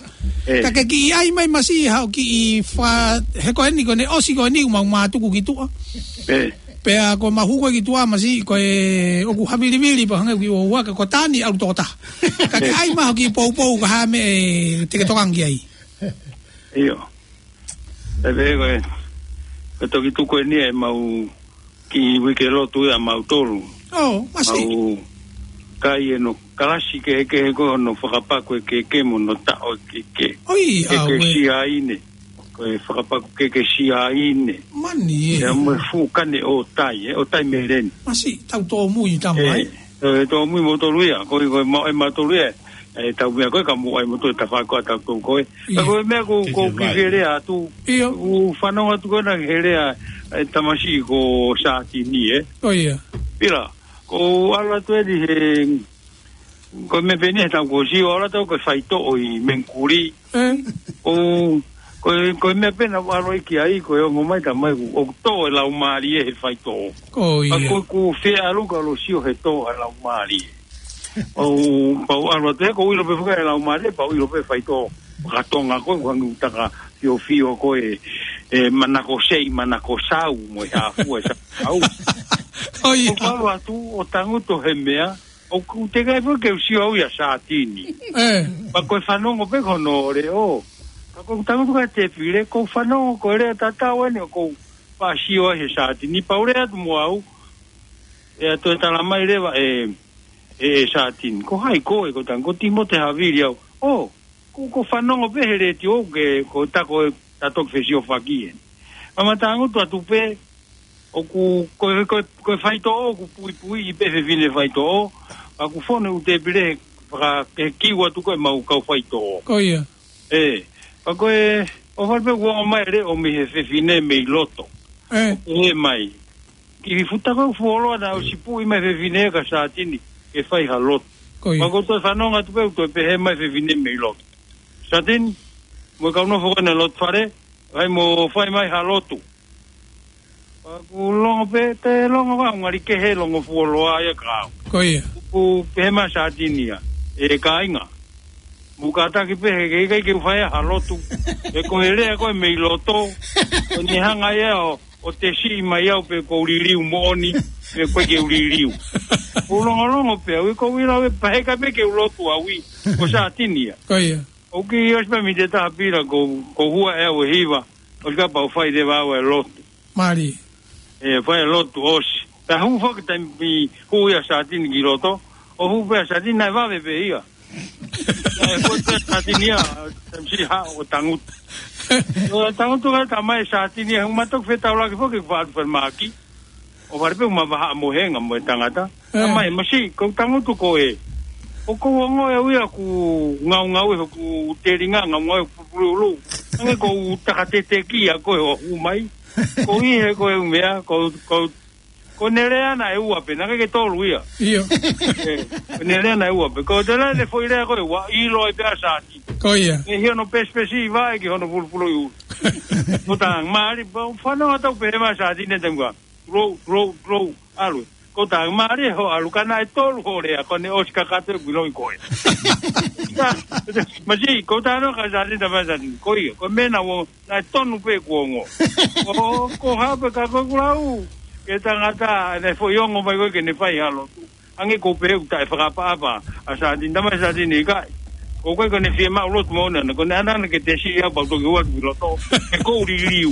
Ka ke kiʻi ʻai mai masiʻi haʻo kiʻi fa-, he ko eni ko ʻene ʻosi ko eni ʻoku mau mātuku ki tuʻa. Pea ko e mau hū ko ē ki tuʻa masiʻi ko e ʻoku havilivili pea hangē ʻoku kiʻi ua ua ka ko Tani ʻalu tokotaha. Ka ke ʻai mai haʻo kiʻi poupou ka hā e meʻa te ke tokanga ki ai. ʻIo. ʻE pehē ko e, ko e toki tuku eni ʻemau kiʻi uike lotu ia ʻamautolu. ʻO, masiʻi. Mau kai ʻenau kalasi kehekehe ko hono fakapaku e keke mo hono taʻo e keke. ʻOi, ʻa, Ekesiaine. Ko e fakapaku keke siaine. Mani ē. Ia mo e fuʻu kane ʻotai, ē, ʻotai meleni. Masiʻi, tau tōmui tama ai. ʻE, tōmui moutolu ia, ko e, ko e mau, ʻe mautolu ia. ʻE tau meʻa ko ē ka mou ʻai moutolu e tafaʻaki ʻa tautolu ko ē. Ka ko e meʻa ko, ko e kiʻi lea atu. ʻIo. ʻOku fanongo atu ko ena ki he lea, ʻe tamasiʻi ko Sātini, ē. ʻO ia. Pila, ko e ʻalu atu eni he, ko e meʻa pē eni he taʻu kuo ʻosi ʻo ʻalu atu ko e faitoʻo ʻi Mengkuli. ʻE. ʻO, ko e, ko e meʻa pē naʻa ʻalu ai ki ai, ko e ongo mai tamai ʻoku, ʻoku tō e laumālie he faitoʻo. Ko ia. Ka ko e ʻoku fie ʻalu ka lo sio he tō e laumālie. ʻO pau ʻalu atu he ʻoku ou ʻilo pē faka e laumālie, pau ʻilo pē faitoʻo. Ka Tonga ko e ʻoku hangē ʻoku taka fiofio ko e, e manako sei, manako sau, mo e hāfua e sau. Ko ia. ʻOku ʻalu atu, ʻo tangutu he meʻa, ʻoku teʻeki ai foki ke u sio au ia Sātini. ʻE. Pea ko e fanongo pē ko hono leʻo. Ka ʻoku tangutu ka tefile, ʻoku ou fanongo ko e lea tatau eni ʻoku ou faʻa sio ai he Sātini. Pea u lea atu mo au, ʻe ʻatu e tala mai leva ʻe, ʻe, ʻe Sātini. Ko hai koe, ko tangutu mo te havili au. ʻO, ʻoku, ʻoku ou fanongo pē he letiō ke, ko e taʻu ko ē ta toki fesiofaki ē. Pea ma tangutu atu pē, ʻoku, ko e, ko e, ko e faitoʻo, ʻoku puipuiʻi pē fefine faitoʻo, pea ʻoku fonu ʻū tēpile he, faka-, he kiu atu ko ē ʻemau kau faitoʻo. Ko ia. ʻE, pea ko e, ʻofa pē ʻoku ongo mai e leʻo mei he fefine mei loto. ʻE. ʻE mai. Kiʻi futa ko e fuoloa naʻe ʻosi puʻi mai fefine kia Sātini, ke fai ha lotu. Ko ia. Pea ʻoku ou toe fanongo atu pē ʻoku toe pehē mai fefine mei loto. Sātini, mo e kau nofo ko ena lotu fale, ʻai mo fai mai ha lotu. Pea ʻoku longo pē, te longo ka ngali kehe longo fuoloa ia ka au. Ko ia. ʻOku pehē mai Sātini ia, ʻe kāinga. Mou kātaki pē he ʻikai ke u fai ha lotu. ʻE ko e lea ko ē mei loto. Ko eni hanga ia ʻo, ʻo tesiʻi mai au pe ʻoku ou liliu moʻoni, pe ʻoku ʻikai ke u liliu. ʻOku ou longolongo pē, ʻoku ou ʻilo ʻe pehē ka pe ke u lotu au ē. Ko Sātini ia. Ko ia. ʻOku ʻosi pē mei he taha pila ko, ko hua ʻe au e hiva, ʻosi ka pau fai leva au e lotu. Mālie. ʻE, fai e lotu ʻosi. Pea hū foki taimi hū ia Sātini ki loto, ʻo hū pē ʻa Sātini naʻe vave pē ia. Naʻe hū pē Sātini ia, taimi siʻi haʻu ʻo tangutu. ʻO tangutu ka tamai Sātini ia, hū ma toki fetaulaki foki, ʻoku faʻa atu falemahaki. ʻO fale pē ʻoku ma vahaʻa mohenga mo e tangata. ʻE. Tamai, masiʻi, ʻoku ou tangutu ko ē. ʻOku ou ongoʻi au ia ʻoku ngaungaue hoku telinga, ngaungaue hoku puluʻulu. Hangē ʻoku ou taka teteki ʻa koe ʻo hū mai. Ko e hā ko e meʻa, ko, ko, ko ʻene lea naʻe ua pē, naʻe ʻikai ke tolu ia. ʻIo. ʻE, ko ʻene lea naʻe ua pē. Ko ʻene lea ʻene foʻi lea ko ē ua, ʻilo ai pē ʻa Sātini. Ko ia. ʻE hia hono pesipesi ʻi vaʻe ki hono fulufulu ʻi ʻulu. Ko tā, mālie, pea u fanongo atu pē he mai Sātini ʻe taimi ko ē. Tulou, tulou, tulou, ʻalu. Ko tā mālie hoʻo ʻalu ka naʻe tolu hoʻo lea, ko ʻene ʻosi kakato e kuiloʻi koe. Ka, masiʻi, ko tā noa ka Sātini, tā mai Sātini, ko ia, ko e meʻa naʻa ʻo, naʻe tonu pē kuo ongo. Ko, ko hape ka ko kulau, ke tangata, ne foʻi ongo mai koe ke ne fai ha lotu. Ange ko pē ʻoku taʻe fakaʻapaʻapa, ʻa Sātini, tā mai Sātini ʻikai. Ko koe ko ʻene fiemaʻu lotu mo ʻene, ko ʻene ʻanana ke te siʻi au pau toki ua ki loto. He ko ʻuli liu.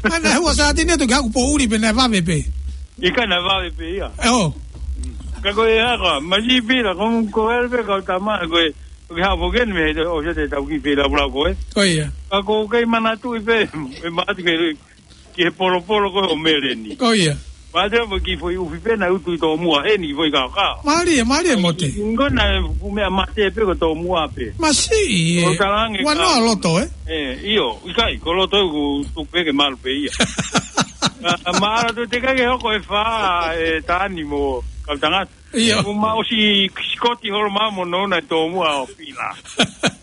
Ana hua Sātini atu ki haku poʻuli pē naʻe vave pē. ʻIkai naʻe vave pē ia. ʻE ʻo. Ka ko e haka, masiʻi Pila, ko, ko e pē kau tama, ko e, ko e hapo ken me, ʻo se te tau ki Pila pula ko e. Ko ia. Ka ko kei manatuʻi pē, e matu ke, ki he polopolo ko e ʻo Meleni. Ko ia. Mate mo ki foʻi ʻufi pē naʻe utu ʻi tōmuʻa heni ki foʻi kaokao. Mālie, mālie Mote. Ko na ku meʻa mate pē ko tōmuʻa pē. Masiʻi, ʻe. Ko talange ua ka noa loto, ʻe? ʻE, ʻio, ʻikai, ko loto ʻoku tuku pē ke malu pē ia. Ka, ka maʻala tu te kai ke hoko e fā, e Tani mo kau tangata. ʻIo. Ko ma ʻosi sikoti holo ma mo nona e tōmuʻa ʻo Pila.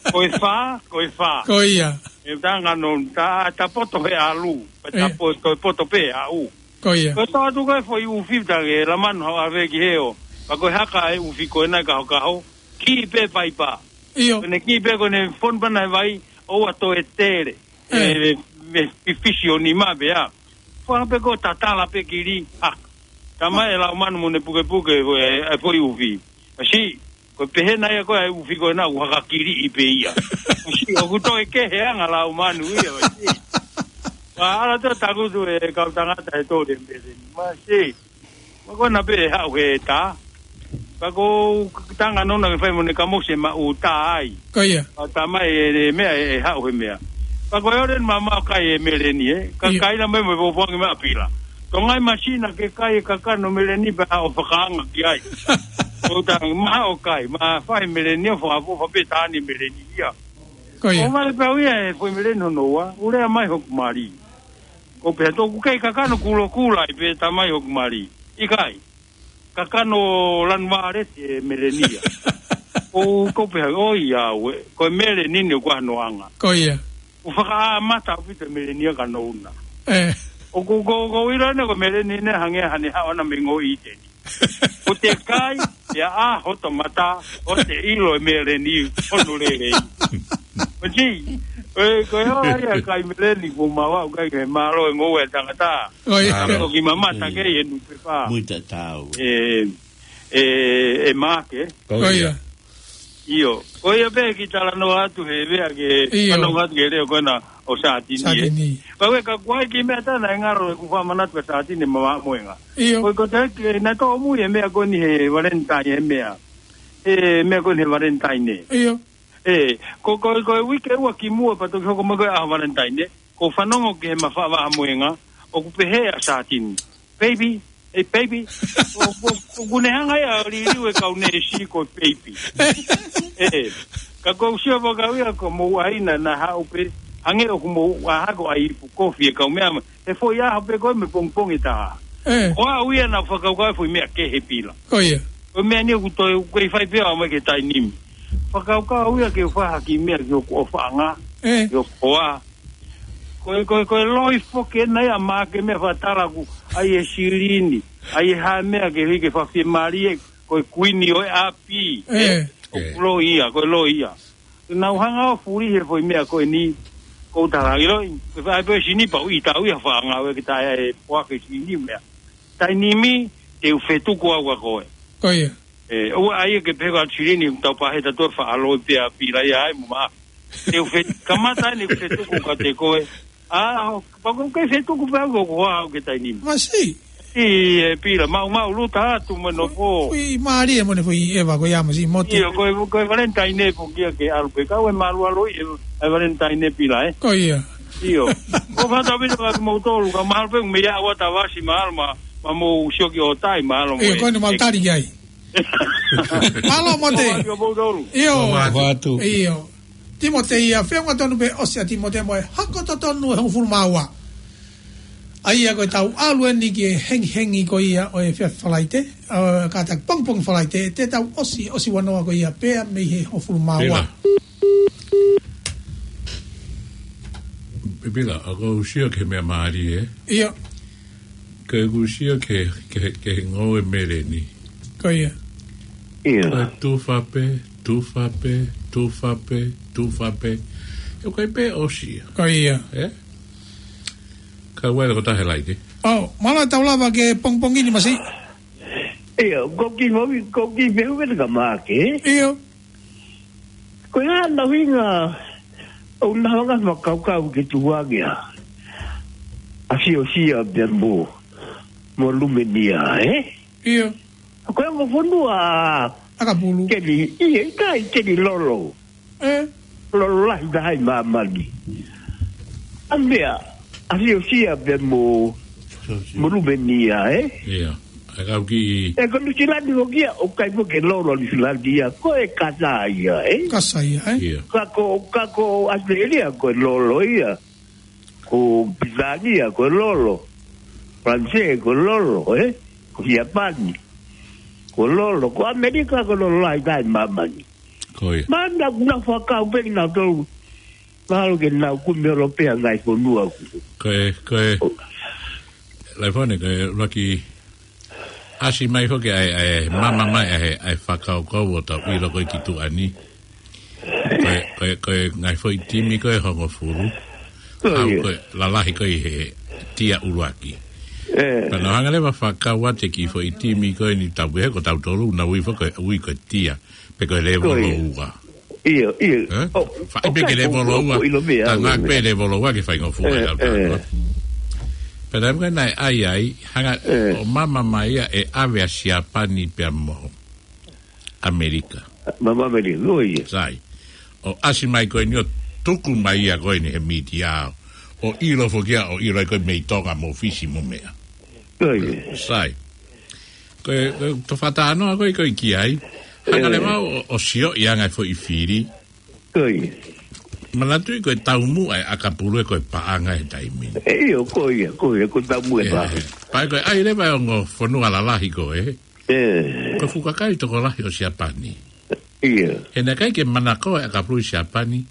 Ko e fā, ko e fā. Ko ia. E tanga no, ta, ta poto he ʻalu. Ta ʻIo. poto, poto pē aʻu. Ko ia. Ko e tau atu ko e foʻi ʻufi ta ke lamanu hau ave ki heo. Pa ko e haka e ʻufi ko ena kahokaho. Ki pē paipa. ʻIo. Ko ʻene ki pē ko ʻene fonu pana e vai, ʻoua toe tele. ʻE. E, me fifisi ʻo nima pea. Fua pē ko tatala pē kili. Ha. Tama e lau manu mo ne pukepuke, e, e foʻi ʻufi. Masiʻi, ko e pehē nai ʻa ko e ʻufi ko ena ʻoku haka kili ʻi pē ia. Masiʻi, ʻoku toe kehe anga lau manu ia, masiʻi. Wa ala to takutu e kau tangata he tole mbele ni. Masiʻi. Ma ko na pē haʻu he tā. Ka ko tanga nona ke fai mo ne ka mose ma u tā ai. Ko ia. Ka tā mai e, e meʻa e, e haʻu he meʻa. Ka ko e ore ma ma kai e Meleni e. Ka Ia. kai na mai mo e popoangi ma Pila. Ko ngai masina ke kai e kakano Meleni pea ʻo fakaanga ki ai. Ko tā ma ʻo kai. Ma fai Meleni ʻo fakapofa pē Tani Meleni ia. Ko ia. ʻO vale pau ia e foʻi Meleni hono ua. Ulea mai hoku mali. Ko pea toku kei kakano kulo kula i pē tā mai hoku mali. ʻIkai. Kakano lanu vale te Meleni ia. ʻO ko pea, ʻo ia ue. Ko e Meleni ne kua noanga. Ko ia. ʻO fakaʻamata ʻaupito e Meleni ia ka nouna. ʻE. ʻO ko, ko, ko ira ne ko e Meleni ne hangē hane haʻona me ngoi teni. ʻO te kai, ia a hoto mata, ʻo te ʻilo e Meleni, hono lele. ʻO ti, e, ko e ora ia kai Meleni, ko maua, ʻo kai ke malo e ngou e tangata. ʻO ia. Malo. Ko ki mamata ke e nupepa. Muita tau. E, e, e make. Ko ia. ʻIo. Ko ia pē ki talanoa atu he vea ke ʻIo. talanoa atu ke leo ko ena ʻo Sātini e. Sātini. Ka ue ka kuai ki meʻa tana e ngaro e ku fakamanatu ka Sātini ma moenga. ʻIo. Ko, ko te ke na tō mui e meʻa ko ni he Valentine e meʻa. E meʻa ko ni he Valentine. ʻIo. E, ko, ko, ko e uike ua ki mua pa toki hoko mai ko e ʻaho Valentine. Ko fanongo ke he mafa vaha moenga. ʻOku pehē ʻa Sātini. Baby, e baby. ʻO, ʻo, ʻo kune hanga ia ʻo liliu e kau neesi ko e baby. E, ka ko usio pa kau ia ko mou aina na haʻu pē, hangē ʻoku mou aha ko ai ipu kofi e kau meʻa ma. E foʻi aha pē ko e me pongpongi taha. E. Ko au ia na fakau ka foʻi meʻa ke he Pila. Ko ia. Ko e meʻa ni ʻoku toe, ʻoku kei fai pē au mai ke tainimi. Fakau ka au ia ke u fahaki meʻa ki hoku ʻofaʻanga. E. Ki hoku hoa. Ko e, ko e, ko e loi foki ena ia ma ke meʻa fatala ku, ai e silini, ai e ha meʻa ke hiki fafie malie, ko e kuini ʻo e ʻapi, ʻe, ʻoku loi ia, ko e loi ia. Nau hanga ʻo fuli he foʻi meʻa ko eni, ko u tala ki loi, ko e fai pē sini pa u i tau ia fanga ue ki tae e poa ke sini meʻa. Tainimi, te u fetuku au ka koe. Ko ia. E, ʻoua ʻai ke pehē ko atu silini, tau pahē tatou faʻa loi pea Pila ia ai mo ma. Te u fe-, kamata ni ke fetuku ka te koe. A, pa ko ke fetuku pea ko ko au ke tainimi. Masiʻi. ʻI e Pila, mau mau luta atu mo no ko. Kui mālie mo ne kui eva ko ia masiʻi Mote. ʻIo, ko e, ko e Valentine po kia ke alu pē. Kau e malu alo i e, e Valentine Pila, e. Ko ia. ʻIo. Ko fata pito ka mau tolu, ka malu pē me ia ua tavasi malu ma, ma mo usioki o tai malu mo ʻIo, e. Ko ne mau tali ki ai. Mālō Mote. Ko fata pito mau tolu. ʻIo. Ko fatu. ʻIo. Timote ia, feʻunga tonu pē ʻosi ʻa Timote mo e hako totonu ʻe hongofulu mā ua. ʻA ia ko e tau ʻalu eni ki he hengihengi ko ia ʻo e fea Falaite, ʻo, kātaki pongipongi Falaite, te tau ʻosi, ʻosi vanoa ko ia pea mei he hongofulu mā ua. Pila. Pila, ʻa ko u sio ki he meʻa mālie, e? ʻIo. Ko e kusia ke, ke, ke ngoue meleni. Ko ia. Ia. Ko e tufa pē, tufa pē, tufa pē, tufa pē. He ko e pē ʻosi ia. Ko ia. Ē? Ka uele ko tahe laike. ʻO, mālō tau lava ke pongipongi ni Masi. Ia, ko ki mau, ko ki mehu ke te ka make. Ia. Ko e hā nau hinga ʻo nau hanga fakakaukau ke tuangia. ʻA Siosia pea mo, mo Lumenia, ē? Ia. Ko e ongo fonua ʻAkapulu. Keli, ia, ʻikai keli lolo. Ē? Lolo lahi taha ʻi māmani. ʻA meʻa, ʻa Siosia pea mo, mo Lumenia, ē? Ia. ʻA e kau ki ʻE ko Nuʻusila ni ko kia, ʻoku ʻikai foki ke lolo Nuʻusila ia, ko e kasa ia, ē? Kasa ia, ē? Ia. Ka ko, ka ko ʻAositelēlia, ko e lolo ia. Ko Pilitānia, ko e lolo. Falanisē, ko e lolo, ē? Ko Siapani. Ko e lolo, ko ʻAmelika, ko e lolo lahi taha ʻi māmani. Ko ia. Mana, na fakau pē kinautolu. Mahalo ke nau kumi ʻo lopea ngaahi fonua ku. Ko e, ko e. ʻO. Laifone, ko e ʻuluaki ʻasi mai foki ʻa e, ʻa e, mama mai ʻa e, ʻa e fakakaukau ʻo tau ʻilo ko e ki tuʻa ni. Ko e, ko e, ko e ngaahi foʻi timi ko e hongofulu. Ko ia. Ko e lalahi ko e he tia ʻuluaki. Ē. Pea nau hanga leva fakakau atu e kiʻi foʻi timi ko eni tau pehē ko tautolu, nau ui foki ko e, ui ko e tia. Pe ko e lēvolo ua. Ia, ia. Ē? ʻO, faʻi pē ke lēvolo ua. Ka ngā pē lēvolo ua ke faingofua ʻe au tāua. Pea taimi ko ē naʻe ʻai ai, hanga ʻo mama mai ia ʻe ʻave ʻa Siapani pea mo ʻAmelika. Mama ʻAmelika, ko ia. Sai. ʻO ʻasi mai ko eni ʻo tuku mai ia ko eni he mītia ʻo ʻilo foki ia, ʻo ʻilo ai ko e mei Tonga mo Fisi mo meʻa. Ko ia. Sai. Ko e, ko e tofatānoa ko e, ko e ki ai. Hanga leva ʻo, ʻo sio ʻi anga e foʻi fili. Ko ia. Manatuʻi ko e taumuʻa ʻa e ʻakapulu ē ko e paʻanga he taimi ni. ʻE, ʻio, ko ia, ko ia, ko e taumuʻa ʻa e paʻanga. Pea ko e ʻai leva e ongo fonua lalahi ko ē. Ē. Ko e fuʻu kakai tokolahi ʻo Siapani. Ia. He naʻe ʻikai ke manakoa e ʻakapulu ʻi Siapani.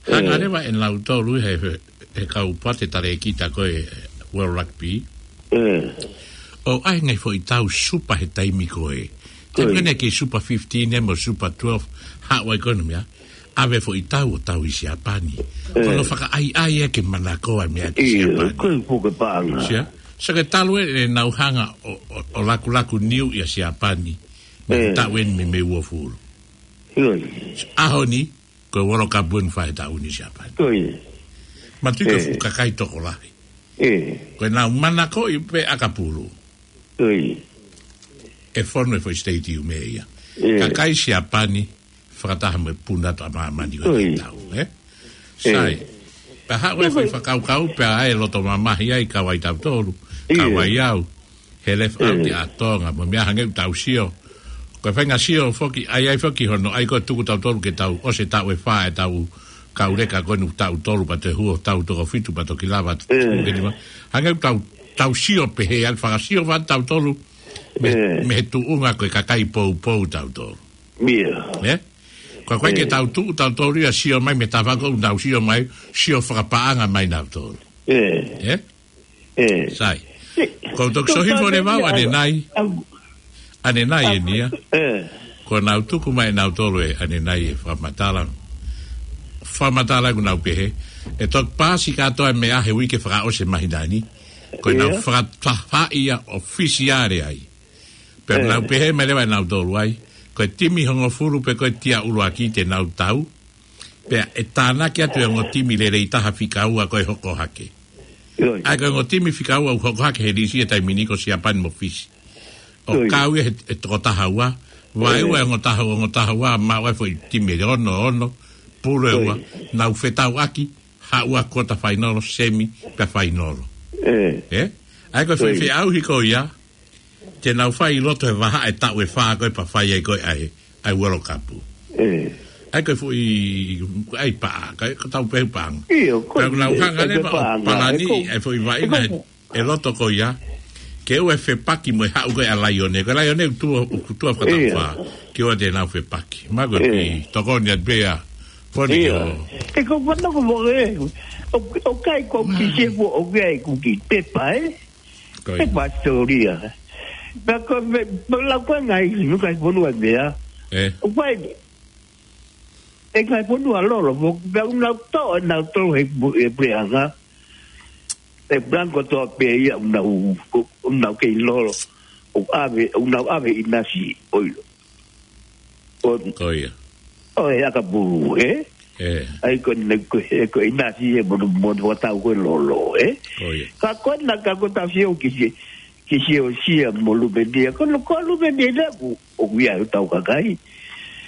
Hanga leva ʻe nautolu he, he, he kau pate talēkita ko e World Rugby. Ē. ʻO ʻai ngaahi foʻi tau supa he taimi ko ē. Taimi ko ē naʻe kei supa fifteen ē mo supa twelve. Haʻu ai ko ē ʻenau meʻa. ʻAve foʻi tau ʻo tau ʻi Siapani. Ē. Ko hono fakaʻaiʻai ē ke manakoa e meʻa ki Siapani. Ko e fuʻu paʻanga. Sia? Sai, ko e talu ē ʻenau hanga ʻo, ʻo, ʻo lakulaku niu ʻia Siapani. Mei he taʻu eni mei, mei uofulu. ʻAho ni, ko e World Cup eni fai he taʻu ni Siapani. Manatuʻi ko e fuʻu kakai tokolahi. Ko ʻenau manakoʻi pē ʻakapulu. ʻE fonu e foʻi stadium ē ia. Kakai Siapani, fakataha mo e puna atu ʻa māmani ko e tau, ē? Sai. Pea haʻu e foʻi fakakaukau, pea ʻai e loto mamahi ai, kau ai tautolu, kau ai au. He left out ʻa Tonga, mo e meʻa hangē ʻoku tau sio. Ko e faʻahinga sio foki, ʻai ai foki hono, ʻai ko e tuku tautolu ke tau, ʻosi e taʻu ʻe fā ʻetau kauleka ko eni tautolu pea toe hū hotau toko fitu pea toki lava tuku ke nima. Hangē ʻoku tau, tau sio pehē, ʻa e fakasio fā tautolu, mei, mei he tuʻunga ko e kakai poupou tautolu. Ē? Ko e ʻikai ke tau tuʻu tautolu ia sio mai mei he tafaʻaki ʻoku tau sio mai, sio fakapaʻanga mai nautolu. Ē? Sai. Ko e toki sohi fole vau ʻanenai. ʻAnenai eni ia. Ko ʻenau tuku mai nautolu ē ʻanenai e fakamatala. Fakamatala ʻoku nau pehē. ʻE toki paasi kātoa e meʻa he uike fakaʻosi e māhina ni. Ko ʻenau fakatafaʻi ia ʻofisiale ai. Pea nau pehē mai leva ʻe nautolu ai, ko e timi hongofulu pe ko e tia ʻuluaki te nau tau, pea ʻe tānaki atu e ongo timi lelei taha fika ua ko e hoko hake. ʻA ia ko e ongo timi fika ua ʻoku hoko hake he lisi he taimi ni ko Siapani mo Fisi. ʻO kau ia he, he toko taha ua, vaeua e ongo taha, ongo taha ua, maʻu ai foʻi timi ʻe ono, ono, pulu ʻe ua, nau fetauʻaki, haʻu ʻa kota fainolo, semi, pea fainolo. Ē? ʻA ia ko e foʻi feʻauhi ko ia, te nau fai ʻi loto he vahaʻa e taʻu ʻe fā ko ē pea fai ai ko ē ʻa e, ʻa e World Cup. ʻA ia ko e foʻi, ʻa e paʻanga, ko e, ko e tau pehē paʻanga. Pea nau hanga leva ʻo palani ʻa e foʻi vaʻinga he, ʻe loto ko ia, ke ʻoua ʻe fepaki mo e haʻu ko ē ʻa Laione, ko Laione ʻoku tuʻu, ʻoku tuʻu fakataʻu fā, ke ʻoua te nau fepaki. Ma ko e pi, tokoni atu pea, foni ke ʻo. ʻE ko fana ko mo e, ʻo, ʻo kai ko ki se fo, ʻo kai ko ki pepa, ē? Ko ia. He pasitoria. Pea ko e, pea lau ko e ngaahi, ngaahi fonua meʻa. ʻE. ʻOku ʻi ai e ngaahi fonua lolo, mo, pea ʻoku nau toʻo, nau toʻo he, he puleʻanga. He puleʻanga kotoa pē ia ʻoku nau, ʻoku nau kei lolo. ʻOku ʻave, ʻoku nau ʻave ʻinasi ʻo ʻilo. ʻO, Ko ia. ʻo e ʻakapulu, ē? ʻE. ʻAi ko ena ko e, ko e ʻinasi ē mo, mo, mo tau ko e lolo, ē? Ko ia. Ka ko ena ka ko e tau sio ki he, ki he ʻosi ia mo Luvenia. Ko ena ko Luvenia ʻoku, ʻoku ʻi ai ʻetau kakai.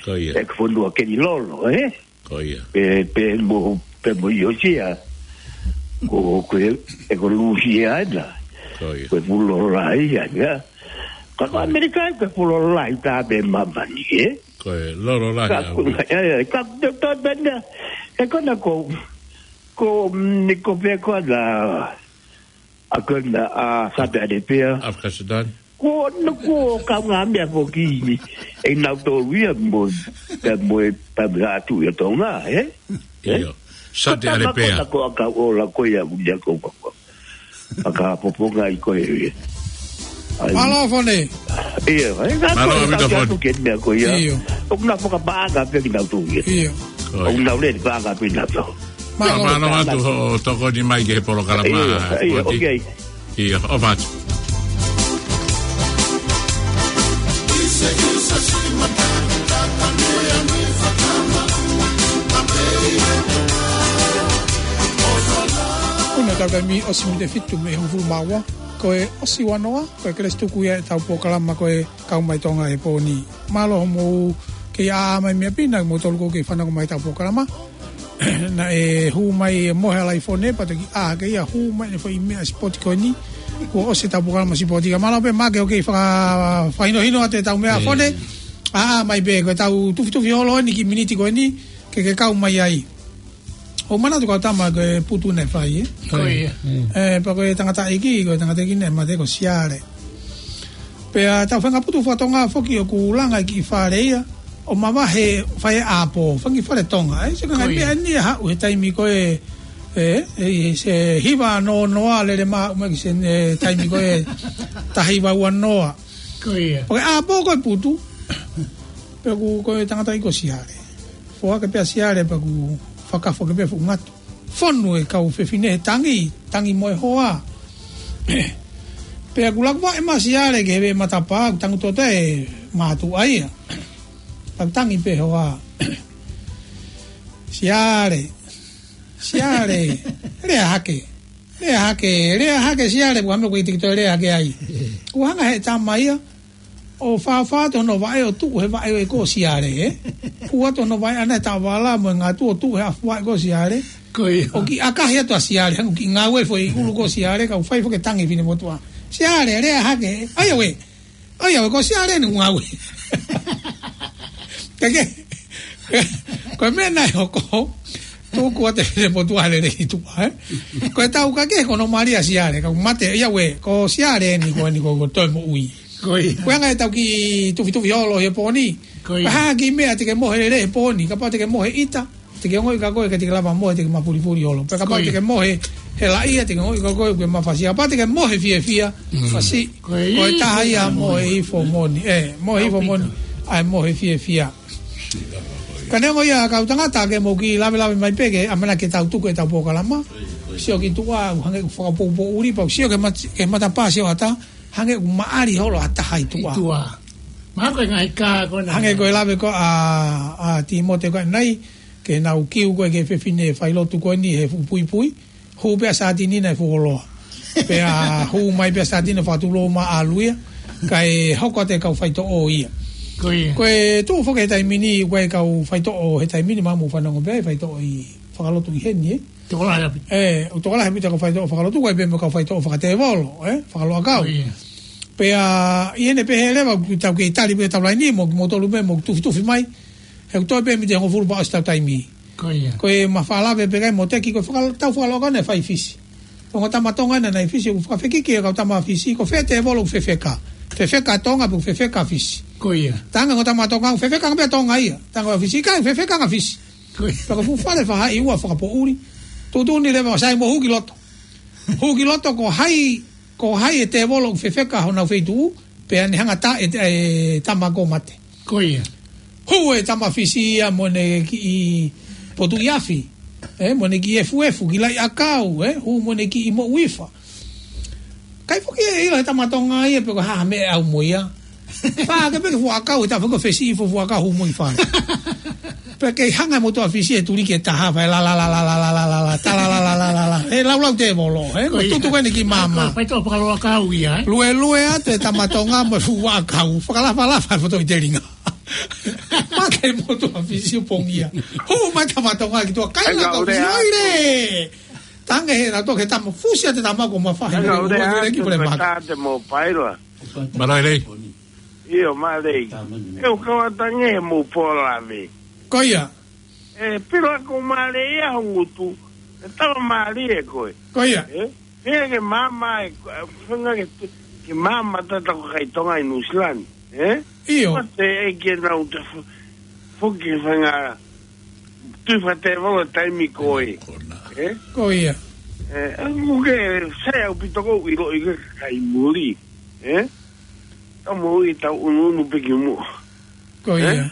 Ko ia. ʻE ko e fonua kei lolo, ē? Ko ia. Pea, pea mo, pea mo ʻIusia. Ko, ko e, ʻe ko Lūsia ena. Ko ia. Ko e fuʻu lolo lahi ia, ia. Ka ko ʻAmelika ko e fuʻu lolo lahi taha pē ʻi māmani, ē? Ko e lolo lahi Ka ʻaupito. ko, ʻe, ʻe, ka, to, to, pena, ʻe ko ena ko, ko, mm, ni ko pē ko ena, ʻa ko ena, ʻa Saudi Arabia. Afghanistan. Ko ena ko e kaungāmeʻa foki ʻe nautolu ia mo, pea mo e, pea mo e ʻatu ia Tonga, ē? ʻIo. Saudi Arabia. Ko ena ko e ʻakau ʻola ko ia ʻoku ʻi ai ko e, ko e, ʻakau poponga ʻi ko e, ʻe. ʻAi. Mālō Fone. ʻIo, ʻe, ka Mālō ko e ʻaupito tau Fone. atu ke meʻa ko ia. ʻIo. ʻOku nau fakapaʻanga pē kinautolu ia. ʻIo. Ko ia. ʻOku nau lele paʻanga pē kinautolu. Mālō. Mālō atu hoʻo tokoni mai ki he polokalama, ʻIo, ʻio, Foti. ʻOku ʻi ai. ʻIo, ʻofa atu. Ko ena ʻetau taimi ʻosi miniti ʻe fitu mei he hongofulu mā ua, ko e ʻosi ua noa, ko e kelesi tuku ia ʻetau polokalama ko e Kau Mai Tonga he pō ni. Mālō hoʻomou kei ʻā mai mei ʻapi na, moutolu ʻoku kei fanongo mai ʻetau polokalama. Naʻe hū mai e mohe ʻa Laifone, pea toki ʻā hake ia, hū mai ʻene foʻi meʻa sipoti ko eni. Kuo ʻosi ʻetau polokalama sipoti. Ka mālō pē Maʻake hoʻo kei faka-, fakahinohino atu ʻetau meʻa ʻa Fone. ʻAʻā mai pē, ko ʻetau tufitufi holo eni ki he miniti ko eni, ke ke kau mai ai. ʻOku manatu kau tama ko e putu naʻe fai, ē? Ko ia. ʻE, pea ko e tangataʻeiki, ko e tangataʻeiki naʻe mate ko Siale. Pea tau feinga putu fakatonga foki ʻoku langa ki fale ia, ʻo mavahe fai ʻapō, fanga kiʻi fale Tonga. ʻE, sio ki he ngaahi Ko ia. meʻa ni ʻe haʻu he taimi ko ē, ē, ē, se hiva noa noa lele maʻu mai ki he, ē, taimi ko ē taha hiva ua noa. Ko ia. Pea ko e ʻapō ko e putu, pea ko e, ko e tangataʻeiki ko Siale. Foaki pē ʻa Siale pea kuo fakafo ke pē fuʻu ngatu. Fonu e kau fefine he tangi, tangi mo e hoa. Pea kuo laku vaʻe mai ʻa Siale ki he veʻe matapā, kuo tangutu atu e mātuʻa ia. Pea kuo tangi pē hoa. Siale, Siale, lea hake. Lea hake, lea hake Siale, pea ko e meʻa ko ē ʻikai te ke toe lea hake ai. Kuo hanga he tama ia ʻo fāfā atu hono vaʻe ʻo tuʻu he vaʻe ʻo e ko Siale, ē? Fua atu hono vaʻe ʻana he taʻovala mo e ngatu ʻo tuʻu he ʻafu vaʻe ko Siale. Ko ia. ʻO kiʻi ʻakahi atu ʻa Siale, hangē ʻoku kiʻi ngāue foʻi ʻulu ko Siale, kae fai foki e tangi finemotuʻa. Siale, lea hake, ʻai ʻaue. ʻAi ʻaue, ko Siale eni ʻoku ngāue. Kae kehe, ko e meʻa naʻe hoko, tuku atu e finemotuʻa lele ki tuʻa, ē? Ko e tau kae kehe ko hono mali ʻa Siale, ka mate, ʻai ʻaue, ko Siale eni ko eni ko, ko e toe moʻui. Ko ia. Ko e anga ʻetau kiʻi tufitufi holo he pō ni. Ko ia. Ko e hā e kiʻi meʻa te ke mohe lelei he pō ni, kapau te ke mohe ʻita, te ke ongoʻi kia koe ʻikai te ke lava mohe, te ke mapulipuli holo. Pea kapau Ko ia. te ke mohe helaʻia, te ke ongoʻi kia koe ʻoku ke mafasia. Kapau te ke mohe fiefia, Mm. fasi. Ko e Ko e taha ia ʻa e mohe hifo moʻoni. Ē, mohe hifo moʻoni. ʻAupito. ʻA e mohe fiefia. Ka neongo ia kau tangata ke mou kiʻi lavelave mai pē ke ʻamanaki ke tau tuku ʻetau polokalama. Sio ki tuʻa, hangē ʻoku fakapoupoʻuli, pea sio ki he mat-, ki he matapā sio ʻatā, hangē ʻoku maʻali holo ha taha ʻi tuʻa. ʻI tuʻa. Mahalo ko e ngaahi kā ko ena. Hangē ko e lave ko ē ʻa, ʻa Tīmote ko ē ʻanenai, ke nau kiu ko ē ki he fefine failotu ko eni he fuʻu puipui, hū pē ʻa Sātini naʻe fuoloa. Pea hū mai pē ʻa Sātini fakatulou mai ʻalu ia, kae hoko atu e kau faitoʻo ia. Ko ia. Ko e tuʻu foki he taimi ni, ko e kau faitoʻo he taimi ni, mahalo mou fanongo pē, faitoʻo ʻi fakalotu ʻi heni, ē? Tokolahi ʻaupito. Ē, ʻoku tokolahi ʻaupito e kau faitoʻo fakalotu, ko e pē mo e kau faitoʻo fakatēvolo, ē? Fakaloʻakau. Ko ia. Pea, ʻi heʻene pehē leva, ʻoku tau kei tali pē ʻetau laini, mo, mo tolu pē, mo tufitufi mai. He ʻoku toe pē miniti ʻe hongofulu pea ʻosi ʻetau taimi. Ko ia. Ko e mafalave pē kai mo Teki, ko e fakal-, tau fakaloʻakau naʻe fai Fisi. Ko e ongo tama Tonga naʻe ʻi Fisi, ʻoku fakafekiki e kau tama Fisi, ko fē tēvolo ʻoku fefeka. Fefeka Tonga, pe ʻoku fefeka Fisi. Ko ia. Tanga ongo tama Tonga, fefeka pē Tonga ia. Tanga Fisi, ʻikai fefeka Fisi. Ko ia. Pea ko e fuʻu fale faʻahi ua fakapoʻuli. Tuʻutuʻuni leva ʻo sai mo hū ki loto. Hū ki loto ko hai Ko hai e tēvolo ʻoku fefeka honau feituʻu, pea ne hanga ʻo taʻe e, e tama kuo mate. Ko ia. Hū e tama Fisi ia mo ʻene kiʻi potuʻi afi. Ē, mo ʻene kiʻi efuefu, kiʻi laʻi ʻakau, ē, hū mo ʻene kiʻi moʻui fa. ʻIkai foki ke ʻilo ʻe he tama Tonga ia pe ko e hā ha meʻa ʻe ʻalu mo ia. Fā ke pē ke fuʻu ʻakau, he taʻu foki ʻoku fesiʻi fuʻu ʻakau hū mo ʻi fale. Pea kei hanga e motuʻa Fisi ʻo tuliki e taha, fai la la la la la la la la, ta la la la la la la. He laulau tēvolo, ē, mo tutu ko eni ki māmā. Fai tō fakaloa kau ia, ē. Luelue atu e tama Tonga mo e fuʻu ʻakau. Fakalafalafa e foto ʻi telinga. Mate e motuʻa Fisi ʻo pongia. Hū mai tama Tonga ki tuʻa, kaila kau Fisi, ʻoire! Tange he na toke tama, fusi atu e tama kuo mafahi. Kaila ule atu pole maka. Tate mo paila. Mālō e lei. ʻIo, mālō e lei. ʻE u kau atu ange he mo pola me. Ko ia. ʻE, pila ko mālie ia ho ngutu. ʻE tala mālie koe. Ko ia. ʻE, pea ke māmā e, fenga ke, ke māmā tata ko kai Tonga ʻi Nuʻusila ni. ʻE? ʻIo. Mate e ke nau te fo-, foki fenga tui fa tēvolo taimi ko ē. ʻE? Ko ia. ʻE, ʻa ʻoku ke sai ʻaupito ʻoku ʻiloʻi ke kai muli. ʻE? Tau mo i tau ʻunuʻunu pē ki muʻa. Ko ia.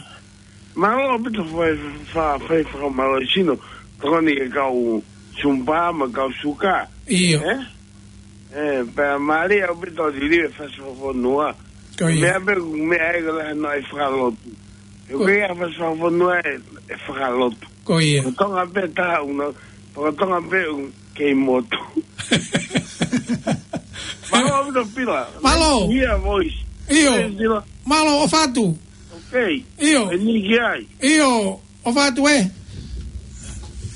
Mālō ʻaupito fai, fa-, fai fakamālō sino. Tokoni e kau sumpa mo e kau suka. ʻIo. ʻE? ʻE, pea mālie ʻaupito liliu e fasi fakafonua. Ko ia. Meʻa pē, meʻa e kala no e fakalotu. ʻE ko ia fasi fakafonua ʻe, ʻe fakalotu. Ko ia. Ko Tonga pē taha ʻuna, ko Tonga pē ʻu kei motu. Mālō ʻaupito pila. Mālō. Ia voice. ʻIo. Mālō ʻofa atu. Ok. ʻIo. E ni ki ai. ʻIo. ʻOfa atu ē.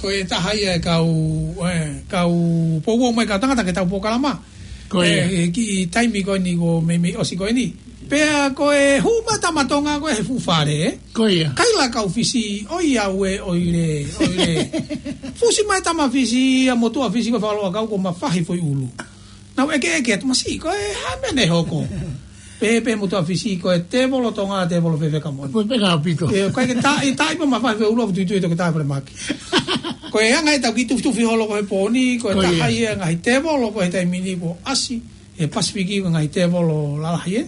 Ko e taha ia e kau, e, kau poupou mai kau tangata ke tau polokalama. Ko ia. E, e kiʻi taimi ko eni ko meimei ʻosi ko eni. Pea ko e hū mai tama Tonga ko e he fuʻu fale, ē? Ko ia. Kaila kau Fisi, ʻoiauē, ʻoire, ʻoire. Fusi mai tama Fisi, ʻa motuʻa Fisi ko e fakaloa kau kuo mafahi foʻi ʻulu. Nau ʻekeʻeke atu masiʻi, ko e hā e meʻa ne hoko. Pehē pē motuʻa Fisi, ko e tēvolo Tonga, tēvolo fefeka moʻoni. Fefeka ʻaupito. ʻE, ʻikai ke taʻi, taʻi pē mafahi foʻi ʻulu ʻo tuitui toki taʻe fale maki. Ko e anga e tau kiʻi tufitufi holo ko e pōni, ko e taha ia e ngaahi tēvolo ko e taimi ni kuo ʻasi, he Pasifiki ko e ngaahi tēvolo lalahi, ē?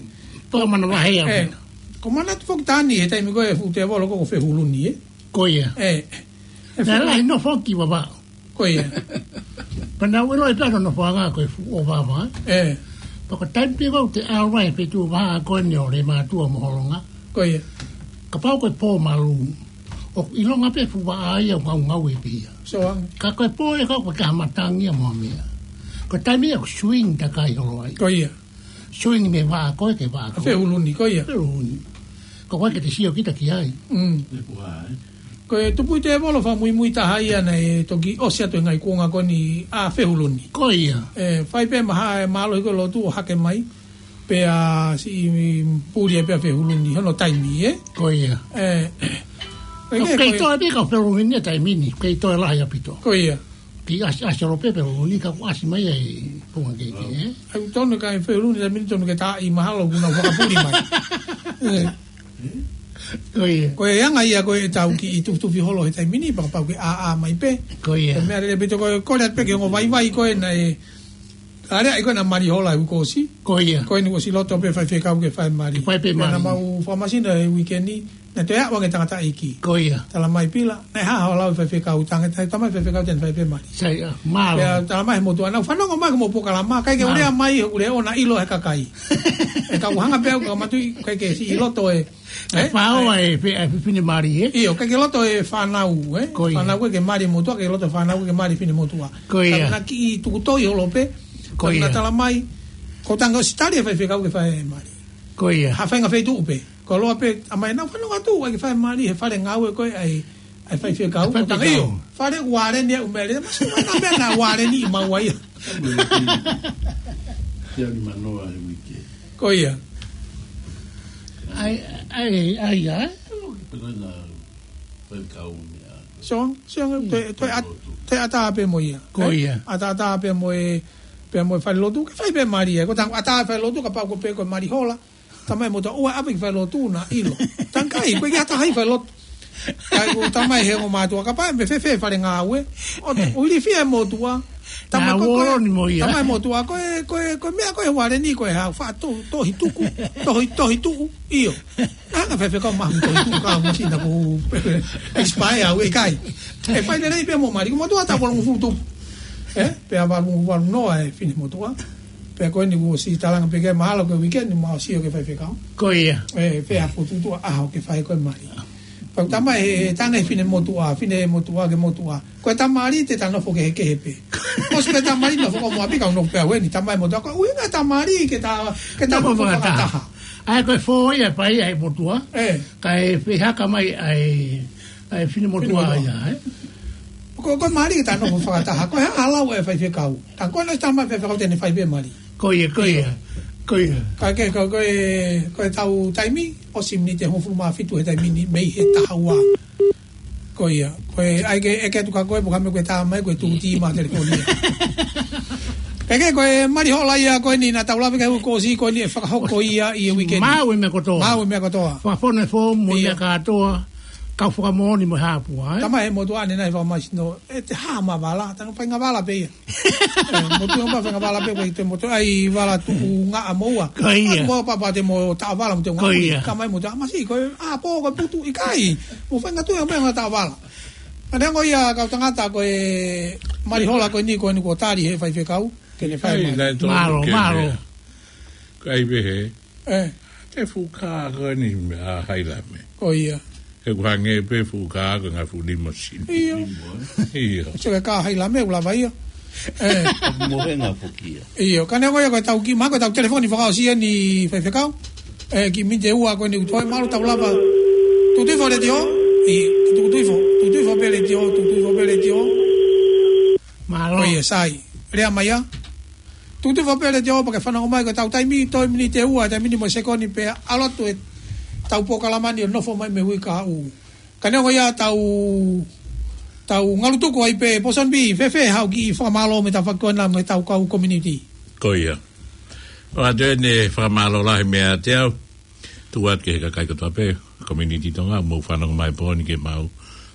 Toa mana vahe ia. ʻE, ko Manatu foki Tani, he taimi ko e fuʻu tēvolo ko, ko Fehuluni, ē? Ko ia. ʻE, ʻe, naʻe lahi nofo ki Vavaʻu. Ko ia. Pea naʻa ku ʻilo e pea no nofoʻanga ko e fuʻu ʻo Vavaʻu. ʻE. Pea ko e taimi pē ko ē te ʻalu ai pē tuʻu Vavaʻu ko eni ʻo Leimātuʻa mo Holonga. Ko ia. Kapau ko e pō malu. ʻOku ʻilonga pē fuʻu vaʻa ia ʻoku ngaungaue pē ia. So, um, ka ko e pō ʻe kau ko e kaha matangi ia mo e meʻa. Ko e taimi ia ʻoku swing takai holo ai. Ko ia. Swing mei Vavaʻu ko ē ki Vavaʻu. Fehuluni, ko ia. Fehuluni. Ko koe ke te sio kita ki ai. Mm. Ko e tupuʻi tēvolo fakamuimui taha ia naʻe toki ʻosi atu e ngaahi kuonga ko eni ʻa Fehuluni. Ko ia. ʻE, fai pē maha e mālohi ko e lotu ʻo hake mai. Pea siʻi puli ai pē ʻa Fehuluni, hono taimi, ē? Ko ia. ʻE, ʻe, kei toe pē kau Fehuluni e taimi ni, kei toe lahi ʻaupito. Ko ia. Kiʻi ʻasi, ʻasi ʻolo pē Fehuluni ka kuo ʻasi mai ai Punga Keikei, ē? ʻOku tonu ka e Fehuluni taimi ni tonu ke taʻi mahalo kuo nau fakapuli mai. ʻE. Ko ia. Ko e anga ia ko e tau kiʻi tufitufi holo he taimi ni, pea kapau ke ʻā, ʻā mai pē. Ko ia. Ko e meʻa lelei ʻaupito ko e kole atu pē ki he ongo vaivai ko ē naʻe, ʻa lea ʻi ko ē naʻa mali hola ʻi he uike kuo ʻosi. Ko ia. Ko eni kuo ʻosi loto pē faifekau ke fai mali. Ke fai pē mali. Pea naʻa mau fakamasino he uike ni, naʻe toe aʻu ange tangataʻeiki. Ko ia. Tala mai pila, naʻe hā hoʻo lau e faifekau, tange, tange, tala mai faifekau te ne fai pē mali. Sai, ʻa, mālō. Pea tala mai he motuʻa, naʻa ku fanongo mai ko mo polokalama, ʻikai ke u lea mai, he ʻoku lea ʻo naʻa ʻilo he kakai. ʻE ka u hanga pē au ka matuʻi, ʻikai ke siʻi loto e, ʻe, ʻe, fāo e, e, e, fefine mali, ē? ʻIo, ʻikai ke loto e fānau, ē? Ko ia. Fānau ʻikai ke mali e motuʻa, ʻikai ke loto e fānau ʻikai ke mali e fine motuʻa. Ko ia. Ka naʻa kiʻi tuku toi holo pē, ko ia. Naʻa tala mai, ko e tange ʻosi tali e faifekau ke fai e mali. Ko ia. Ha faʻahinga feituʻu pē. Ko e loa pē, ʻa mai naʻa ku fanongo atu, ʻai ke fai mali, he fale ngāue ko ē, ʻai, ʻai faifekau. Fai ko e tange faifekau. ʻIo, fale ualeni ʻa e ʻumele, masi mai na mena ualeni ʻi maua ia. Ia ni manoa he uike. Ko ia. ʻAi, ʻai, ʻai, ʻai. Pena faifekau meʻa. So, so, toe, toe ʻat-, toe ʻatā pē mo ia. Ko ia. ʻE? ʻAtā, ʻatā pē mo e, pē mo e fale lotu, ke fai pē mali ia. Ko e tange ʻatā fale lotu, kapau ko e pē ko e mali hola. Tala mai motuʻa ʻoua ʻe ʻave ki falelotu naʻa ʻilo. Tange ʻikai, ʻoku ʻikai ha taha ʻi falelotu. Kae ʻoua tala mai he ongo mātuʻa kapau ʻe fēfē fale ngāue. ʻO, ʻo ilifia e motuʻa. Tama ko, ko, uolo ni mo ia. Tama e motuʻa ko e, ko e, ko e meʻa ko e uale ni ko e hau fa to, tohi tuku, tohi, tohi tuku, ʻio. Anga faifekau mahu tohi tuku ka masina ku expire au e kai. ʻE fai lelei pē mo mali, ko motuʻa taʻu valungofulu tupu. ʻE, pea valu, valu noa e fine motuʻa. Pea ko eni kuo ʻosi talanga pē ke mahalo ko e weekend ni ma ʻosi ʻo ke faifekau. Ko ia. ʻE, pea ko tutua ʻaho ke fai ko e mali. Pea tama e, tanga e fine motuʻa, fine motuʻa ke motuʻa. Ko e tamali te ta nofo kehekehe pē. ʻOsi pē tamali nofo ko mo api ka nofo pē au eni, tama e motuʻa. Ko e ʻuhinga tamali ke ta, ke ta nofo fakataha. ʻAi ko e fō ia pai ai motuʻa. ʻE. Ka e fehaka mai ai, ai fine motuʻa ia, ʻe. Ko, ko e mali ke ta nofo fakataha. Ko e hala e faifekau. Ta ko na tama faifekau te ne fai pē mali. Ko ia, ko ia, ko ia. Ka ke, ko, ko e, ko e tau taimi, ʻosi miniti hongofulu mā fitu he taimi ni, mei he taha ua. Ko ia, ko e, ʻai ke, ʻeke atu ka ko e, pō ka me ko e tā mai, ko e tūtī mā telefoni. Ke ke, ko e mali hola ia, ko eni na tau lave ke u kosi, ko eni ʻe fakahoko ia, ʻi he weekend. Maʻu e meʻa kotoa. Maʻu e meʻa kotoa. Fakafonu e fōmu, mo e meʻa kātoa, kau fakamoʻoni mo e hāpua, ʻe. Tama he motuʻa ne nai fakamasino, ʻe te hā ma vala, tanu fai nga vala pē ia. ʻE, motuʻa ma fai nga vala pē, ko e te motuʻa ʻai vala tuku nga a moua. Ko ia. Mo papa te mo ta vala mo te nga. Ko ia. Ka mai motuʻa, masi, ko e, a pō, ko e putu ʻikai. Mo fai nga tu e meʻa nga ta vala. Ka neongo ia kau tangata ko e mali hola ko eni ko eni ko tali he faifekau. Ke ne fai mai. Mālō, mālō. Kai pē he. ʻE. Te fuka ko eni meʻa hai la me. Ko ia. He ku hange pē fuka ko nga fuli mo sini. ʻIo. ʻIo. So ke ka hai la me u lava ia. ʻE. Mo he nga fukia. ʻIo, ka neongo ia ko e tau ki, ma ko e tau telefoni fakaʻosi eni faifekau. ʻE, ki miniti ʻe ua ko eni u toe malu tau lava. Tutuifo letiō. ʻI, tutuifo, tutuifo pē letiō, tutuifo pē letiō. Mālō. Ko ia sai. Lea mai ia. Tutuifo pē letiō pea ke fanongo mai ko e tau taimi, toe miniti ʻe ua, taimi ni mo e sekoni pea ʻalu atu e tau polokalama ni ʻo nofo mai mei he uike kahaʻu. Ka neongo ia tau, tau ngalu tuku ai pē, Pōsoni Pī, fēfē haʻo kiʻi fakamālō mei he tau fakakona mei he tau kau community. Ko ia. ʻOatu eni e fakamālō lahi meiate au. Tuku atu ki he kakai kotoa pē, community Tonga, mou fanongo mai pō ni ki heʻemau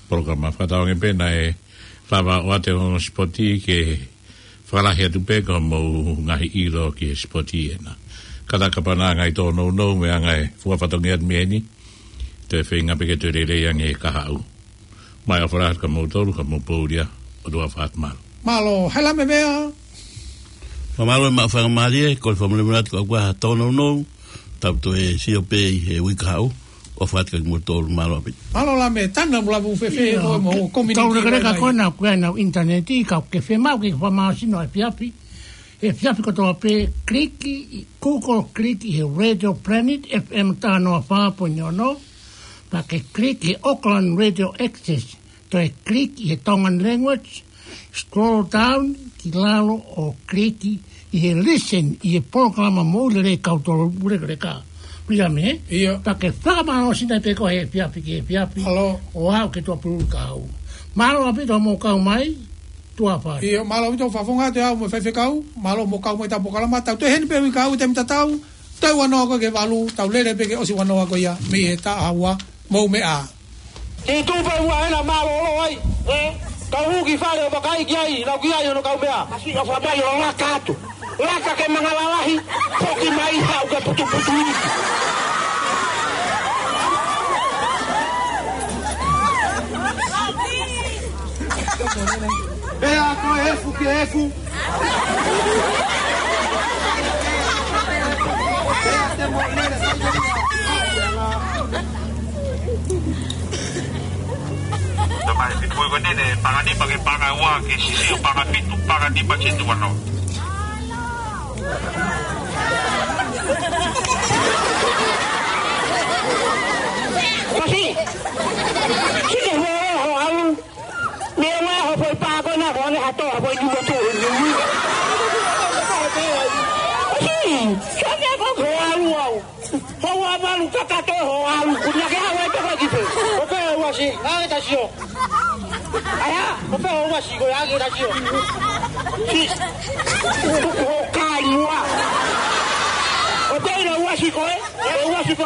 polokalama fakatauange pē naʻe lava ʻoatu e ongo sipoti ke fakalahi atu pē ko hoʻomou ngaahi ʻilo ki he sipoti ena. Kātaki pē ʻa e ngaahi tōnounou mo e ngaahi fua fatongia atu mei heni, toe feinga pē ke toe lelei ange e kahaʻu. Mou ʻofa lahi atu kia moutolu, ka mou pō ʻulia, ʻOtua fakamālō. Mālō, hai la me mea. Fakamālō e maʻu faingamālie, ko e fakamolemole atu ka ʻoku ʻi ai ha tōnounou, tau toe sio pē ʻi he uike kahaʻu, ʻofa atu kia moutolu, mālō ʻaupito. Mālō la me, tana mula fu fēfē, ʻio, mo, mo, community tau lekaleka mai. Ko ena, ko ena ʻintaneti, ka ke fiemaʻu ke fakamasino he efiafi. He efiafi kotoa pē, click ʻi Google, click ʻi he Radio Planet F M taha noa fā poini ono, pea ke click he Auckland Radio Access, toe click ʻi he Tongan Language, scroll down ki lalo ʻo click ʻi he listen ʻi he polokalama mo e lelei kau tolo ule kele ka. Pia me? ʻIo. Pea ke fakamālō sina pē ko e efiafi ki he efiafi. Mālō. ʻO aʻu ki he tuʻapululu kahaʻu. Mālō ʻaupito hoʻomou kau mai, tuʻa fai. ʻIo, mālō ʻaupito fakafofonga atu au mo e faifekau, mālō hoʻomou kau mai he tau polokalama, tau toe heni pē uike kahaʻu taimi tatau, toe ua noa ko ē ki he valu, tau lele pē ki he ʻosi ua noa ko ia, mei he taha ua, mou meʻa. Te tuʻu pē ua ena mālōlō ai, ē? Kau hū ki fale ʻo vakai ki ai, lau ki ai hono kaumeʻa. Masi ʻofa mai ʻo laka atu. Laka ke manga lalahi, foki mai haʻu ke putuputu. Pea ko e efu ke efu. Tamai, fitu ko eni, panga nima ke panga ua, ke sisi ʻo panga fitu, panga nima ke tuʻu ano. Kasi, sisi ho, ho, alu. Meʻa mai ho foʻi pā ko ena ko ʻene hato ha foʻi tuʻu atu. ʻOsi, sa meʻa ko ho alu au. Ho avalu kakato ho alu. Kuna ke hawa e toka ki fē. ʻOkē, uasi, ngā ke ta sio. ʻAia, ʻoku pē ho uasi ko e ake ta sio. Si. Tuku ho kai mua. ʻOkē, na uasi ko e. Ho uasi ko